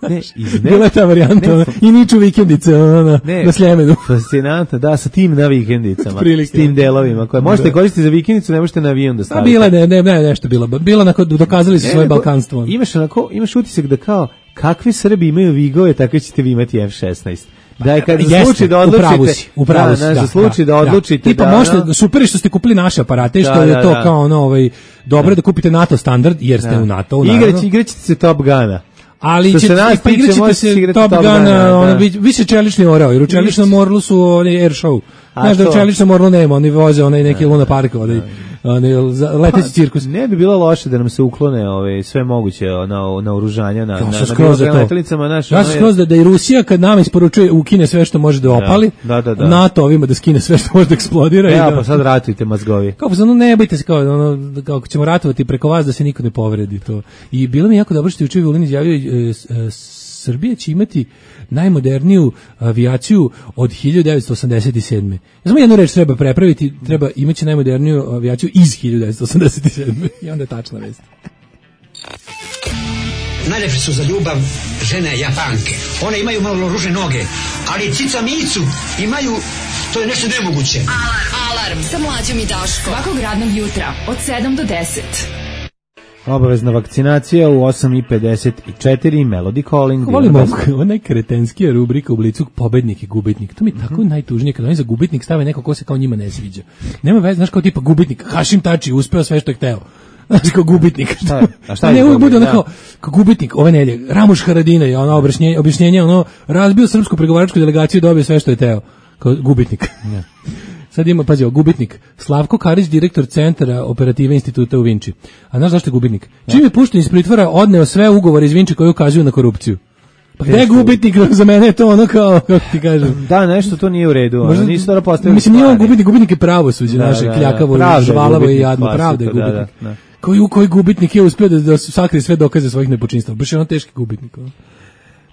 Ne, iz ne, bila je ta varijanta ne, i niču vikendice ona, na, ne, na Sljemenu. Fascinantno, da, sa tim na vikendicama, s tim delovima koje možete da. Koristiti za vikendicu, ne možete na avion da stavite. A bila ne, ne, ne, nešto bilo. Bilo onako, dokazali su ne, svoje balkanstvo. Imaš onako, imaš utisak da kao, kakvi Srbi imaju vigove, tako ćete vi imati F šesnaest. Da je kad za slučaj da odlučite, upravo si, da, da, za slučaj da, da odlučite, tipa da, možete, no, super što ste kupili naše aparate, što da, je to da, kao ono, ovaj, dobro da. Da kupite NATO standard, jer ste da. U NATO, naravno. Igraćete se Top Guna. Ali će pa igraćete se Top Guna, ono, vi se čelični orao, jer u čeličnom orlu su oni air show. Znaš da u čeličnom orlu nema, oni voze onaj neki Luna Park, onaj one, za, leteći cirkus. Ne bi bilo loše da nam se uklone ove, sve moguće na, na oružanja, na, Ja na, sam na skroz za to. letjelicama. Naš, Ja sam skroz da, da i Rusija kad nama isporučuje ukine sve što može da opali, da, da, da. NATO ovima da skine sve što može da eksplodira. Ja, i da, pa sad ratujte mazgovi. kao pa ne bojte se, kao, ono, kao ako ćemo ratovati preko vas da se niko ne povredi to. I bilo mi jako dobro što je juče Vulin izjavio, e, e, Srbija će imati najmoderniju avijaciju od hiljadu devetsto osamdeset sedme. Ja samo jednu reč treba prepraviti, treba imaće najmoderniju avijaciju iz hiljadu devetsto osamdeset sedme. I onda je tačna vest. Najlepše su za ljubav žene Japanke. One imaju malo ružne noge, ali cica micu imaju, to je nešto nemoguće. Alarm, alarm sa mlađom i Daškom. Svakog radnog jutra od sedam do deset. Obavezna vakcinacija u osam i pedeset četiri, Melody Calling. Volimo onaj kretenskija rubrika u Blicu, pobednik i gubitnik. To mi je tako mm-hmm. najtužnije kada oni za gubitnik stave neko ko se kao njima ne sviđa. Nema veze, znaš, kao tipa gubitnik, Hašim Tači uspeo sve što je hteo. Znaš, kao gubitnik. Šta je? A šta je? Ne, uvijek bude ono kao, kao gubitnik ove nelje. Ramuš Haradina je ono objašnjenje, objašnjenje, ono, razbio srpsku pregovaračku delegaciju i dobio sve što je hteo. Kao gubitnik. Yeah. Sad ima, pazi, gubitnik. Slavko Karić, direktor centra operative instituta u Vinči. A znaš zašto je gubitnik? Ja. Čim je pušten iz pritvora, odneo sve ugovore iz Vinči koji ukazuju na korupciju. Pa gde je gubitnik? Za mene je to ono kao, kako ti kažem. Da, nešto to nije u redu. Možda, nisu dobro postavili. Mislim, nije on gubitnik, gubitnik je pravosuđe, da, naše, da, kljakavo, da, žvalavo i jadno. Pravda je gubitnik. Da, da, da. Koji, koji gubitnik je uspio da, da sakrije sve dokaze svojih nepočinstva. Baš je ono teški gubitnik. Ono.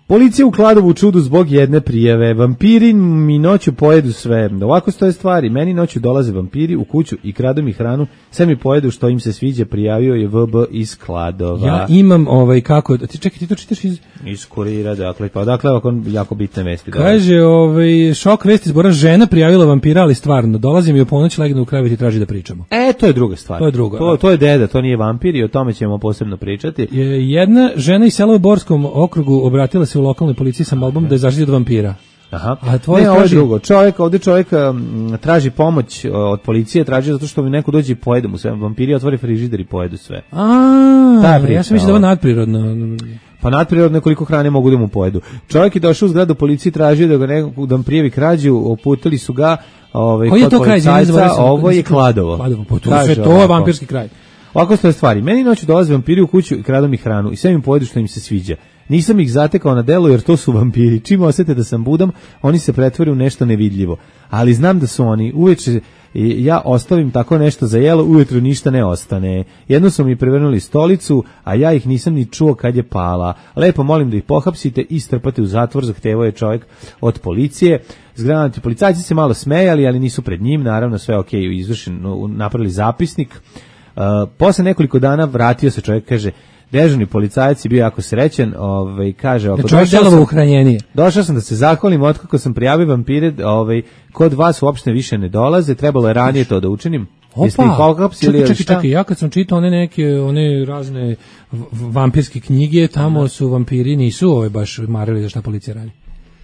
Policija u Kladovu čudu zbog jedne prijave. Vampiri mi noću pojedu sve. Ovako stoje stvari. Meni noću dolaze vampiri u kuću i kradu mi hranu. Sve mi pojedu što im se sviđa. Prijavio je V B iz Kladova. Ja imam ovaj kako... Ti čekaj, ti to čitaš iz... Iz kurira, dakle. Pa dakle, ovako jako bitne vesti. Kaže, ovaj, šok vesti zbora, žena prijavila vampira, ali stvarno. Dolazim i u ponoć legnu u krevet i traži da pričamo. E, to je druga stvar. To je druga. To, to je deda, to nije vampir i o tome ćemo posebno pričati. Jedna žena iz sela u Borskom okrugu obratila se u lokalnoj policiji sa molbom da je zaštiti od vampira. Aha. A tvoj ne, ovo je drugo. Čovjek, ovdje čovjek um, traži pomoć od policije, traži zato što mi neko dođe i pojede mu sve. Vampiri otvori frižider i pojedu sve. A, ja sam mislio da je ovo nadprirodno. Pa nadprirodno koliko hrane mogu da mu pojedu. Čovjek je došao u zgradu policije, tražio da ga neko da mu prijavi krađu, oputili su ga, ovaj kod policajca, ovo je Kladovo. Kladovo, pa to je to je vampirski kraj. Ovako stoje stvari. Meni noću dolaze vampiri u kuću i kradu mi hranu i sve mi pojedu što im se sviđa. Nisam ih zatekao na delu jer to su vampiri. Čim osete da sam budam, oni se pretvore u nešto nevidljivo. Ali znam da su oni. Uveče ja ostavim tako nešto za jelo, ujutru ništa ne ostane. Jedno su mi prevrnuli stolicu, a ja ih nisam ni čuo kad je pala. Lepo molim da ih pohapsite i strpate u zatvor, zahtevao je čovjek od policije. Zgranati policajci se malo smejali, ali nisu pred njim, naravno sve ok, izvršen, napravili zapisnik. Uh, posle nekoliko dana vratio se čovjek, kaže, dežurni policajac je bio jako srećan, ovaj, kaže, ako došao sam, došao sam da se zahvalim, otkako sam prijavio vampire, ovaj, kod vas uopšte više ne dolaze, trebalo je ranije to da učinim. Opa, čekaj, čekaj, čekaj, ja kad sam čitao one neke, one razne vampirske knjige, tamo su vampiri, nisu ove baš marili za šta policija radi.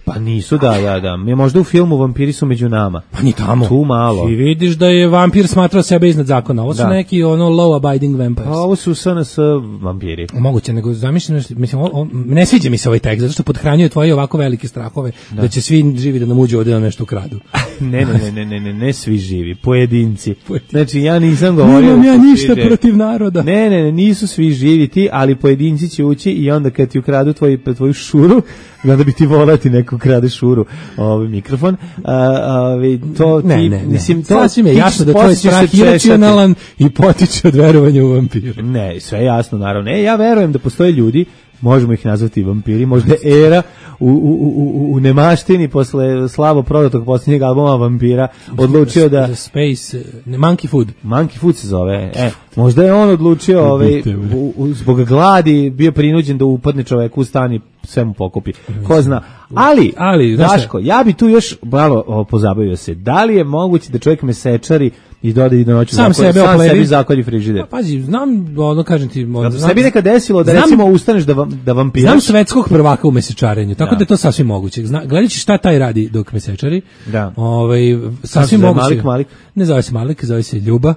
Pa nisu, da, da, da. Mi možda u filmu vampiri su među nama. Pa ni tamo. Tu malo. I vidiš da je vampir smatrao sebe iznad zakona. Ovo su da. neki ono low abiding vampires. Pa ovo su S N S vampiri. Moguće, nego zamišljeno, mislim, on, on, ne sviđa mi se ovaj tekst, zato što podhranjuje tvoje ovako velike strahove, da, da će svi živi da nam uđe ovdje da nešto ukradu. ne, ne, ne, ne, ne, ne, ne svi živi, pojedinci. Znači, ja nisam govorio... Nemam ja ništa sviđe. Protiv naroda. Ne, ne, ne, nisu svi živi ti, ali pojedinci će ući i onda kad ti ukradu tvoj, tvoju šuru, onda bi ti volati neko krade šuru, ovaj mikrofon, a, to ti, ne, ne, ne. mislim, to sasvim je jasno da to je strah iracionalan i potiče od verovanja u vampire. Ne, sve jasno, naravno. E, ja verujem da postoje ljudi, možemo ih nazvati vampiri, možda era u, u, u, u nemaštini posle slabo prodatog posljednjeg albuma Vampira odlučio da... Space, ne, Monkey Food. Monkey Food se zove. E, možda je on odlučio, ovaj, u, u, zbog gladi bio prinuđen da upadne čoveku u stan i sve mu pokupi. Ko zna. Ali, Ali Daško, ja bi tu još malo pozabavio se. Da li je moguće da čovjek mesečari i doda i do noću sam zakon, sebe sam sebi zakolji frižider? Pa, pazi, znam, ono kažem ti... Da se bi nekad desilo da znam, recimo ustaneš da, vam, da vampiraš? Znam svetskog prvaka u mesečarenju, tako da, da je to sasvim moguće. Zna, gledajući šta taj radi dok mesečari, da. Ovaj, sasvim moguće. Malik, Malik? Ne zove se Malik, zove se Ljuba.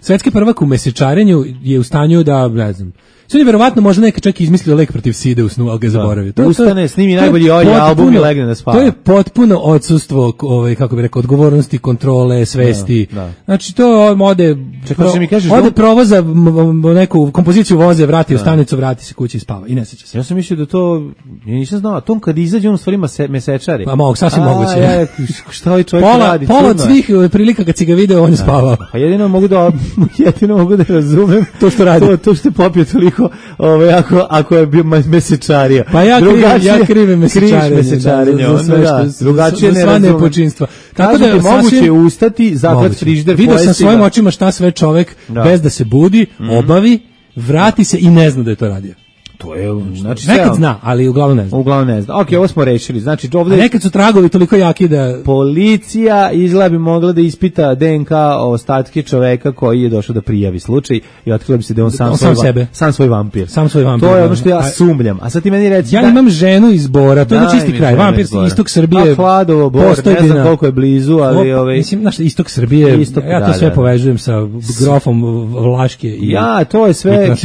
Svetski prvak u mesečarenju je u stanju da, ne znam, Sve je verovatno možda neka čak izmislio lek protiv side u snu, ali ga zaboravio. To, Ustane, to, snimi to najbolji ovaj potpuno, album i legne da spava. To je potpuno odsustvo, ovaj, kako bi rekao, odgovornosti, kontrole, svesti. Da, da. Znači to ode, Čekaj, pro, mi kažeš ode da... provoza neku kompoziciju voze, vrati u stanicu, vrati se kući i spava i ne seća se. Ja sam mislio da to, ja nisam znao, a tom kad izađe on u stvari mase, mesečari. Pa mogu, sasvim a, moguće. Ja, šta ovaj čovjek pola, radi? Pola od svih prilika kad si ga video, on je spavao. Pa jedino mogu da, jedino mogu da razumem to što radi. To, to što je popio toliko, ovaj, ako, ako je bio mesečarija. Pa ja krivim, ja krivim mesečarenje. mesečarenje Da, za, za sve što, da, drugačije za, ne za razumem. Nepočinstva. Tako da je moguće ustati, zaklat frižider, vidio sam svojim očima šta sve čovek da. bez da se budi, mm. obavi, vrati se i ne zna da je to radio. To je, znači, nekad zna, ali uglavnom ne zna. Uglavnom ne zna. Ok, ovo smo rešili. Znači, ovde... A nekad su tragovi toliko jaki da... Policija izgleda bi mogla da ispita D N K ostatke čoveka koji je došao da prijavi slučaj i otkrilo bi se da on sam, on svoj, sam, sebe. sam svoj vampir. Sam svoj vampir. To je ono što ja sumnjam. A sad ti meni reci... Ja da... imam ženu iz Bora, to je na čisti kraj. Vampir istok Srbije. A Hladovo, Bor, ne znam koliko je blizu, ali... O, ovaj... Mislim, znaš, istok Srbije, istok, ja to da, sve da, povežujem sa grofom Vlaške i... Ja, to je sve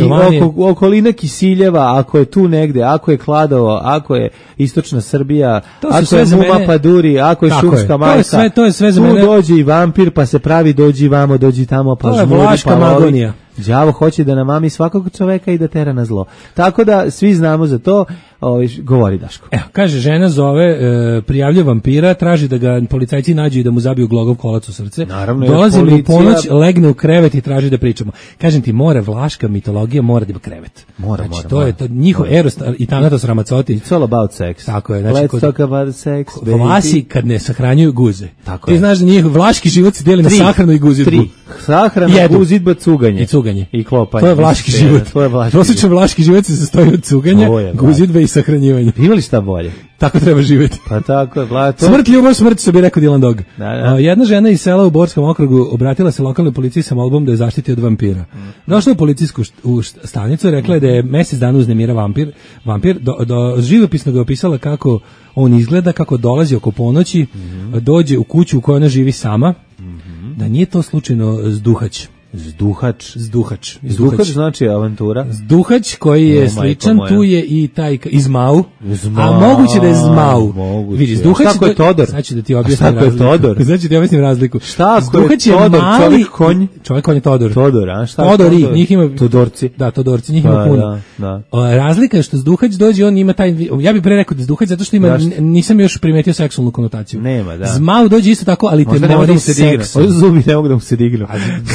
oko, okolina Kisiljeva, ako je tu negde, ako je Kladovo, ako je istočna Srbija, ako je Muma mene... Paduri, ako je Tako šumska je. majka, to je sve, to je sve za tu mene... dođe i vampir, pa se pravi, dođi vamo, dođi tamo, pa žmuri, to je Vlaška magonija. Đavo hoće da namami svakog čoveka i da tera na zlo. Tako da svi znamo za to, ovaj, govori Daško. Evo, kaže, žena zove, e, prijavlja vampira, traži da ga policajci nađu i da mu zabiju glogov kolac u srce. Naravno, dolazi policija... mu u ponoć, legne u krevet i traži da pričamo. Kažem ti, mora vlaška mitologija, mora da ima krevet. Mora, znači, mora. to mora. je to, njihov mora. Eros i Thanatos Ramazzotti. It's all about sex. Tako je. Znači, Let's kod, talk about sex, baby. Vlasi kad ne sahranjuju guze. Tako ti je. znaš da njihov vlaški život se dijeli na sahranu i guzidbu. Tri. Sahrana, guzidba, cuganje. I cuganje. I klopanje. To je vlaški život. To je vlaški Prosječan vlaški život se sastoji od cuganja, guzidbe i sahranjivanja. Ima li šta bolje? Tako treba živjeti. Pa tako je, vla, to... Smrt, ljubav, smrt, što bi rekao Dylan Dog. Da, da. Jedna žena iz sela u Borskom okrugu obratila se lokalnoj policiji sa molbom da je zaštiti od vampira. Mm. Došla u policijsku št, u stanicu i rekla je da je mjesec dana uznemira vampir. Vampir do, do živopisno ga je opisala kako on izgleda, kako dolazi oko ponoći, mm-hmm. dođe u kuću u kojoj ona živi sama, mm-hmm. da nije to slučajno zduhać. Zduhač. Zduhač. Zduhač znači avantura. Zduhač koji je o, sličan, tu je i taj Izmau. Zmau. A moguće da je Zmau. Moguće. Vidi, Zduhač šta je Todor? Znači da ti objasnim razliku. Šta je Todor? Znači da ti objasnim razliku. Šta Zduhač je Todor? mali, čovjek konj? Čovjek konj je Todor. Todor, a šta? Todori, Todor? Njih ima... Todorci. Da, Todorci, njih ima pa, puno. Da, da. Razlika je što Zduhač dođe, on ima taj... Ja bih pre rekao da Zduhač, zato što ima, nisam još primetio seksualnu konotaciju. Nema, da. Zmau dođe isto tako, ali te mori seks. Zubi ne mogu da mu se dignu.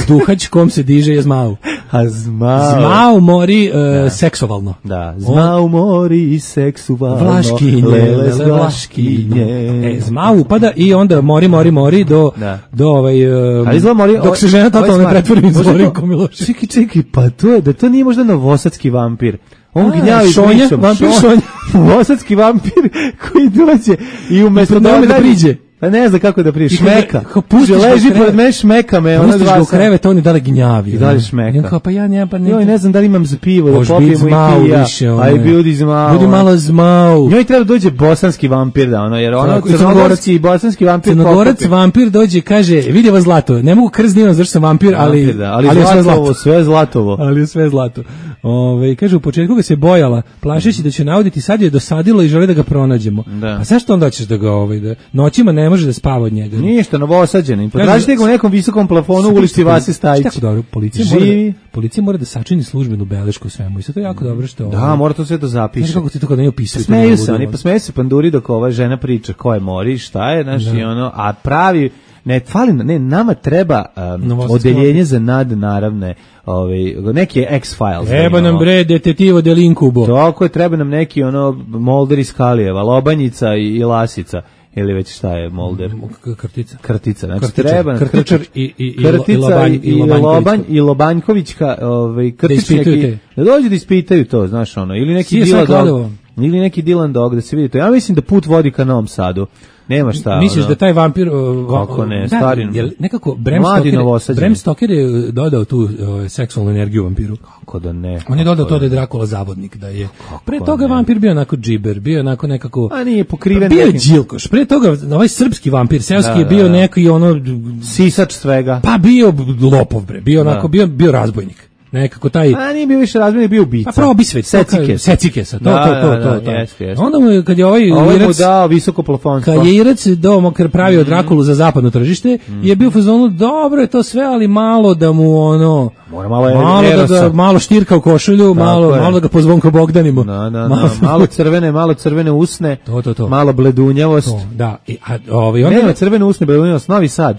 Zduhač kom se diže je Zmau. A Zmau. Zmau mori uh, seksualno. Da, Zmau mori seksualno. Vlaškinje, lele za vlaškinje. E, Zmau upada i onda mori, mori, mori do, da. do ovaj, um, ali mori, dok ovaj, se žena totalno ne pretvori iz Zorinko Milošević. Čekaj, čekaj, pa to je, da to nije možda novosadski vampir. On A, gnjavi šonja, pričom. vampir šonja. Novosadski vampir koji dođe i umjesto da da priđe. Pa ne znam kako da prije, šmeka. Pustiš leži pored mene, šmeka me. Pustiš ga u krevet, on je dale gnjavi. I dalje šmeka. I kao, pa ja nemam, pa ne. Joj, ne znam da li imam za pivo, da popijemo i kija. Aj, budi Zmau. Budi malo Zmau. Njoj treba dođe bosanski vampir, da ono, jer ono, crnogorski i bosanski vampir. Crnogorac vampir dođe, kaže, vidi vas zlato, ne mogu krst divan, zašto sam vampir, ali, ali, ali sve zlatovo, sve zlatovo. Ali sve zlato. Ove, kaže, u početku ga se bojala, plašeći da će nauditi, sad je dosadilo i želi da ga pronađemo. Da. Pa zašto onda ćeš da ga, ovaj, da noćima ne može da spava od njega? Ništa, novosađeni. Potražite ga u nekom visokom plafonu u ulici Vasi Stajić. Tako dobro, policija mora, da, policija mora da sačini službenu belešku svemu. I sve to je jako dobro što... Da, mora to sve da zapiše. Znaš kako ti to kada ne opisuje? Smeju se, oni pa smeju se panduri dok ova žena priča ko je mori, šta je, znaš, i ono, a pravi... Ne, fali, ne, nama treba um, odeljenje za nadnaravne, ovaj, neki X-Files. Treba nam bre detektivo delinkubo. Tako je, treba nam neki ono Molder iz Kalijeva, Lobanjica i, i Lasica. Ili već šta je Molder? Krtica. Krtica, znači Krtičar, treba Krtičar i, i, Krtica i, Lobanj, i, i, Lobanj, i Lobanjkovićka, ovaj, Krtičnjaki, da dođu da ispitaju to, znaš ono, ili neki Dylan Dog, ili neki Dylan Dog, da se vidi to. Ja mislim da put vodi ka Novom Sadu. Nema šta. Misliš ono, da taj vampir uh, kako ne, da, stari. Jel nekako Bram Stoker, Bram Stoker je dodao tu uh, seksualnu energiju vampiru. Kako da ne? On je dodao to da je Drakula zavodnik, da je. Kako pre toga ne? Vampir bio onako džiber, bio onako nekako. A nije pokriven. Bio je Đilkoš. Pre toga ovaj srpski vampir, seoski da, je bio da, neki ono sisač svega. Pa bio lopov bre, bio onako, bio bio razbojnik. Nekako taj... A nije bio više razmjer, bio ubica. Pa probisvet. Secikes. Secikesa, to, da, to, to, da, to, da, to. jest, jest. Onda mu, kad je ovaj Ovo je mu Irac... dao visoko plafonstvo. Kad je Irac do, kad pravio Drakulu za zapadno tržište, mm. je bio u fazonu, dobro je to sve, ali malo da mu ono... Mora malo, malo da ga, malo štirka u košulju, malo, malo da ga pozvonko Bogdanimo. Da, da, da, malo, malo crvene, malo crvene usne, to, to, to. malo bledunjavost. To, da, I, a, ovaj, onda... Nema crvene usne, bledunjavost, Novi Sad.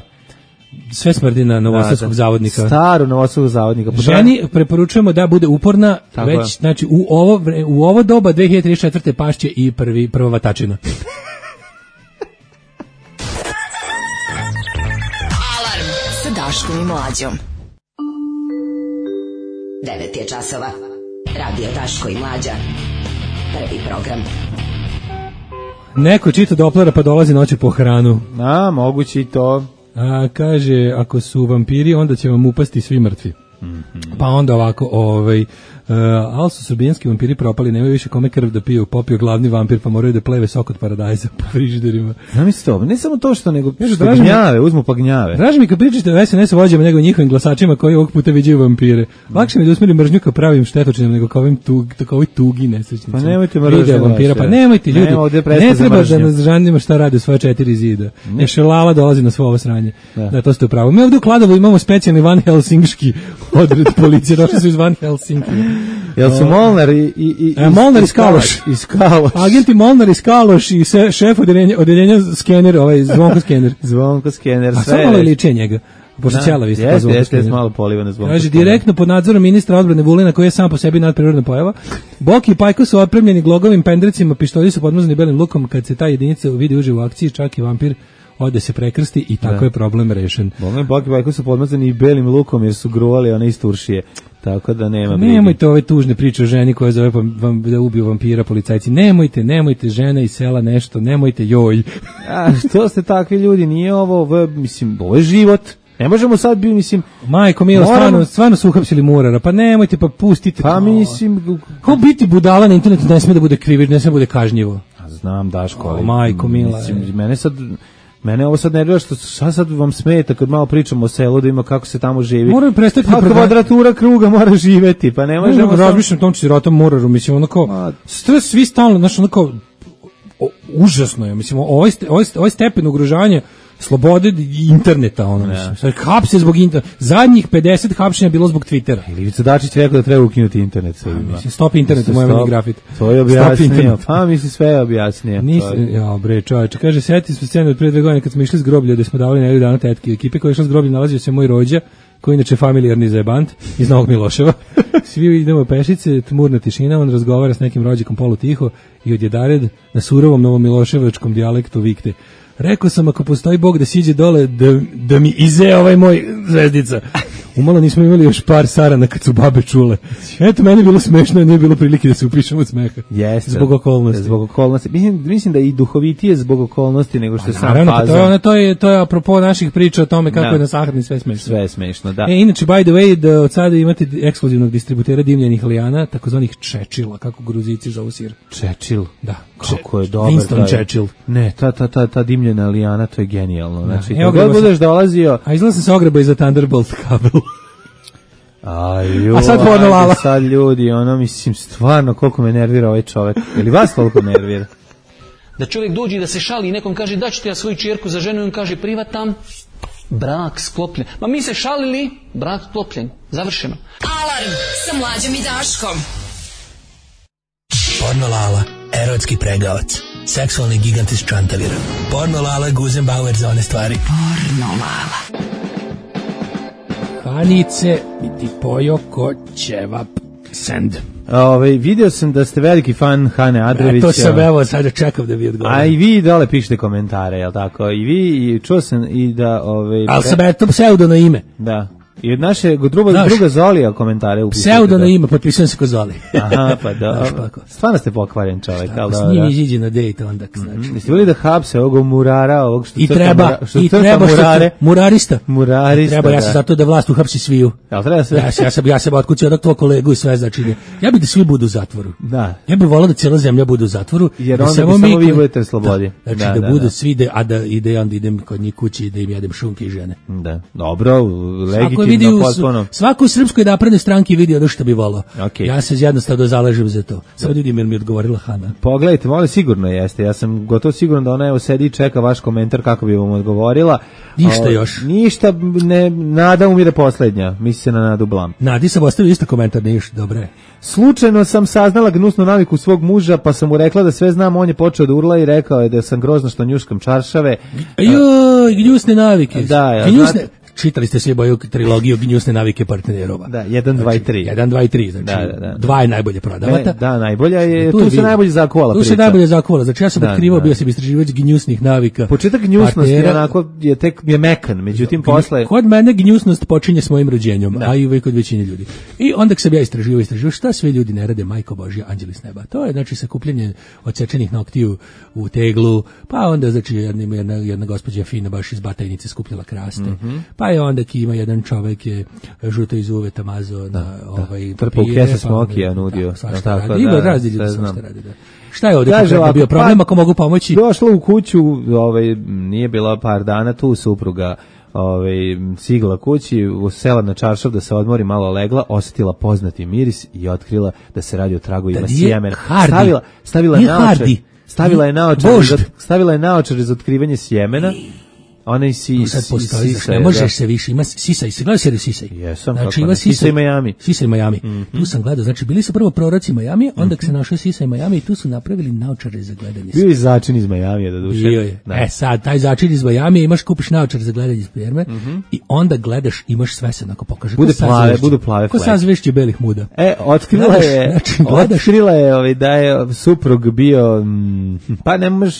Sve smrdi na novosadskog da, da. zavodnika. Staru novosadskog zavodnika. Ženi preporučujemo da bude uporna, tako već, je. znači, u ovo, u ovo doba dve hiljade trideset četvrte pašće i prvi, prva vatačina. Alarm sa Daškom i Mlađom. devet je časova. Radio Daško i Mlađa. Prvi program. Neko čita Doplera pa dolazi noće po hranu. A, moguće i to. A, kaže, ako su vampiri, onda će vam upasti svi mrtvi. Mm-hmm. Pa onda ovako, ovaj, uh, ali su srbijanski vampiri propali, nemaju više kome krv da piju, popio glavni vampir, pa moraju da pleve sok od paradajza po frižiderima. Zamisli to, ne samo to što, nego Ježu, što draži gnjave, uzmu pa gnjave. Draži mi kad pričate o es en es vođama nego njihovim glasačima koji ovog puta viđaju vampire. Lakše mi da usmeri mržnju kao pravim štetočinom nego kao ovim tug, tako ovoj tugi nesrećnicima. Pa nemojte mržnju vampira, pa nemojte ljudi. Nema ne treba da nas žanimo šta rade svoje četiri zida. Još Lala dolazi na svo ovo sranje. Da, da to ste upravo. Mi ovdje u Kladovu imamo specijalni Van Helsingški odred policije. Došli su iz Van Helsinki. Jel su Molnar i... i, i e, Molnar iz Kaloš. Iz Kaloš. Agenti Molnar iz Kaloš i se, šef odeljenja, odeljenja skener, ovaj Zvonko skener. Zvonko skener, sve. A samo malo liče njega. Pošto ćela vi ste pa Zvonko skener. Jeste, malo polivane Zvonko Kaže, direktno pod nadzorom ministra odbrane Vulina, koji je sam po sebi nadprirodna pojava. Boki i Pajko su opremljeni glogovim pendrecima, pištolji su podmazani belim lukom. Kad se ta jedinica vidi uživo u akciji, čak i vampir ode se prekrsti i tako da. Je problem rešen. Boga, Boki i Pajko su podmazani i belim lukom jer su gruvali one iz Turšije. Tako da nema brige. Nemojte ove tužne priče o ženi koja zove vam, da ubiju vampira policajci. Nemojte, nemojte, žena iz sela nešto, nemojte, joj. A što ste takvi ljudi, nije ovo, ovo mislim, ovo je život. Ne možemo sad bi, mislim... Majko milo, moramo... stvarno, stvarno su uhapsili Murara, pa nemojte, pa pustite. Pa mislim... Kao biti budala na internetu ne sme da bude krivič, ne sme da bude kažnjivo. Znam, Daško, ali... O, majko mila. Mislim, mene sad... Mene ovo sad nervira što sad, sad vam smeta kad malo pričamo o selu da ima kako se tamo živi. Moraju prestati pa kvadratura kruga mora živeti, pa ne možemo... Ne razmišljam tom sirotom Muraru, mislim, onako, stres svi stalno, znači, onako, o, užasno je, mislim, ovaj, ovaj, ovaj stepen ugrožavanja slobode interneta, ono, mislim. Sad hapse zbog interneta. Zadnjih pedeset hapšenja bilo zbog Twittera. Ivica Dačić rekao da treba ukinuti internet. Sve mislim, stop internet, moj meni grafit. To je objasnio. Pa, misli, sve je objasnio. Nisam, ja, bre, čovječe. Kaže, sjeti smo scenu od prije dve godine kad smo išli s groblja, da smo davali nedelju dana tetke. Ekipe koja je išla s groblja nalazio se moj rođa, koji inače familijarni zajebant iz Novog Miloševa. Svi idemo pešice, tmurna tišina, on razgovara s nekim rođakom polutiho i odjedared na surovom novomiloševačkom dijalektu vikte. Rekao sam, ako postoji Bog da siđe dole, da, da mi ize ovaj moj zvezdica. Umalo nismo imali još par sarana kad su babe čule. Eto, meni je bilo smešno, nije bilo prilike da se upišemo od smeha. Jeste. Zbog okolnosti. Zbog okolnosti. Mislim, mislim da i duhovitije zbog okolnosti nego što je sam naravno, faza. To je, ono, to, je, to je apropo naših priča o tome kako da. Je na sahrani sve smešno. Sve je smešno, da. E, inače, by the way, da od sada imate ekskluzivnog distributera dimljenih lijana, takozvanih čečila, kako Gruzici zovu sir. Čečil? Da. Kako je dobar. Winston Churchill. Ne, ta, ta, ta, ta dimljena lijana, to je genijalno. Znači, da. Kako budeš dolazio... A izgleda sam se ogreba iza Thunderbolt kabel. Aj, a sad porno Lala. Sad ljudi, ono, mislim, stvarno, koliko me nervira ovaj čovjek. Ili vas toliko nervira? Da čovjek dođe i da se šali i nekom kaže, da ću ti ja svoju čerku za ženu i on kaže, privatam, brak sklopljen. Ma mi se šalili, brak sklopljen. Završeno. Alarm sa Mlađom i Daškom. Porno Lala, erotski pregavac, seksualni gigant iz Čantavira. Porno Lala, Guzenbauer za one stvari. Porno Lala. Hanice, mi ti pojo ko ćevap send. Ove, vidio sam da ste veliki fan Hane Adrovića. E, to sam evo, sad čekam da vi odgovorim. A i vi dole pišete komentare, jel tako? I vi, i čuo sam i da... Ove, ali sam eto pseudo na ime. Da. I od naše druga, Znaš, druga Zolija komentare upisujete. Pseudo na ime, potpisujem se ko Zoli. Aha, pa da. Stvarno ste pokvaren čovjek. Šta, s njim iziđe na dejt onda. Znači. Jeste bili da hapse ovog murara, ovog što I crta, treba, mura, što i treba murare. Što, murarista. Murarista, treba, da. ja sam zato da vlast uhapsi sviju. Jel treba sve? Ja, ja sam, ja sam otkucio od tvoj kolegu i sve, znači, ja bih da svi budu u zatvoru. Da. Ja bih volao da cijela zemlja bude u zatvoru. Jer onda bi samo vi budete slobodi. Da, znači da, da, da budu da. Svi, de, a da ide onda idem kod njih kući i da im jedem šunke i žene. Da, dobro, legitimno. vidi u, potpuno. svako u Srpskoj naprednoj stranki vidi ono što bi volao. Okay. Ja se jednostavno zalažem za to. Samo ljudi mi je odgovorila Hana. Pogledajte, molim, sigurno jeste. Ja sam gotovo siguran da ona evo sedi i čeka vaš komentar kako bi vam odgovorila. Ništa o, još. Ništa, ne, nada umire poslednja. Misli se na Nadu Blam. Nadi sam ostavio isto komentar, ništa, dobre. Slučajno sam saznala gnusnu naviku svog muža, pa sam mu rekla da sve znam, on je počeo da urla i rekao je da sam grozno što njuškam čaršave. Joj, gnjusne navike. Da, ja, gnjusne... znate, čitali ste svi boju trilogiju gnjusne navike partnerova. Da, jedan, dva i tri. jedan, dva i tri, znači da, da, da. dva je najbolje prodavata. Ne, da, najbolja je, tu, tu je se najbolje zakovala priča. Tu se najbolje zakovala, znači ja sam da, otkrivao, da. bio sam istraživač gnjusnih navika. Početak gnjusnosti je onako, je tek je mekan, međutim posle... Kod mene gnjusnost počinje s mojim rođenjem, da. A i uvijek kod većine ljudi. I onda sam ja istraživao, istraživao šta sve ljudi ne rade, majko Božja, anđeli s neba. To je znači sakupljanje odsečenih noktiju u teglu, pa onda znači jedna, jedna, jedna gospođa fina baš iz Batajnice skupljala kraste, mm-hmm. pa je onda ki ima jedan čovek je žuto iz uveta mazo da, na ovaj trpao u kese smokija nudio. Da, tako, radi. Ima da, razli ljudi šta radi, da. Šta je ovdje Kaže, konkretno bio problem, pa, ako mogu pomoći? Došla u kuću, ovaj, nije bila par dana tu, supruga ovaj, sigla kući, sela na čaršav da se odmori, malo legla, osjetila poznati miris i otkrila da se radi o tragovima da sjemena. Stavila, stavila, naočar, stavila je naočar, stavila je naočar za otkrivanje sjemena. Ona i si, sad postoji, sisaj, ne možeš se više, ima sisaj, se gleda seriju Sisaj. Jesam, znači, ima Sisaj Miami. Sisaj Miami. Mm-hmm. Tu sam gledao, znači bili su prvo proroci Miami, onda mm-hmm. se našao Sisaj Miami i tu su napravili naočare za gledanje. Bio je začin iz Miami, da duše. Bio je. Da. E sad, taj začin iz Miami, imaš, kupiš naočar za gledanje sperme mm-hmm. i onda gledaš, imaš sve se onako pokaže. Bude plave, budu plave fleke. Ko sad zvešće belih muda. E, otkrila je, znači, otkrila je ovaj, da je suprug bio, pa ne možeš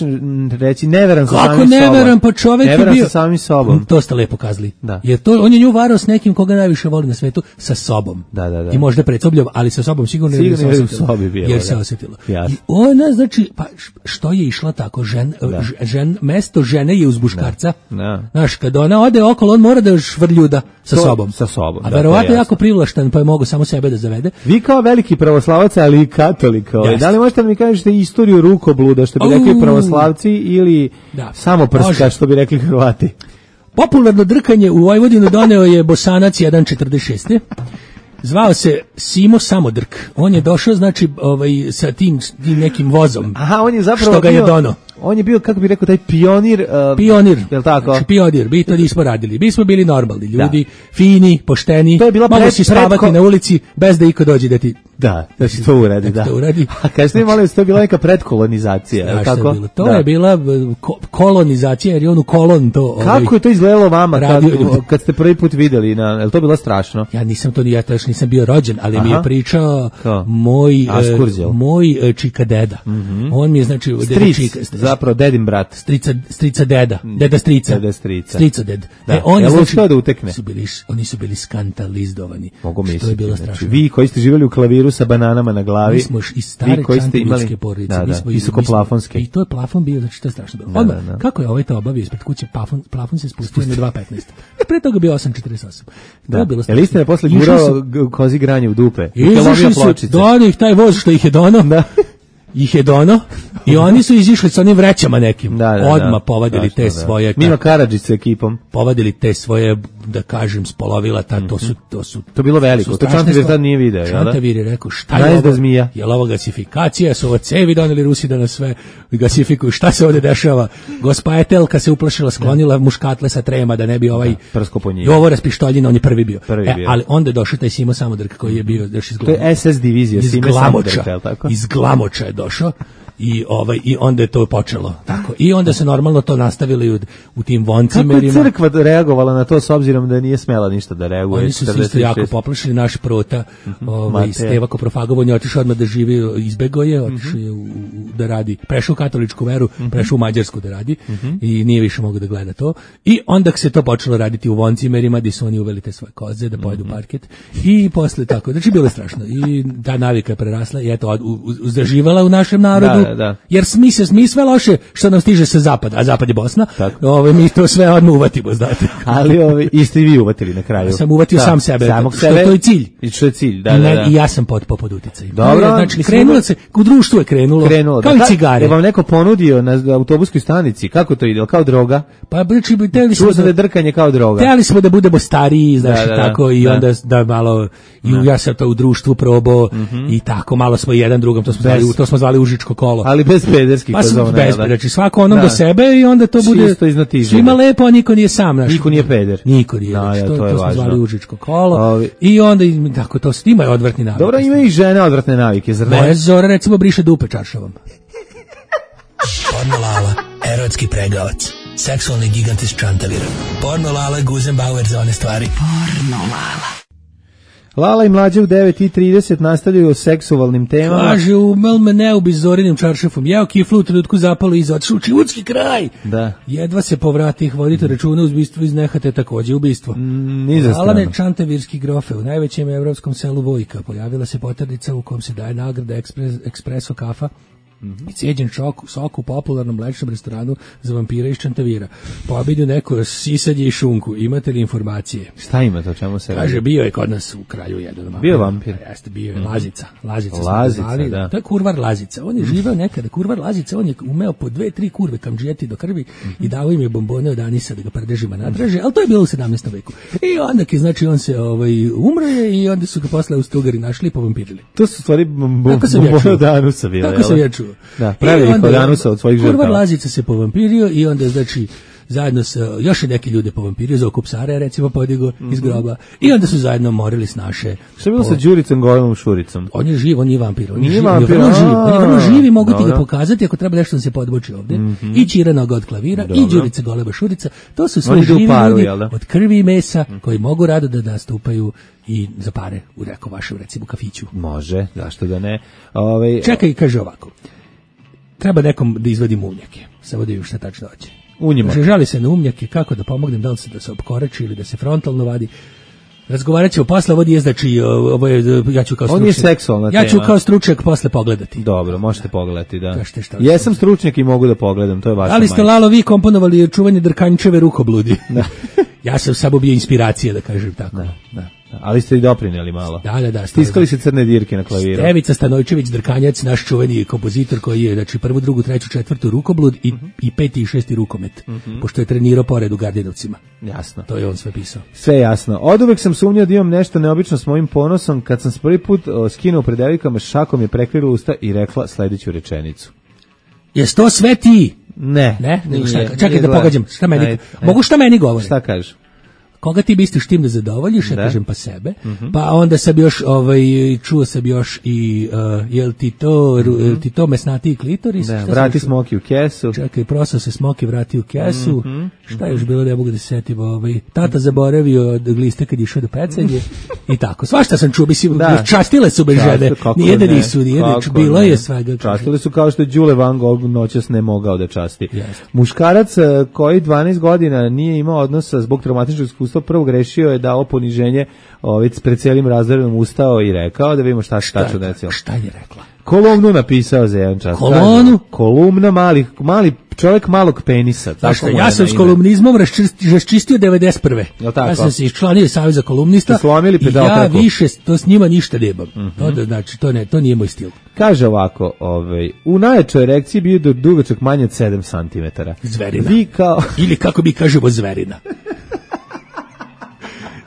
reći, neveran sa samim sobom. Kako neveran, pa čovek je bio sa samim sobom. To ste lepo kazali. Da. Jer to, on je nju varao s nekim koga najviše voli na svetu, sa sobom. Da, da, da. I možda pred sobljom, ali sa sobom sigurno, sigurno jer se osjetilo. Sobi bilo, jer se da. osjetilo. Jasno. I ona, znači, pa što je išla tako, žen, žen, mesto žene je uz muškarca. Da. Znaš, kad ona ode okolo, on mora da još vrljuda sa to, sobom. Sa sobom. A verovatno jako privlašten, pa je mogu samo sebe da zavede. Vi kao veliki pravoslavac, ali i katolik, ovaj, da li možete da mi kažete istoriju rukobluda, što bi rekli pravoslavci, ili da. samo prska, što bi rekli Hrvati? Popularno drkanje u Vojvodinu doneo je Bosanac jedan četrdeset šest. Zvao se Simo Samodrk. On je došao, znači, ovaj, sa tim, tim nekim vozom. Aha, on je zapravo što ga bio, je dono. On je bio, kako bi rekao, taj pionir. Uh, pionir. Jel tako? Znači, pionir. Mi to nismo radili. Mi smo bili normalni ljudi, da. Fini, pošteni. To je bila mogu pred, si spavati predko... na ulici bez da iko dođe da ti... Da, da se to uradi, da. To uradi. A kada ste imali, to je bila neka predkolonizacija, je li tako? Je to da. je bila ko- kolonizacija, jer je on u kolon to... Kako ovaj, je to izgledalo vama kad, kad ste prvi put videli? Na, je li to bilo strašno? Ja nisam to, ja to još nisam bio rođen, ali Aha. mi je pričao Ko? moj uh, moj uh, čika deda. Mm-hmm. On mi je, znači... Stric, čika, zapravo dedin brat. Strica, strica deda, deda strica. Deda strica. Strica ded. Da. E, oni, Jel znači, da utekne? Su bili, oni su bili skandalizdovani. Mogu misliti. To je bilo strašno. Znači, vi koji ste živjeli u klaviru sa bananama na glavi, mi smo iz stare čantavilske porodice, da, da, mi smo visokoplafonske. I to je plafon bio, znači to je strašno bilo. Da, Odmah, da, da. kako je ovaj to obavio ispred kuće, plafon, plafon se spustio na dva petnaest. Pre toga bio osam četrdeset osam. Da. To je bilo strašno. Jel istina je posle gurao kozi granje u dupe? Izašli su, dono ih taj voz što ih je dono. Da. Ih je dono i oni su izišli sa onim vrećama nekim. Da, da, odmah povadili da, te da. svoje... Mima Karadžić sa ekipom. Povadili te svoje, da kažem, spolovila, ta, to su... To, su, to bilo veliko, to Čantavir tad nije video. Čantavir je rekao, šta je ovo? Zmija. Je li ovo gasifikacija, su ovo cevi doneli Rusi da nas sve gasifikuju, šta se ovdje dešava? Gospa Etelka se uplašila, sklonila muškatle sa trema da ne bi ovaj... Prsko po njih. Ovo raspištoljina, on je prvi bio. Prvi e, bio. Ali onda je došao taj Simo Samodrk koji je bio još iz Glamoča. To je es es divizija, Simo Samodrk, je li tako? Iz Glamoča je došao. I ovaj i onda je to počelo tako i onda se normalno to nastavili u, u tim voncimerima. Kako je crkva reagovala na to s obzirom da nije smela ništa da reaguje? Oni su se isto jako poplašili, naš prota uh-huh. ovaj Steva Koprofagovo, on je otišao odmah da živi, izbegao je, otišao je u, u, da radi, prešao u katoličku veru, uh-huh. prešao u mađarsku da radi uh-huh. i nije više mogao da gleda to. I onda se to počelo raditi u voncimerima gdje su oni uveli te svoje koze da pojedu uh-huh. parket i posle tako, znači bilo je strašno i ta navika je prerasla i eto, uzdraživala u našem narodu. Da, da, da. Jer mi se mi sve loše što nam stiže sa zapada, a zapad je Bosna. Ove mi to sve odmah uvatimo, znate. Ali ove isto i vi uvatili na kraju. Ja sam uvatio da, sam sebe. Samog što sebe. To je cilj. I što je cilj, da, da, da. I ja sam potpao pod uticajem. Dobro, znači krenulo se, u društvu je krenulo, krenulo kao da, i cigare. Je vam neko ponudio na autobuskoj stanici, kako to ide, kao droga? Pa znači bi teli smo da drkanje kao droga. Teli smo da budemo stariji, znači da, da, tako i da. onda da malo i da. ja sam to u društvu probao mm-hmm. i tako malo smo jedan drugom to smo bez. zvali to smo zvali užičko kolo. Ali bez pederskih pa zona. Bez, znači svako onom da. do sebe i onda to bude svima lepo, a niko nije sam naš. Niko nije peder. Niko nije. Da, znači, ja, to, to, je to smo zvali užičko kolo. Ovi. I onda tako to ima je odvratni navik. Dobro, ima i žene odvratne navike, zar ne? Bez Zora recimo briše dupe čaršavom. Porno Lala, erotski pregavac, seksualni gigant iz Čantavira. Porno Lala, Guzenbauer za one stvari. Porno Lala. Lala i mlađe u devet i trideset nastavljaju o seksualnim temama. Kaže, umel me ne ubi Zorinim čaršafom. Jeo kiflu u trenutku zapalo iza otišao Čivudski kraj. Da. Jedva se povrati, vodite računa uz ubistvo iz Nehate, takođe ubistvo. Mm, Alane Čantavirski grofe, u najvećem evropskom selu Vojka. Pojavila se poternica u kom se daje nagrada ekspres, ekspreso kafa. Mm-hmm. I cijeđen šok, sok u popularnom mlečnom restoranu za vampira iz Čantavira. Pobedio neko sisadje i šunku. Imate li informacije? Šta ima to, čemu se radi? Kaže, bio je kod nas u kraju jedan. Bio je vampir? A, jeste, bio je Lazica. Lazica, Lazica zvali, da. To je kurvar Lazica. On je živeo nekada, kurvar Lazica, on je umeo po dve, tri kurve kamdžijeti do krvi mm-hmm. i dao im je bombone od anisa da ga prdežima nadraže, ali to je bilo u sedamnaestom veku. I onda je, znači, on se ovaj, umro je i onda su ga posle Austro-Ugari našli i povampirili. To su stvari bombone od anusa bile. Tako sam ja čuo. Da, pravili kod anusa od svojih žrtava. Kurvar Lazica se povampirio i onda, znači, zajedno sa još neki ljude povampirio, za okup Sara recimo podigo mm-hmm. iz groba i onda su zajedno morili s naše. Šta je bilo po... sa Đuricom Golemom Šuricom? On je živ, on nije vampir, on nije je vampir, on je živ, on je vrlo živ i mogu Dobro. ti ga pokazati ako treba nešto da se podboči ovde. Mm-hmm. I Ćira noga od klavira Dobro. i Đurica Golema Šurica, to su sve živi paru, ljudi od krvi i mesa mm-hmm. koji mogu rado da nastupaju i za pare u reko vašem recimo kafiću. Može, zašto da ne? Ove... Čekaj, kaže ovako. Treba nekom da izvadi umnjake. Samo da vidim šta tačno hoće. Kaže, žali se na umnjake, kako da pomognem, da li se da se opkoreči ili da se frontalno vadi. Razgovarat ćemo posle, ovo je znači, ovo je, ja ću kao stručnjak. On je seksualna tema. Ja ću kao stručnjak posle pogledati. Dobro, možete pogledati, da. Kažete šta. Jesam stručnjak i mogu da pogledam, to je vaša majka. Ali ste, Lalo, vi komponovali čuvanje Drkanjčeve rukobludi. Da. Ja sam samo bio inspiracija, da kažem tako. Da, da. Ali ste i doprinjeli malo. Da, da, da. Stiskali se crne dirke na klaviru. Stevica Stanojčević Drkanjac, naš čuveni kompozitor koji je, znači, prvu, drugu, treću, četvrtu rukoblud i, uh-huh. i peti i šesti rukomet, uh-huh. pošto je trenirao pored u Gardinovcima. Jasno. To je on sve pisao. Sve jasno. Od uvek sam sumnjao da imam nešto neobično s mojim ponosom. Kad sam se prvi put o, skinuo pred devojkama, šakom je prekrila usta i rekla sledeću rečenicu. Jes to sve ti? Ne. Ne? Nego šta, čekaj nije da pogađam. Šta meni, ajde, ajde. Mogu šta meni govori? Šta kažeš? Koga ti misliš tim da zadovoljiš, ja da. kažem pa sebe, mm-hmm. pa onda sam još, ovaj, čuo sam još i, uh, jel ti to, mm-hmm. jel ti to mesnati klitoris? Da, vrati smoki u kesu. Čekaj, prosao se smoki, vrati u kesu. Mm-hmm. Šta je još bilo, ne mogu da se setim, ovaj, tata zaboravio od gliste kad je išao do pecanje i tako. Svašta sam čuo, mislim, da. častile su bez žene, nijedne nisu, nijedne, bilo ne. je svega. Častile su kao što je Đule Van Gogh noćas ne mogao da časti. Yes. Muškarac koji dvanaest godina nije imao odnosa zbog traumatičnog iskustva, prvo grešio je dao poniženje, ovaj pred celim razredom ustao i rekao da vidimo šta se tačno desilo. Šta je rekla? Kolumnu napisao za jedan čas. Kolonu? Kolumna mali, mali čovjek malog penisa. Tako ja sam s kolumnizmom raščistio devedeset prve. Ja sam se iščlanio Saveza kolumnista i ja više to s njima ništa nemam. Mm-hmm. To da, znači, to, ne, to nije moj stil. Kaže ovako, ovaj, u najjačoj erekciji bio do dugačak manje od sedam centimetara. Zverina. Vi kao... Ili kako mi kažemo zverina.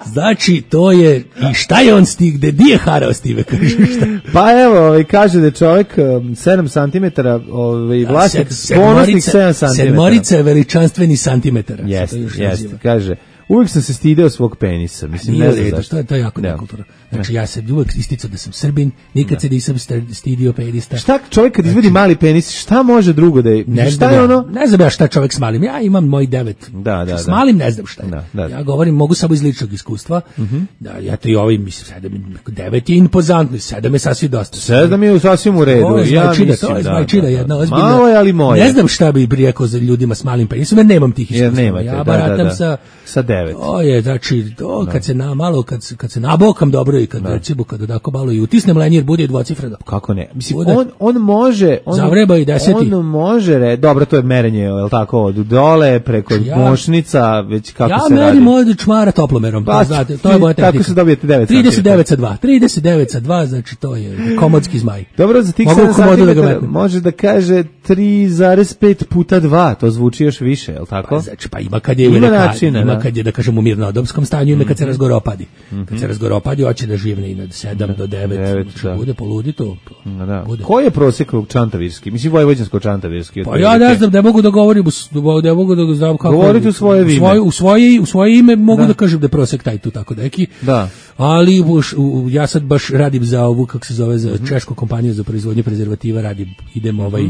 Znači, to je, i šta je on stig, gde di je harao Stive, kaže šta? Pa evo, ovaj, kaže da je čovjek um, sedam centimetara, ovaj, vlasnik, ponosnik sedam centimetara. Sedmorica je veličanstveni santimetara. Jeste, jeste, kaže, uvijek sam se stideo svog penisa, mislim, nije ne znam zašto. To je, to je jako nekulturno. Znači, ja sam uvijek isticao da sam Srbin, nikad ne. se nisam stidio penista. Šta čovjek kad izvedi znači, mali penis, šta može drugo da je? Ne šta je ja, ono? Ne znam ja šta čovjek s malim, ja imam moj devet. Da, da, s malim ne znam šta je. Da, da. Ja govorim, mogu samo iz ličnog iskustva, uh-huh. da ja to i ovaj, mislim, sedam, devet je impozantno, sedam je sasvim dosta. Sedam je sasvim u redu, to je ja značida, mislim, to je da, značida, da, da. jedna ozbiljna. Malo je, ali moje. Ne znam šta bi rekao za ljudima s malim penisom, jer nemam tih iskustva. Ja baratam sa sa devet. To je, znači, to kad se na malo, kad, se- kad se nabokam dobro i kad, recimo, kad odako malo i utisnem lenjer, bude i dvocifreno. Kako ne? Mislim, Bude. on, on može... On, Zavreba i deseti. On može, re, dobro, to je merenje, je li tako, od dole, preko Ja- mošnica, već kako Ja se radi. merim od čmara toplomerom, Pa, pa znate, to je moja tako tehnika. se dobijete devet trideset devet sa dva, trideset devet sa dva, znači to je komodski zmaj. Dobro, za tih Mogu sedam u komodu da ga santimetara metnem. može da kaže tri zarez pet puta dva, to zvuči još više, je li tako? Pa, znači, pa ima kad je Ima u neka- načina, ima da. kad je da kažemo u mirnodopskom stanju, ima kad se Mhm. razgoropadi. Mhm. Kad se razgoropadi, hoće da živne i na sedam do devet, devet, znači da. bude poludi to. Da, da. Bude. Koji je prosjek u čantavirski? Mislim, vojvođansko-čantavirski. Pa ja ne znam, ne mogu da govorim, u s- ne mogu da znam kako. Govorite u svoje ime. U svoje, u svoje, u svoje ime mogu Da. da, kažem da je prosek taj tu tako neki. Da. Ali u, u- ja sad baš radim za ovu, kako se zove, za Mhm. češku kompaniju za proizvodnju prezervativa, radim, idem ovaj,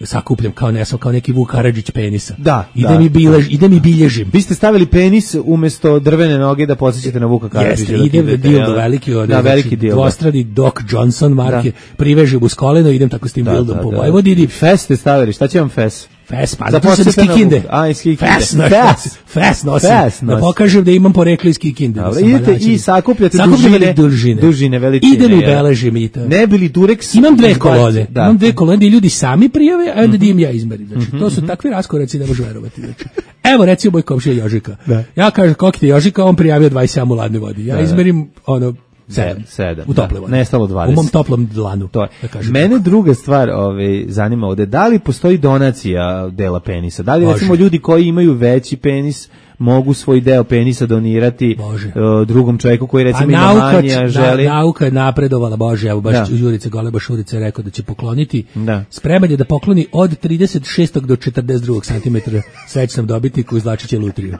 sakupljam kao nesam, kao neki Vuk Karadžić penisa. Da, idem da, i bilež, idem i bilježim. Vi ste stavili penis umjesto drvene noge da podsjećate na Vuka Karadžića. Jeste, dok ide idete, dildo jel? veliki, od, Da, veliki znači, dildo. dvostrani Doc Johnson marke, privežem uz koleno, idem tako s tim Da, dildom da, po da. Vojvodini. Fes ste stavili, šta će vam fes? Fes, pa Za zato sam iz podsjetanje na Kikinde. Vuka. A, iz Kikinde. Fes, nosim. Fes. Fes nosim. Fes Da nosim. pokažem da imam poreklo iz Kikinde. Dobro, da sam idete valjačin. i sakupljate Sakupljam dužine, dužine. dužine, veličine. Idem i jel? beležim i to. Ne bili Durex. Imam dve izbacite, kolone. da. Imam dve kolone gdje ljudi sami prijave, a onda dim ja izmerim. Znači, to su takvi raskoraci, ne može verovati. Znači, evo recimo moj komšija Jožika. Da. Ja kažem koliko ti je Jožika, on prijavio dvadeset sedam u ladnoj vodi. Ja Da, da. izmerim ono sedam. sedam, U tople da. vodi. Nestalo dvadeset. U mom toplom dlanu. To je. Da kažem. Mene druga stvar ovaj, zanima ovde, da li postoji donacija dela penisa? Da li Može. recimo ljudi koji imaju veći penis mogu svoj deo penisa donirati Može. eh, drugom čovjeku koji recimo A ima nauka, manje, a želi? na, nauka je napredovala, Bože, evo baš Da. Jurice Goleba Šurice je rekao da će pokloniti. Da. Spreman je da pokloni od trideset šestog do četrdeset drugog centimetra srećnom dobitniku izvlačit će lutriju.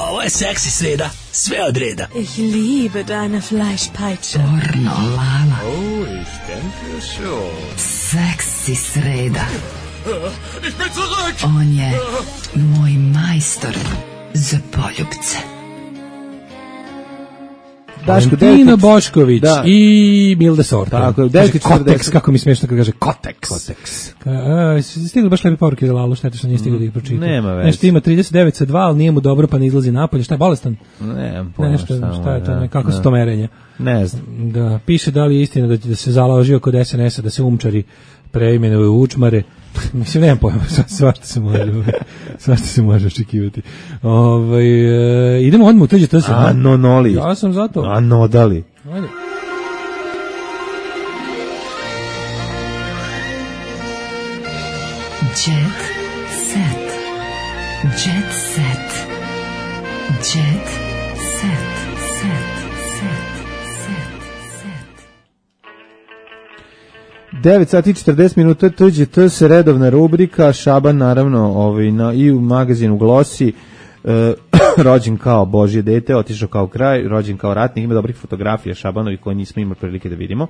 Ovo je seksi sreda, sve od reda. Ich liebe deine Fleischpeitsche. Pornolala. Oh, ich denke schon. Seksi sreda. Ich bin zurück! On je moj majstor za poljubce. Daško, Valentina devet- Bošković Da. i Milda Sorta. Tako je, Kaže devet i četrdeset. Koteks, kako mi smiješno kad kaže Koteks. Koteks. Ka- a, si stigli baš lepe poruke za Lalu, šteta što nije stigli da ih pročita. nema veze. Nešto ima trideset devet sa dva, ali nije mu dobro pa ne izlazi napolje. Šta je bolestan? Ne, pojma Nešto, šta mu šta je to, da, ne, kako da. su to merenja? Ne znam. Da, piše da li je istina da, da se založio kod es en es-a da se umčari preimenuju u učmare. Mislim, nemam pojma, sva- svašta se može, svašta se može očekivati. Ovaj e, idemo odmah u tuđe to se. A nonoli. Ja sam zato. A nodali. Ajde. Jet set. Jet set. Jet set. Set. Set. Set. devet sati i četrdeset minuta, tuđe to se redovna rubrika, Šaban naravno ovaj, na, i u magazinu Glosi, e, rođen kao Božje dete, otišao kao kraj, rođen kao ratnik, ima dobrih fotografija Šabanovi koje nismo imali prilike da vidimo.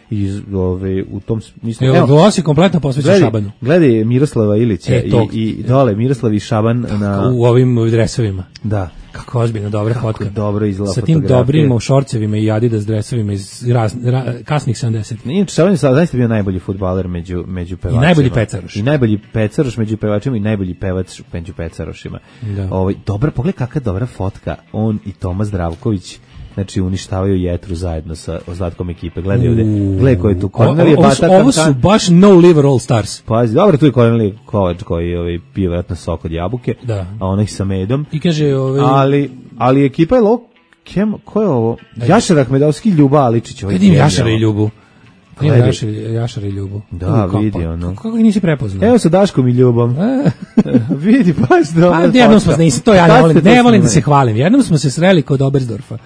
I ove, u tom smislu... Evo, Glos je kompletno posvećen gledaj, Šabanu. Gledaj Miroslava Ilića E, tog. i, i dole Miroslav i Šaban na... U ovim dresovima. Da. Kako ozbiljno dobra Kako fotka. dobro izgleda Sa tim fotografija. dobrim šorcevima i Adidas dresovima iz raz, ra, kasnih sedamdesetih. Inače, Šaban je sad zaista bio najbolji fudbaler među, među pevačima. I najbolji pecaroš. I najbolji pecaroš među pevačima i najbolji pevač među pecarošima. Da. Ovaj, dobra, pogledaj kakva dobra fotka. On i Toma Zdravković, znači uništavaju Jetru zajedno sa ostatkom ekipe. Gledaj ovde, gledaj ko je tu. Kornelije Ovo su, Bata ovo su Kankan. baš no liver all stars. Pazi, dobro, tu je Kornelije Kovač koji ovaj, pije vjerojatno sok od jabuke, Da. a onaj sa medom. I kaže, ovaj, Ali, ali ekipa je lo... Kem, ko je ovo? Jašar Ahmedovski, Ljuba Aličić. Ovaj vidim genijalno. Jašara i Ljubu. Vidim Gledaj. Jašar, Jašar i Ljubu. Da, U, kako- vidi ono. Kako ga nisi prepoznao? Evo sa Daškom i Ljubom. Vidi, baš dobro. Pa jednom smo se, nisam, to ja ne Kad volim, ste ne to volim da snimali? se hvalim. Jednom smo se sreli kod Oberstdorfa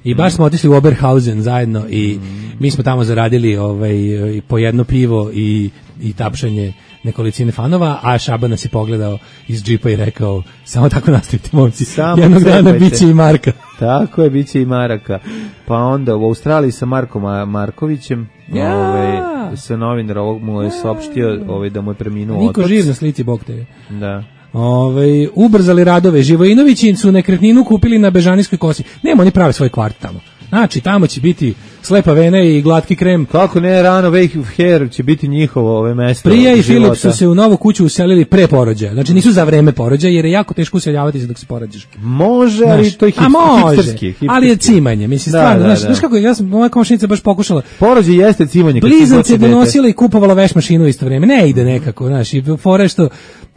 i baš smo otišli u Oberhausen zajedno i mi smo tamo zaradili ovaj, i po jedno pivo i, i tapšanje nekolicine fanova, a Šaban nas je pogledao iz džipa i rekao, samo tako nastavite, momci, Samo jednog dana cepajte. bit će i Marka. Tako je, bit će i Maraka. Pa onda u Australiji sa Markom Ma- Markovićem, Ja. ovaj, sa novinar ovog mu je saopštio ovaj, da mu je preminuo Niko otac. živ na slici, bog te je. Da. Ovaj ubrzali radove. Živojinovići su nekretninu kupili na Bežanijskoj kosi. Nema, oni prave svoj kvart tamo. Znači, tamo će biti slepa vena i glatki krem. Kako ne, rano wake of hair će biti njihovo ove mesto. Prija i Filip su se u novu kuću uselili pre porođaja. Znači nisu za vreme porođaja jer je jako teško useljavati se dok se porađaš. Može, ali to je hipster, može, hipsterski, hipsterski. Ali je cimanje. Mislim, da, stvarno, da, znaš, da. znaš kako, ja sam, moja komšinica baš pokušala. Porođaj jeste cimanje. Blizance je donosila i kupovala veš mašinu u isto vreme. Ne ide nekako, znaš, i fore što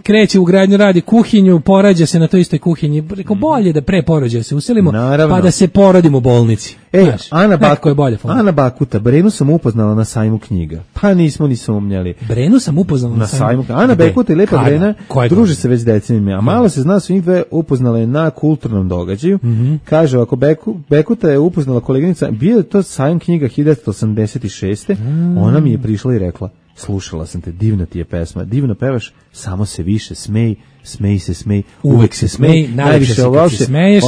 kreće u gradnju, radi kuhinju, porađa se na toj istoj kuhinji. Rekao, bolje da pre porođaja se uselimo, naravno, pa da se porodimo u bolnici. E, znaš, Ana, Baku, je bolje Ana Bakuta, Brenu sam upoznala na sajmu knjiga. Pa nismo ni sumnjali. Brenu sam upoznala na, na sajmu. sajmu. Ana Bakuta i Lepa Kada? Brena Koje druže godine? se već decenijama, a malo se zna, su njih dve upoznale na kulturnom događaju. Mm-hmm. Kaže, ako Beku, Bekuta je upoznala koleginica, bio je to sajam knjiga hiljadu devetsto osamdeset šeste. Mm. Ona mi je prišla i rekla, slušala sam te, divna ti je pesma, divno pevaš, samo se više smej, smej se, smej, uvek, uvek se smej, smej najviše se kad se smeješ,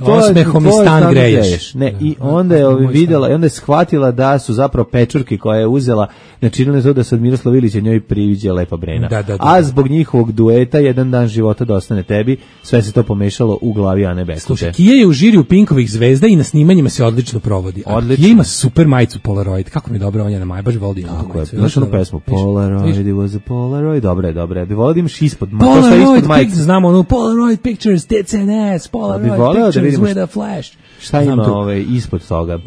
osmehom i stan greješ. Ne, i onda je ovi videla, i onda je shvatila da su zapravo pečurke koje je uzela, načinile to da se od Miroslava Ilića njoj priviđa Lepa Brena. Da, da, da, a zbog njihovog dueta jedan dan života da ostane tebi, sve se to pomešalo u glavi Ane Bekute. Slušaj, Kija je u žiriju Pinkovih zvezda i na snimanjima se odlično provodi. Odlično. Kija ima super majicu Polaroid. Kako mi je dobro, on je na maj, baš volim tu majicu. Znaš onu pesmu? Polaroid, it was a Polaroid. Dobre je, dobre. Bi volao da imaš ispod. Polaroid, znamo onu Polaroid pictures, tits and ass, Polaroid pictures with a flash. Šta ima ove ispod toga?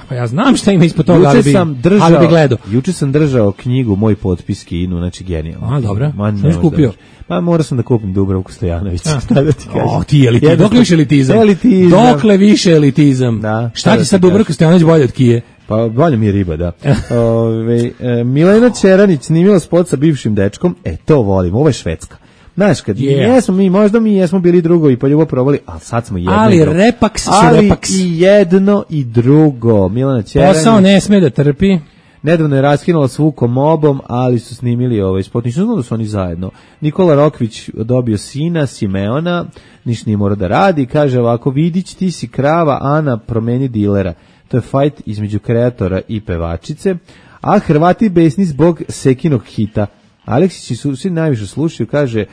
Pa ja znam šta ima ispod toga, ali bi, držao, ali bi gledao. Juče sam držao knjigu Moj potpis Kinu, znači genijalno. A, dobro. Šta si kupio? Pa morao sam da kupim Dubravku Stojanović. Šta da ti kažem? O, ti elitizam. Dokle više elitizam? elitizam. Dokle više elitizam? Da. Šta ti sad Dubravka Stojanović bolje od Kije? Pa bolje mi je riba, da. Ove, e, Milena Čeranić snimila spot sa bivšim dečkom, e to volim, ovo je Švedska. Znaš, kad yeah. jesmo mi, možda mi jesmo bili drugovi pa ljubav probali, ali sad smo jedno ali i drugo. Repaks su ali Repaks. i jedno i drugo. Milena Čeranić. Posao ne sme da trpi. Nedavno je raskinula s Vukom Obom, ali su snimili ovaj spot. Ništa znam da su oni zajedno. Nikola Rokvić dobio sina, Simeona, ništa nije mora da radi. Kaže ovako, Vidić, ti si krava, Ana, promeni dilera. To je fajt između kreatora i pevačice. A Hrvati besni zbog Sekinog hita. Aleksići su svi najviše slušaju, kaže,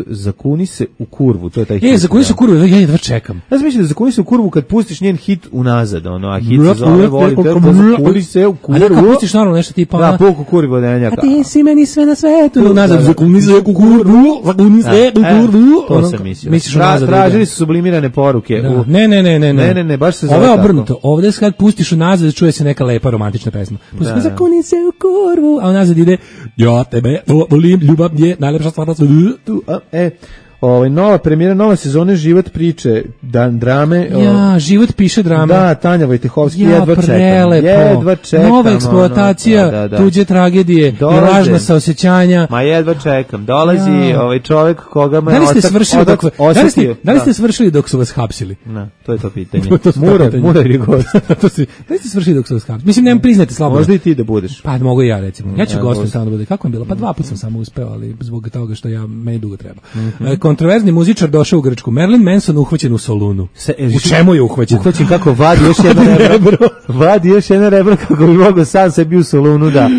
zakuni se u kurvu, to je taj hit. E, zakuni se u kurvu, ja jedva čekam. Ja sam mislio da zakuni se u kurvu kad pustiš njen hit unazad, ono, a hit se zove, volim te, zakuni se u kurvu. A da, kad pustiš normalno nešto tipa, da, puku kurvi vodenjaka. A ti si meni sve na svetu, unazad, zakuni se u kurvu, zakuni se u kurvu. To sam mislio. Misliš unazad. Tražili su sublimirane poruke. Ne, ne, ne, ne. Ne, ne, ne, baš se zove tako. Ovo je obrnuto, ovde kad pustiš unazad, čuje se neka lepa romantična pesma. Pustiš zakuni se u kurvu, a unazad ide, ja tebe volim, ljubav je najlepša stvar na svetu. E, ovaj nova premijera nove sezone Život priče, dan drame. Ja, Život piše drame. Da, Tanja Vojtehovski, ja, jedva čekam. Jedva čekam. Nova eksploatacija, ono, da, da, da. tuđe tragedije, Dolaze. I lažna saosećanja. Ma jedva čekam. Dolazi ja. ovaj čovjek koga me da li ste otak, svršili otak, dok, otak, da li ste, da li ste svršili dok su vas hapsili? Na, to je to pitanje. to, to Muro, Muro je gost. to si, da li ste svršili dok su vas hapsili? Mislim, nemam priznati slabo. Možda i ti da budeš. Pa mogu i ja recimo. Ja ću gostom samo da bude. Kako je bilo? Pa dva puta sam samo uspeo, ali zbog toga što ja meni dugo treba. Mm-hmm. Kontroverzni muzičar došao u Grčku. Marilyn Manson uhvaćen u Solunu. Se, u čemu je uhvaćen? Uhvaćen kako vadi još jedno rebro. vadi još jedno rebro kako bi mogao sam sebi u Solunu da...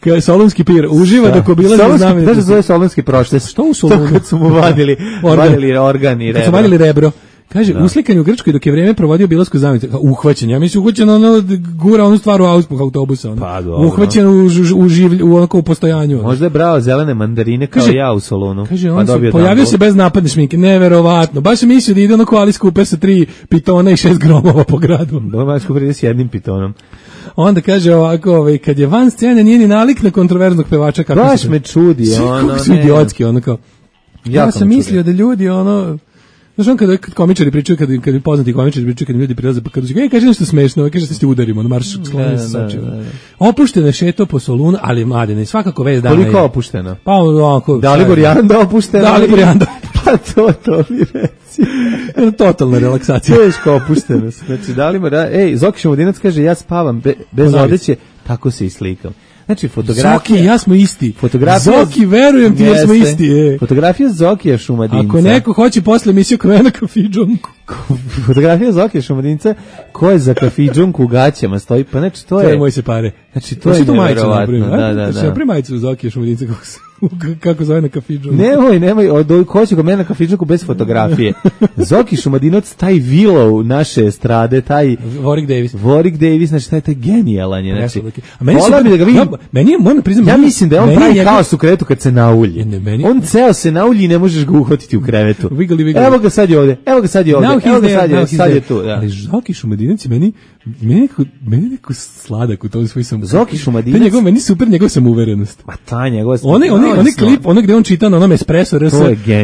Kaj solunski pir uživa dok obilazi znamenitosti. Znaš da zove solunski proštes? Što u Solunu? Kad su mu vadili, vadili organ i rebro. Kad su vadili rebro. Kaže, da. Uslikan u Grčkoj dok je vrijeme provodio bilasku znamenitost. Uhvaćen, ja mislim uhvaćen ono, gura onu stvar u auspuh autobusa. Ono. Pa, dobro. Uhvaćen u, u, življ, u, onako, u postojanju. Ono. Možda je brao zelene mandarine kao kaže, ja u Solunu. Kaže, on pa se pojavio se bez napadne šminke, neverovatno. Baš sam mislio da ide ono ko Alice Cooper sa tri pitona i šest gromova po gradu. Dobro, Alice Cooper ide s jednim pitonom. Onda kaže ovako, ovaj, kad je van scene nije ni nalik na kontroverznog pevača. Kako baš me čudi. Ono, kako su idiotski, ono kao. Ja sam mislio da ljudi, ono... Znaš on kada komičari pričaju, kada, kada poznati komičari pričaju, kada ljudi prilaze, pa kada su, ej, kaže nešto smešno, kaže da ste udarimo, ono marš skloni se sačeva. Opušteno je šeto po Solunu, ali mladine, svakako vez dana je. Koliko opušteno? Pa onako. Da li Borijanda opušteno? Da li Borijanda? Pa to, to mi reci. Totalna relaksacija. Teško opuštenost. Znači, da li mora, ej, Zoki Šumodinac kaže, ja spavam be, bez odeće, tako se i slikam. Znači, fotografija... Zoki, ja smo isti. Fotografija... Zoki, verujem ti, jer smo isti. E. Fotografija Zokija Šumadinca. Ako neko hoće posle emisiju Krvena kafiđom, fotografija Zokija Šumadinca koja za kafidžonku u gaćama stoji, pa znači to je... To je moj se pare. Znači to je nevjerovatno. Da, da, da. Znači, majicu Zokija Šumadinca kako se... kako zove na kafidžonku. Nemoj, nemoj, ko će kod mene na kafidžonku bez fotografije. Zoki Šumadinovac, taj Willow naše estrade, taj... Warwick Davis. Warwick Davis, znači taj, taj genijalan je. Znači, a meni, super, da ga vidim, ja, meni moram priznam, ja mislim da je on pravi njega... haos u krevetu kad se naulji. Ne, meni... On ceo se naulji i ne možeš ga uhvatiti u krevetu. Wiggly, wiggly. Evo ga sad je ovde, evo ga sad je ovde, evo ga sad je, sad je tu. Da. Ali Zoki Šumadinac meni, meni neko, meni neko sladak u tom svoj sam. Zoki Šumadinac. To njegov, meni super njegov samouverenost. Ma ta njegov. Onaj, onaj, onaj klip, onaj gde on čita na onom Espresso R S,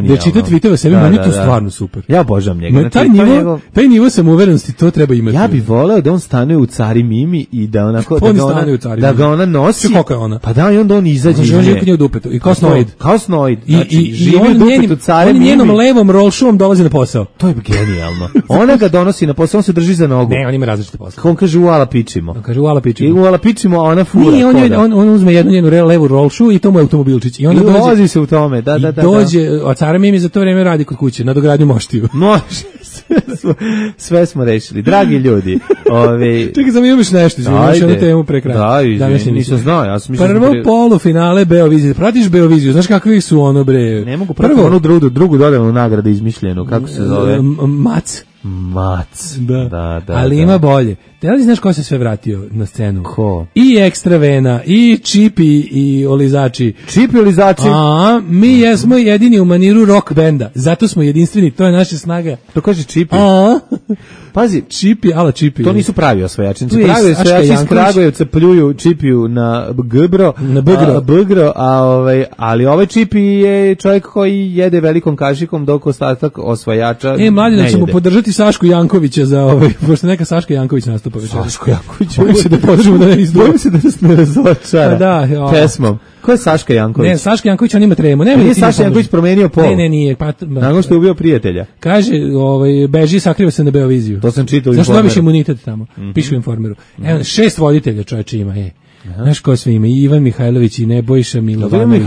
da čita tweetove sebi, da, meni da, to da. stvarno super. Ja obožavam njega. Znači, taj, nivo, njegov... taj nivo samouverenosti, to treba imati. Ja bih voleo da on stane u Cari Mimi i da onako da ga ona, da ga ona nosi. Kako je ona? Pa da, i onda on izađe iz nje. On u dupetu. I kao snoid. Kao snoid. I, znači, i, živi i u dupetu Cari Mimi. On njenom levom rolšuom dolazi na posao. To je genijalno. Ona ga donosi na posao, on se drži za nogu. Ne, on ima različite posao. On kaže uala pičimo. On kaže uala pičimo. I uala pičimo, a ona fura. Nije, on, je, on, on uzme jednu njenu levu rolšu i to mu je automobilčić. I onda I dođe, vozi se u tome. Da, da, da. I dođe, a Cara Mimi za to vreme radi kod kuće, na dogradnju moštiju. Može. Sve smo, sve smo rešili. Dragi ljudi. Ove... Čekaj, sam imaš nešto, izviniš jednu temu pre kraja. Da, izvini, nisam znao. Ja sam Prvo pre... polufinale Beovizije. Pratiš Beoviziju, znaš kakvi su ono, bre? Ne mogu pratiti onu drugu, drugu dodelnu nagradu izmišljenu. Kako se zove? Mac. Mac. Da, da, da ali da. Ima bolje. Da li znaš ko se sve vratio na scenu? Ko? I Ekstravena, i Čipi, i Olizači. Čipi i Olizači? A, mi jesmo jedini u maniru rock benda. Zato smo jedinstveni, to je naša snaga. To kaže Čipi. A, pazi, Čipi, ala Čipi. To nisu pravi osvajačnici. Pravi osvajači iz Kragujevca pljuju Čipiju na Gbro, na Bgro, a, Bgro, a ovaj, ali ovaj Čipi je čovjek koji jede velikom kašikom dok ostatak osvajača. E, mladi, da ćemo podržati Sašku Jankovića za ovaj, pošto neka Saška Janković nastupa večeras. Saško Janković. Bojim se da podržimo da ne izdvoji. Bojim se da nas ne razočara. Da, jo. Pesmom. Ko je Saška Janković? Ne, Saška Janković, on ima tremu. Ne, nije Saška Janković promenio pol. Ne, ne, nije. Pa, nakon što je ubio prijatelja. Kaže, ovaj, beži, sakriva se na Beoviziju. To sam čitao u Informeru. Zašto dobiš imunitet tamo? Mm-hmm. Piše u Informeru. Mm-hmm. Evo, šest voditelja čovječe ima, je. Znaš ko sve ima? I Ivan Mihajlović, i Nebojša Milovanović,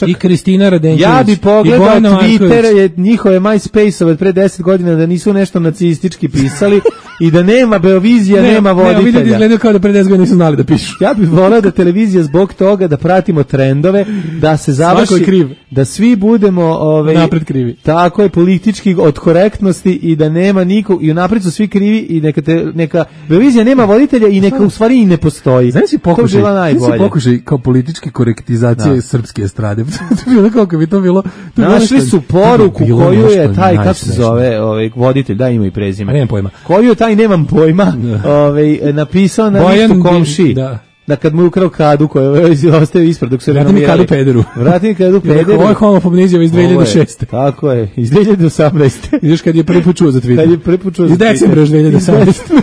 i Kristina Radenković. Ja bi pogledao Twitter, je njihove MySpace-ove od pre deset godina da nisu nešto nacistički pisali i da nema Beovizija, ne, nema voditelja. Ne, vidjeti izgledaju kao da pre deset godina nisu znali da pišu. Ja bih volao da televizija zbog toga da pratimo trendove, da se završi, kriv. Da svi budemo ove, napred krivi. Tako je, politički od korektnosti i da nema nikog, i napred su svi krivi i neka, te, neka Beovizija nema voditelja i neka u stvari i ne postoji. Znaš si pokušaj, znaš si pokušaj kao političke korektizacije da. Srpske estrade. To bilo kako bi to bilo. To našli bilo su poruku bilo koju je taj, kako se zove, ovaj, voditelj, da ima i prezime. A nemam pojma. Koju je taj, nemam pojma, ovaj, napisao na Bojan listu komši. Da. Da kad mu je ukrao kadu koju je ostavio ispred dok se renomirali. Vrati mi kadu pederu. Vrati mi kadu pederu. Ovo je homofobni izjava iz dve hiljade šeste. Tako je, iz dve hiljade osamnaeste. Vidiš kad je prvi put čuo za Twitter. Kad je prvi put čuo za Twitter. Iz decembra dve hiljade osamnaeste.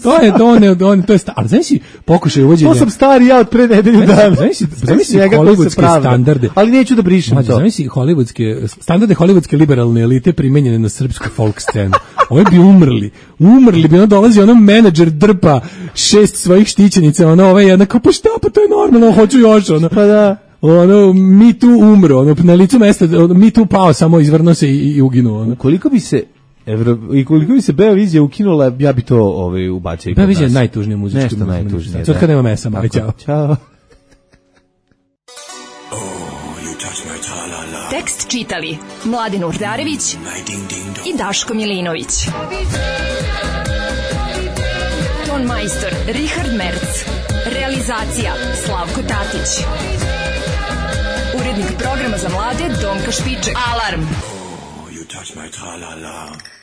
To je to, ne, on, to je star. Ali znaš si pokušaj uvođenja. To sam stari ja od pre nedelju dana. Znaš si, znaš si hollywoodske standarde. Ali neću da brišem to. Znaš si hollywoodske, standarde hollywoodske liberalne elite primenjene na srpsku folk scenu. Ovi bi umrli. Umrli bi, ono dolazi ono menadžer drpa šest svojih štićenica, ono ova jedna kao, pa šta, pa to je normalno, hoću još, ono. Pa da. Ono, mi tu umro, ono, na licu mesta, ono, mi tu pao, samo izvrno se i, i uginuo, ono. Koliko bi se Evro, i koliko bi se Beovizija ukinula, ja bi to ovaj, ubacio. Beovizija je najtužnija muzička. Nešto najtužnije. Sad kad nema mesa, mali, čao. Ćao. Tekst čitali Mladin Urdarević i Daško Milinović. Ton majstor Richard Merc. Realizacija Slavko Tatić. Urednik programa za mlade Donka Špiček. Alarm! You touch my tra-la-la.